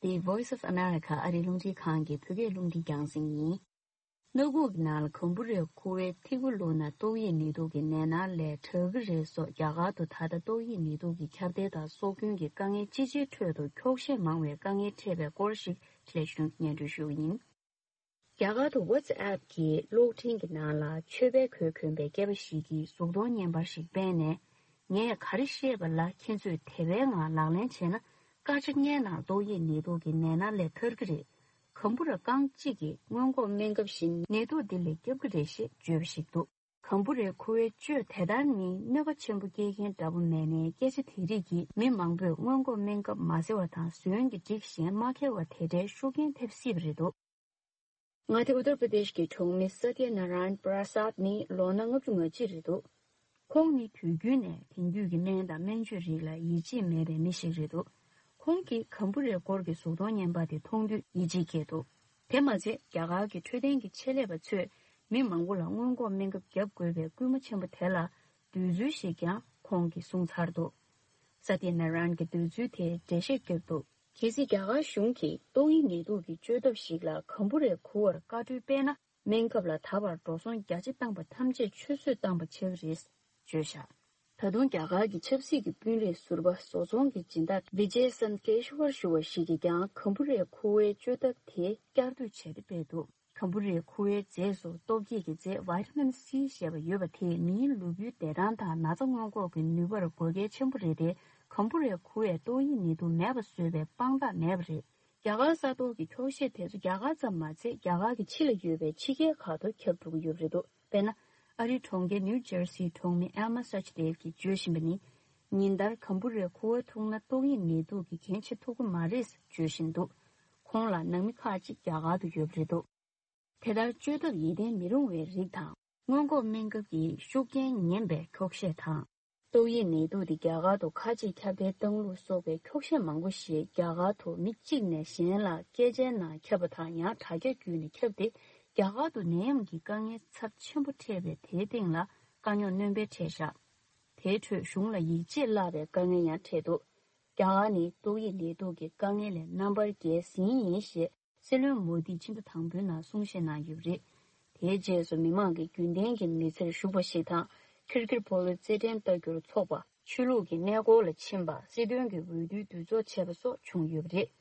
འདི་Voice of America ཨ་རིའི་རླུང་འཕྲིན་ཁང་གི་བོད་སྐད་རླུང་འཕྲིན་རྒྱང་སྲིང་ཡིན། སྣ་ཁུག་གི་ནང་ལ་གམ་བུ་རའི་ཁུ་བའི་ཐིགས་པ་བླུགས་ན་ཏོག་དབྱིབས་ནད་དུག་གི་ནད་མནར་ལས་དྲག་གི་རེད་སོགས། རྒྱ་གར་དུ་ད་ལྟ་ཏོག་དབྱིབས་ནད་དུག་གི་ཁྱབ་གདལ་དང་སྲོག་སྐྱོན་གྱི་དཀའ་ངལ་ཅི་ཆེའི་ཁྲོད་དུ་འཁྱོག་བཤད་མང་བའི་དཀའ་ངལ་འཕྲད་པའི་སྐོར་ཞིག་ལྷན་རྒྱས་ཚོར་སྙན་སྒྲོན་ཞུ་གི་ཡིན། རྒྱ་གར་དུ་WhatsApp གི་གློག་འཕྲིན་གྱི་ནང་ལ་མཆོད་པའི་གོས་གོན་པའི་སྐྱེས་པ་ཞིག་གིས་གཟུགས་མཐོང་བརྙན་པར་ཞིག་སྤེལ་ནས། ངས་ག་རེ་བཤད་པ་ལ་ཁྱེད་ཚོས་དེ་བས་ང་ལག་ལེན་བྱས་ན། སྐར་ཆ་ལྔའི་ནང་ཏོག་དབྱིབས་ནད་དུག་གི་ནད་མནར་ལས་ཐར་གྱི་རེད། གམ་བུ་ར་རྐང་གཅིག་གིས་སྔོན་འགོག་སྨན་ཁབ་བཞིན་ནད་དུག་འདི་ལས་སྐྱོབ་ཀྱི་རེད་ཞེས་བརྗོད་པ་ཞིག་འདུག་གམ་བུ་རའི་ཁུ་བའི་བཅོས་དེ་ལྟར་ནི་གནོད་པ་ཆེན་པོ་སྐྱེལ་མཁན་འདྲ་པོ་མེད་ནའི། སྐད་ཆ་དེ་རིགས་ཀྱིས་མི་མང་པོས་སྔོན་འགོག་སྨན་ཁབ་མ་ཟ་བ་དང་། ཟོན་གྱི་སྒྲིག་གཞན་མ་འཁྱེར་བ་དེ་འདྲའི་ཤུགས་རྐྱེན་ཐེབས་སྲིད་པ་རེད་འདུག་མངའ་སྡེ་ཨུ་ཏར་པྲ་དེཤ་གི་གྲོང་མི་སཏྱ་ནཱ་རཱ་ཡན་པྲ་སཱད་ནི་ལོ་ན་ལྔ་བཅུ་ང་གཅིག་རེད་འདུག་ཁོང་ནི་དུས་རྒྱུན་ནས་དེང་དུས་ཀྱི་སྨན་དང་སྨན་བཅོས་རིགས་ལ་ཡིད་ཆེས་མེད་པའི་མི་ཞིག་རེད་འདུག་ཁོང་གིས་གམ་བུ་རའི་སྐོར་གྱི་གཟུགས་མཐོང་བརྙན་པར་དེ་མཐོང་དུས་ཡིད་ཆེས་སྐྱེས་འདུག་དེ་མ་ཚད། རྒྱ་གར་གྱི་འཕྲོད་བསྟེན་གྱི་ཆེད་ལས་པ་ཚོས་མི་མང་པོ་ལ་སྔོན་འགོག་སྨན་ཁབ་བརྒྱབ་དགོས་པའི་སྐུལ་མ་ཆེན་པོ་དེ་ལ་འདོད་ཚུལ་ཞིག་ཀྱང་ཁོང་གིས་གསུངས་ཚར་འདུག་སཏྱ་ནཱ་རཱ་ཡན་གྱིས་འདོད་ཚུལ་དེར་འགྲེལ་བཤད་བརྒྱབ་འདུག་གལ་སྲིད་རྒྱ་གར་གཞུང་གིས་ཏོག་དབྱིབས་ནད་དུག་གི་བཅོས་ཐབས་ཤིག་ལ་གམ་བུ་རའི་ཁུ་བར་བཀའ་འཁྲོལ་སྤེལ་ན། སྨན་ཁབ་ལ་ད་བར་འགྲོ་སོང་བརྒྱ་ཆ་བཏང་པ་ཐམས་ཅད་ཆུད་ཟོས་བཏང་པ་ཆགས་ཀྱི་རེད། བརྗོད་བཞག་ད་དུང་རྒྱ་གར་གྱི་ཆབ་སྲིད་ཀྱི་དཔོན་རིགས་ཟུར་པ་བཟོ་ཚོང་གི་སྦྱིན་བདག་Vijay Sankeshwar ཞུ་བ་ཞིག་གིས་ཀྱང་གམ་བུ་རའི་ཁུ་བའི་བཅོས་ཐབས་དེ་བསྐྱར་ཟློས་བྱས་ཏེ་སྤེལ་འདུག་གམ་བུ་རའི་ཁུ་བའི་རྫས་སུ་སྟོབས་སྐྱེད་ཀྱི་རྫས་Vitamin C ཞེས་པ་ཡོད་པ་དེས་མིའི་ལུས་པོའི་བདེ་ཐང་དང་ན་ཚ་སྔོན་འགོག་གི་ནུས་པར་དགོས་གལ་ཆེན་པོ་རེད་དེ། གམ་བུ་རའི་ཁུ་བས་ཏོག་དབྱིབས་ནད་དུག་མེད་པ་བཟོས་པའི་དཔང་རྟགས་མེད་པ་རེད། རྒྱ་གར་ས་ཐོག་གི་འཁྱོག་བཤད་དེ་ཚོ་རྒྱ་གར་ཙམ་མ་ཚད། རྒྱ་གར་གྱི་ཕྱི་ལ་ཡོད་པའི་ཕྱི་རྒྱལ་ཁག་ཏུ་ཁྱབ་འགྲོ་གི་ཡོད་པ་རེད་འདུག་དཔེར་ན། ཨ་རིའི་གྲོང་ཁྱེར་ནིའུ་ཇར་སིའི་གྲོང་མི་Emma Sachdev གྱིས་བརྗོད་བཞིན་པ་ནི། ཉིན་ལྟར་གམ་བུ་རའི་ཁུ་བ་འཐུང་ན་ཏོག་དབྱིབས་ནད་དུག་གི་རྐྱེན་བྱེད་ཐུབ་ཀྱི་མ་རེད་བརྗོད་བཞིན་འདུག་ཁོང་ལ་ནང་མི་ཁག་ཅིག་རྒྱ་གར་དུ་ཡོད་པ་རེད་འདུག་དེ་ལྟར་བཅོས་ཐབས་ཡིད་བརྟན་མི་རུང་བའི་རིགས་དང་། སྔོན་འགོག་སྨན་ཁབ་ཀྱི་ཤུགས་རྐྱེན་ངན་པའི་འཁྱོག་བཤད་དང་། ཏོག་དབྱིབས་ནད་དུག་འདི་རྒྱ་གར་དུ་ཁ་ལྕེ་ཁྱབ་གདལ་བཏང་ལུགས་སོགས་པའི་འཁྱོག་བཤད་མང་པོ་ཞིག་རྒྱ་གར་དུ་མི་གཅིག་ནས་གཞན་ལ་སྐད་ཆའི་ནང་ཁྱབ་པ་དང་། ཡང་དྲ་རྒྱ་བརྒྱུད་ནས་ཁྱབ་སྟེ། རྒྱ་གར་དུ་ནད་ཡམས་ཀྱི་དཀའ་ངལ་ཚབས་ཆེན་པོ་འཕྲད་པའི་དེའི་སྟེང་ལ་དཀའ་རྙོག་སྣོན་སྤེལ་འཕྲད་བཞག་དེའི་ཁྲོད་གཞུང་ལ་ཡིད་ཆེས་བརླག་པའི་དཀའ་ངལ་ཡང་འཕྲད་འདུག་རྒྱ་གར་ནི་ཏོག་དབྱིབས་ནད་དུག་གི་དཀའ་ངལ་ལས་རྣམ་པར་རྒྱལ་ཟིན་ཡིན་ཞེས། སྲིད་བློན་མོ་དིས་ཕྱི་ཟླ་དང་པོའི་ནང་གསུང་བཤད་གནང་ཡོད་པ་རེད། དེའི་རྗེས་སུ་མི་མང་གི་རྒྱུན་ལྡན་གྱི་མི་ཚེར་ཞུགས་པ་ཞིག་དང་། ཁིར་ཁིར་ཕོ་ལོའི་རྩེད་འགྲན་ལྟ་རྒྱུར་འཚོགས་པ། ཆོས་ལུགས་ཀྱི་གནས་སྐོར་ལ་ཕྱིན་པ། སྲིད་དོན་གྱི་འོས་བསྡུའི་འདུ་ཚོགས་བྱས་པ་སོགས་བྱུང་ཡོད་པ་རེད།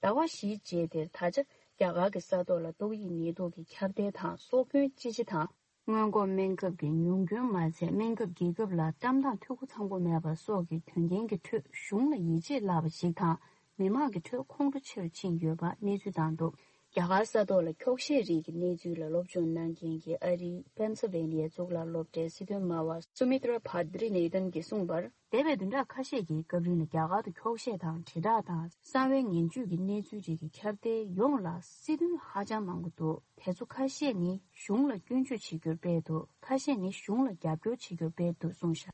ཟླ་བ་བཞིའི་རྗེས་དེར་ད་ཆ་རྒྱ་གར་གྱི་ས་ཐོག་ལ་ཏོག་དབྱིབས་ནད་དུག་གི་ཁྱབ་གདལ་དང་སྲོག་སྐྱོན་ཅི་ཆེ་དང་། སྔོན་འགོག་སྨན་ཁབ་ཀྱི་ཉུང་སྐྱོན་མ་ཚད། སྨན་ཁབ་རྒྱལ་ཁབ་ལ་བཀྲམ་སྟངས་འཐུས་སྒོ་ཚང་པོ་མེད་པ་སོགས་ཀྱི་དོན་རྐྱེན་གྱི་ཁྲོད་གཞུང་ལ་ཡིད་ཆེས་བརླག་པ་ཞིག་དང་། མི་མང་གི་ཁྲོད་ཁོང་ཁྲོ་ཆེ་རུ་ཕྱིན་ཡོད་པ་གནས་ཚུལ་བཏང་འདུག་རྒྱ་གར་ས་ཐོག་ལ་འཁྱོག་བཤད་རིགས་ཀྱི་གནས་ཚུལ་ལ་སློབ་སྦྱོང་གནང་མཁན་གྱི་ཨ་རིའི་པེན་སིལ་ཝེ་ནི་ཡའི་གཙུག་ལག་སློབ་གྲྭའི་སྲིད་དོན་སྨྲ་བ་སུ་མི་ཏྲ་བྷ་དྲི་ནེ་ཐན་གྱིས་གསུངས་པར། འདས་པའི་བདུན་ཕྲག་ཁ་ཤས་ཀྱི་སྐབས་རིང་ལ་རྒྱ་གར་དུ་འཁྱོག་བཤད་དང་། དྲིལ་བསྒྲགས་དང་། གསང་བའི་ངན་ཇུས་ཀྱི་གནས་ཚུལ་རིགས་ཀྱི་ཁྱབ་གདལ་ཡོངས་ལ་སྲིད་དོན་ཧ་ཅང་མང་པོ་འདུག་དེ་ཚོ་ཁ་ཤས་ནི་གཞུང་ལ་སྐྱོན་བརྗོད་བྱེད་རྒྱུར་སྤེལ་འདུག་ཁ་ཤས་ནི་གཞུང་ལ་རྒྱབ་སྐྱོར་བྱེད་རྒྱུར་སྤེལ་འདུག་གསུངས་བཞག་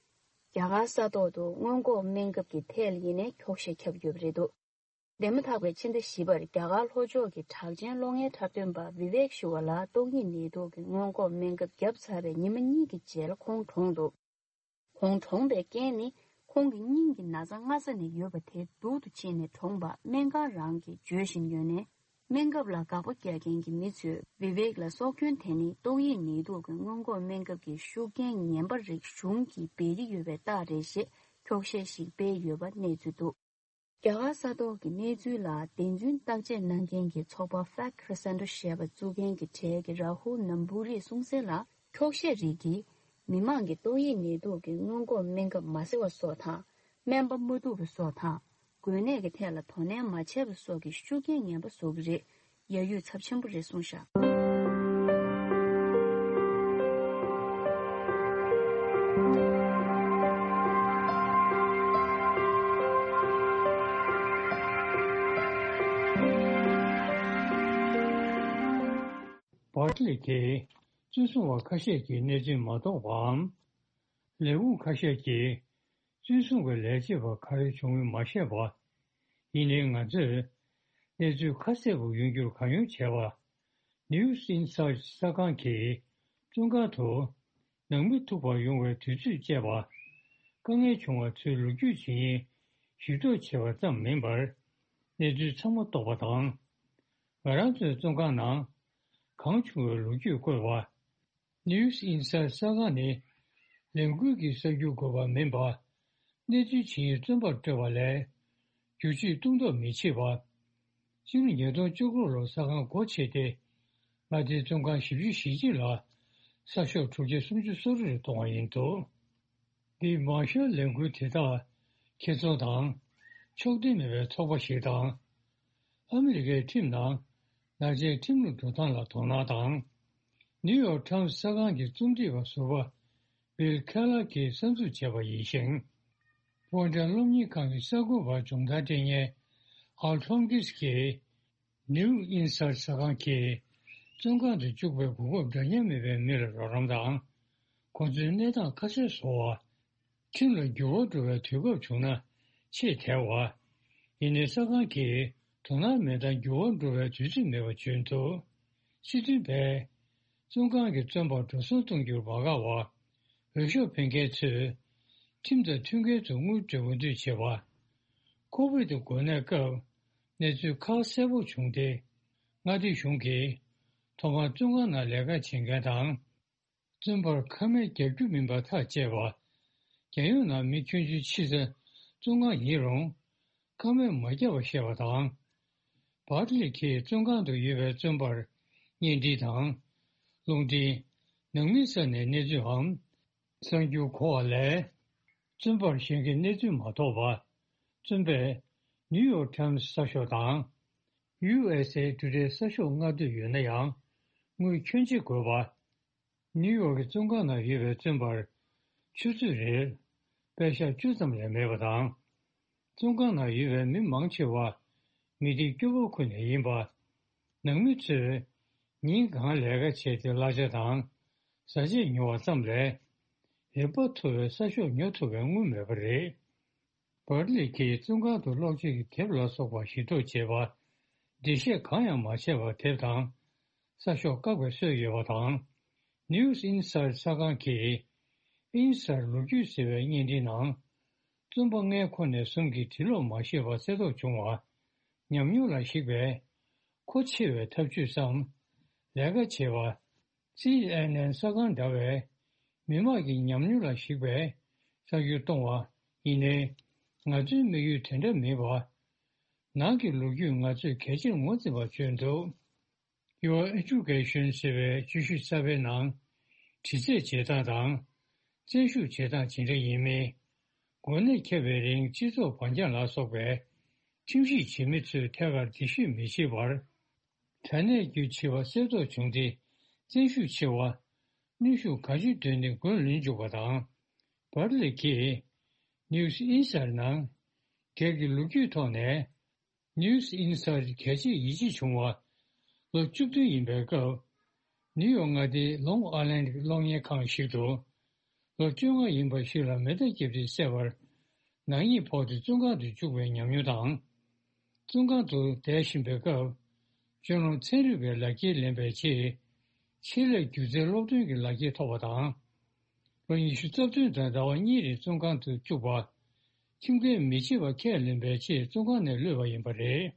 རྒྱ་གར་ས་ཐོག་ཏུ་སྔོན་འགོག་སྨན་ཁབ་ཀྱི་ཐད་ལ་ཡིན་ནའི་འཁྱོག་བཤད་ཁྱབ་ཡོད་པ་རེད་འདུག་འདས་མ་ཐག་པའི་ཕྱི་ཟླ་བཞི་པར་རྒྱ་གར་ལྷོ་ཕྱོགས་ཀྱི་གྲགས་ཅན་གློག་བརྙན་འཁྲབ་སྟོན་པ་བི་ཝེག་ཞུ་བ་ལ་ཏོག་དབྱིབས་ནད་དུག་གི་སྔོན་འགོག་སྨན་ཁབ་བརྒྱབ་ཚར་བའི་ཉི་མ་གཉིས་ཀྱི་རྗེས་ལ་ཁོང་གྲོངས་འདུག་ཁོང་གྲོངས་པའི་རྐྱེན་ནི། ཁོང་གི་སྙིང་གི་ན་ཚ་སྔ་ས་ནས་ཡོད་པ་དེ་སྡུག་ཏུ་ཕྱིན་ནས་གྲོངས་པ་སྨན་ཁང་རང་གིས་བརྗོད་བཞིན་ཡོད་ནས། སྨན་ཁབ་ལ་དགག་པ་རྒྱག་མཁན་གྱི་མི་ཚོས་བི་ཝེག་ལ་སྲོག་སྐྱོན་དེ་ནི་ཏོག་དབྱིབས་ནད་དུག་གི་སྔོན་འགོག་སྨན་ཁབ་ཀྱི་ཤུགས་རྐྱེན་ངན་པ་རིགས་གཞུང་གིས་འབད་ཀྱི་ཡོད་པའི་རྟགས་རེད་ཞེས་འཁྱོག་བཤད་ཞིག་སྤེལ་ཡོད་པ་གནས་ཚུལ་འདུག་རྒྱ་གར་ས་ཐོག་གི་གནས་ཚུལ་ལ་བདེན་རྫུན་བརྟག་དཔྱད་གནང་མཁན་གྱི་ཚོགས་པ་Fact Center ཞེས་པ་བཙུགས་མཁན་གྱི་གྲས་ཀྱི་རཱ་ཧུལ་ནམ་བུ་རིས་གསུངས་གསལ་ལ། འཁྱོག་བཤད་རིགས་ཀྱིས་མི་མང་གིས་ཏོག་དབྱིབས་ནད་དུག་གི་སྔོན་འགོག་སྨན་ཁབ་མ་ཟ་བ་སོགས་དང་། སྨན་པ་མ་ཐུག་པ་སོགས་དང་། འགོས་ནད་ཀྱི་ཐད་ལ་དོ་ནན་མ་བྱས་པ་སོགས་ཀྱི་ཤུགས་རྐྱེན་ངན་པ་བཟོ་གི་རེད། ཡ་ཡུས་ཚབས་ཆེན་པོ་རེད་གསུངས་བཞག་པར་ལི་གིས་བཙོན་སྲུང་བ་ཁ་ཤས་ཀྱིས་གནས་ཚུལ་མ་རྟོགས་པའམ། ལས་ཁུངས་ཁ་ཤས་ཀྱིས་བཙོན་སྲུང་གི་ལས་བྱེད་པ་ག་རེ་བྱུང་མིན་མ་ཤེས་པ། ཡིན་ནའི་ང་ཚོས་གནས་ཚུལ་ཁ་གསལ་པོ་ཡོང་རྒྱུར་གང་ཡོང་བྱས་པ། News Insight གསར་ཁང་གིས་བཙོན་ཁང་དུ་ནང་མི་ཐུག་པར་ཡོང་བའི་དུས་ཚོད་བཅད་པ། དཀའ་ངལ་བྱུང་བ་ཚོའི་ལོ་རྒྱུས་བྱེད་ཡིན་ཞིབ་འཇུག་བྱས་པ་ཙམ་མིན་པར། གནས་ཚུལ་ཚང་མ་རྟོགས་པ་དང་། ང་རང་ཚོའི་བཙོན་ཁང་ནང་གང་བྱུང་བའི་ལོ་རྒྱུས་བཀོད་པ། News Insight གསར་ཁང་ནི་ལས་འགུལ་གྱི་གསར་འགྱུར་འགོད་པ་མིན་པ། གནས་ཚུལ་ཇི་ཡིན་བཙོན་པར་སྤྲོད་པ་ལས། བསྒྱུར་བཅོས་གཏོང་ཐབས་མི་བྱེད་པ། སྤྱི་ལོ་ཉིས་སྟོང་བཅུ་དགུ་ལོར་གསར་ཁང་སྒོ་ཕྱེ་སྟེ། མངའ་སྡེའི་བཙོན་ཁང་བཞི་བཅུ་ཞེ་གཅིག་ལ་གསར་ཤོག་དྲུག་བརྒྱ་སུམ་ཅུ་སོ་དྲུག་རེ་གཏོང་བ་ཡིན་འདུག་འདིས་མར་ཤལ་ལས་འགུལ་དེ་དག་ཁེ་བཙོན་དང་ཕྱོགས་འདུས་མེད་པའི་ཚོགས་པ་ཞིག་དང་། ཨ་མི་རི་ཀའི་ཁྲིམས་ནང་ནག་ཅན་ཁྲིམས་ལུགས་འགྲོ་སྟངས་ལ་དོ་སྣང་དང་། ནིའུ་ཡོག་ཊའིམ་སི་གསར་ཁང་གི་རྩོམ་སྒྲིག་པ་ཟུར་པ་བྷིལ་ཁེ་ལར་གྱིས་གསར་འཛུགས་བྱས་པ་ཡིན་ཞིང་། ཕོན་ཊན་སློབ་གཉེར་ཁང་གི་གསར་འགོད་པར་སྦྱོང་བརྡར་སྤྲད་མཁན་ཨལ་ཐོམ་ཀིས་ཀྱིས། ནིའུ་ཨིན་སར་གསར་ཁང་གིས་བཙོན་ཁང་དུ་བཅུག་པའི་གོ་སྐབས་འདྲ་མཉམ་མེད་པའི་མི་ལ་རོགས་རམ་དང་། ཁོང་ཚོའི་གནས་སྟངས་ཁ་གསལ་བཟོ་བ། ཁྲིམས་ལ་འགྱུར་བ་འགྲོ་བའི་དུས་སྐབས་བྱུང་ན་ཆེས་དལ་བ། ཡིན་ནའི་གསར་ཁང་གིས་དོ་སྣང་མེད་སྟངས་འགྱུར་བ་འགྲོ་བའི་དུས་ཚོད་མེད་པ་བརྗོད་འདུག་སྤྱི་མཐུན་པས། བཙོན་ཁང་གི་བཙོན་པར་འགྲོ་སོང་གཏོང་རྒྱུར་མ་དགའ་བ། འོས་ཤོག་འཕེན་མཁན་ཚོས་ཁྲིམས་དང་མཐུན་རྐྱེན་དུ་དངུལ་སྤྲོད་འོས་བསྡུ་བྱེད་པ། ཁོ་བིད་དུ་འགོས་ནད་སྐབས་གནས་ཚུལ་ཁ་གསལ་པོ་བྱུང་སྟེ། མངའ་སྡེ་གཞུང་གིས་ཐོག་མར་བཙོན་ཁང་ནང་ལས་ཀ་བྱེད་མཁན་དང་། བཙོན་པར་ཁ་སྨན་རྒྱག་རྒྱུ་མིན་པ་ཐག་བཅད་པ། རྒྱལ་ཡོངས་ནང་མི་ཁྱོན་ཆེ་ཆེ་ས་བཙོན་ཁང་ཡིན་རུང་། ཁ་སྨན་མ་བརྒྱབ་པ་བཤད་པ་དང་། བར་ལི་གིས་བཙོན་ཁང་དུ་ཡོད་པའི་བཙོན་པར་གཉེན་སྒྲིག་དང་། རླུང་འཕྲིན། ནང་མིའི་ས་ནས་གནས་ཚུལ་འམ། གསར་འགྱུར་གོ་བ་ལས། བཙོན་པར་གཞན་གྱི་གནས་ཚུལ་མ་ཐོབ་པ། བཙོན་པས་ནིའུ་ཡོག་ཊའིམ་སི་གསར་ཤོག་དང་། ཡུ་ཨེས་ཨེ་ཊུ་ཌེ་གསར་ཤོག་མངགས་འདོད་ཡོད་ན་ཡང་། དངུལ་ཁྱོན་ཆེ་དགོས་པ། ནིའུ་ཡོག་གི་བཙོན་ཁང་ནང་ཡོད་པའི་བཙོན་པར་ཆུ་ཚོད་རེར་པད་ཤག་བཅུ་ཙམ་ལས་མེད་པ་དང་། བཙོན་ཁང་ནང་ཡོད་པའི་མི་མང་ཆེ་བ་མི་སྡེ་སྐྱོ་པོ་ཁུལ་ནས་ཡིན་པ། ནང་མི་ཚོས་ཉིན་གང་ལས་ཀ་བྱས་ཏེ་གླ་ཆ་དང་བཟའ་ཆས་ཉོ་བ་ཙམ་ལས། རིན་པ་མཐོ་བའི་གསར་ཤོག་ཉོ་ཐུབ་པའི་དངུལ་མེད་པ་རེད། བར་ལི་གིས་བཙོན་ཁང་དུ་ཀློག་བྱེད་ཀྱི་དེབ་ལ་སོགས་པ་ཞིབ་འཚོལ་བྱས་པ། འགྲེལ་བཤད་གང་ཡང་མ་བྱས་པར་དེབ་དང་གསར་ཤོག་བཀག་པའི་སྲོལ་ཡོད་པ་དང་། News Insight གསར་ཁང་གིས་ཨིན་སར་ལོ་རྒྱུས་ཟེར་བའི་བརྙན་འཕྲིན་ནང་། བཙོན་པ་ལྔའི་ཁོངས་ནས་གསུམ་གྱིས་གྲི་ལོག་མ་ཤེས་པར་བསད་གཏོང་བྱུང་བ། ཉམས་མྱོང་ལ་གཞིགས་པའི་མཁོ་ཆེ་བའི་ཐབས་ཇུས་སམ། ལས་ཀ་བྱེད་པ། སི་ཨེན་ཨེན་གསར་ཁང་འདྲ་བའི་མི་དམངས་ཀྱི་ཉམས་མྱོང་ལ་གཞིགས་པའི་གསར་འགྱུར་གཏོང་བ་ཡིན་ནའི། ང་ཚོའི་དམིགས་ཡུལ་དེ་འདྲ་མིན་པ། ནང་གི་ལོ་རྒྱུས་ང་ཚོས་གལ་ཆེར་ངོས་འཛིན་པར་བརྗོད་འདུག Your Education ཟེར་བའི་བརྗོད་གཞི་གསར་པའི་ནང་། དྲི་རྩད་བྱེད་སྟངས་དང་། བཙན་ཤུགས་བྱེད་སྟངས་ཇི་འདྲ་ཡིན་མིན། འགོ་ནད་ཁྱབ་པའི་རིང་སྤྱི་ཚོགས་བར་འགྱངས་ལ་སོགས་པའི་ཁྲིམས་ཞིབ་བྱེད་མི་ཚོས་ཐད་ཀར་འདྲི་ཞིབ་མི་བྱེད་པར། དྲ་གནས་བརྒྱུད་བྱིས་པ་གསོད་གཏོང་བྱུང་སྟེ་བཙན་ཤུགས་ཆེ་བ། གནོན་ཤུགས་གང་ཅི་འདོན་ཏེ་མགོན་ལུས་འཇུག་པ་དང་། བར་ལི་གིས་News Insight ནང་སྒེར་གྱི་ལོ་རྒྱུས་ཐོག་ནས། News Insight གལ་ཆེ་ཡིད་ཆེས་བྱུང་བ། ལོ་བཅུ་བདུན་ཡིན་པའི་སྐབས། ནིའུ་ཡོག་མངའ་སྡེའི་ལོང་ཨའི་ལན་གློག་བརྙན་ཁང་ཞིག་ཏུ། ལོ་བཅོ་ལྔ་ཡིན་པ་ཞིག་ལ་མེ་མདའ་བརྒྱབ་སྟེ་བསད་པར། ནག་ཉེས་ཕོག་སྟེ་བཙོན་ཁང་དུ་བཅུག་པའི་ཉམས་མྱོང་དང་། བཙོན་ཁང་དུ་བསྡད་བཞིན་པའི་སྐབས། སྤྱོད་ལམ་ཚན་རིག་པའི་ལག་འཁྱེར་ལེན་པའི་ཆེད། ཆེད་ལས་སྒྱུ་རྩལ་སློབ་སྟོན་གྱི་ལག་འཁྱེར་ཐོབ་པ་དང་། ལོ་ཉི་ཤུ་རྩ་བདུན་དང་ཟླ་བ་གཉིས་རིང་བཙོན་ཁང་དུ་བཅུག་པ། ཁྲིམས་འགལ་མི་བྱེད་པ་ཁས་ལེན་པའི་ཆེད་བཙོན་ཁང་ནས་གློད་པ་ཡིན་པ་རེད།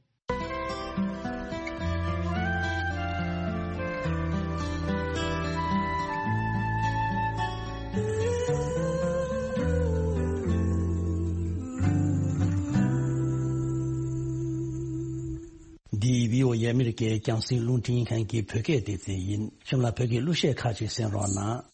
འདི་བྷི་ཨོ་ཨེ་ཨ་མི་རི་ཀའི་རྒྱང་སྲིང་རླུང་འཕྲིན་ཁང་གི་བོད་སྐད་སྡེ་ཚན་ཡིན། གཤམ་ལ་བོད་ཀྱི་གླུ་གཞས་ཁག་ཅིག་གསན་རོགས་གནང་།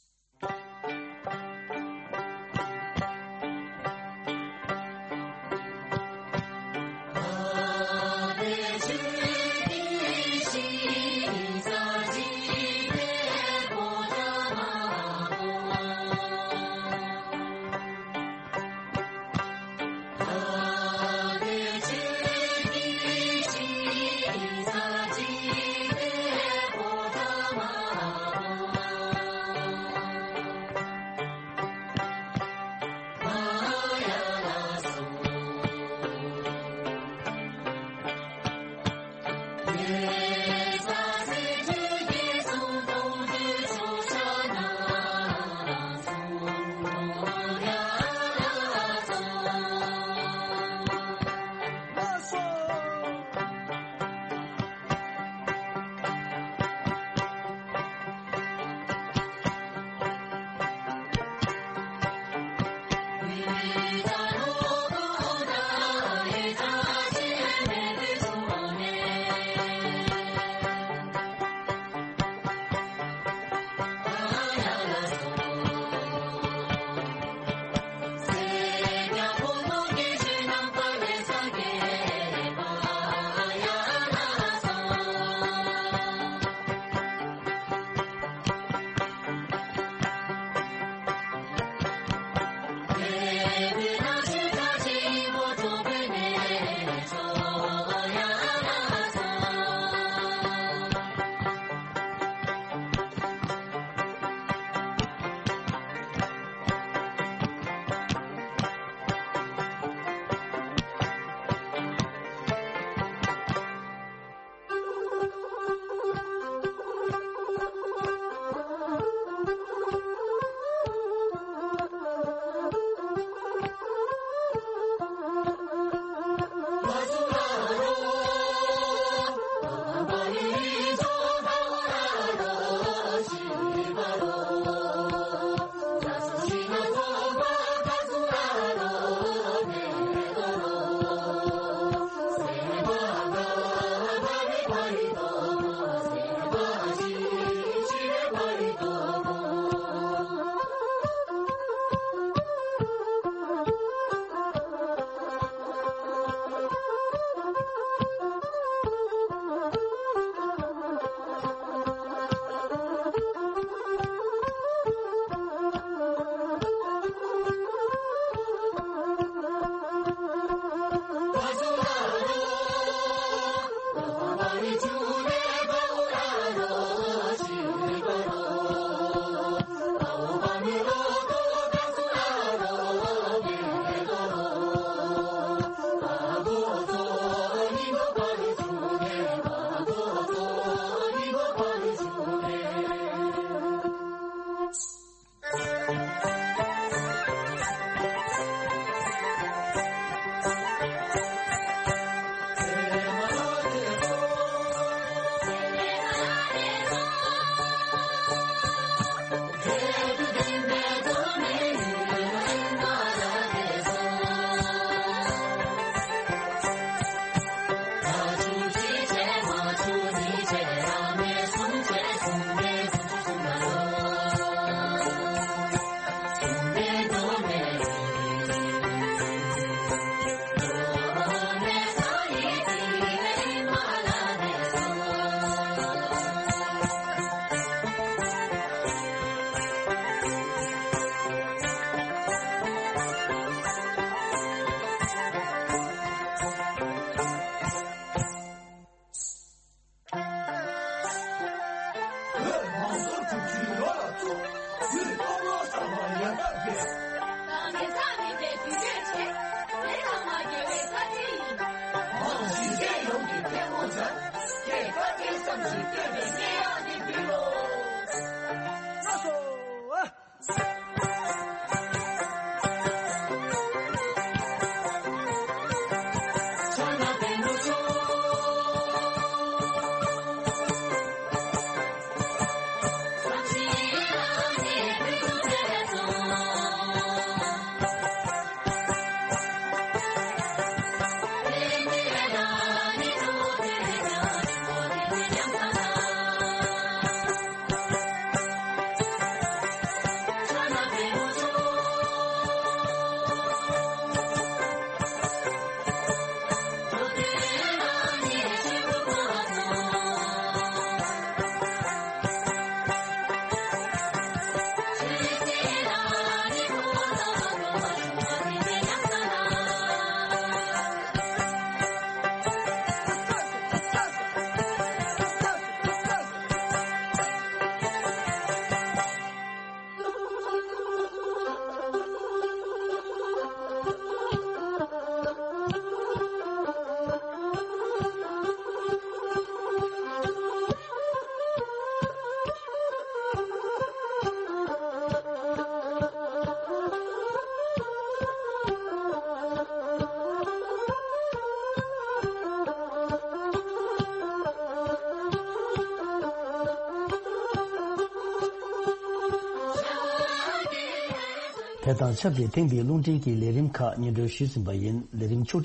དེ་དང་ཆབས་ཅིག་ཐེངས་འདིའི་རླུང་འཕྲིན་གྱི་ལས་རིམ་ཁག་སྙན་སྒྲོན་ཞུས་ཟིན་པ་ཡིན། ལས་རིམ་ཕྱོགས་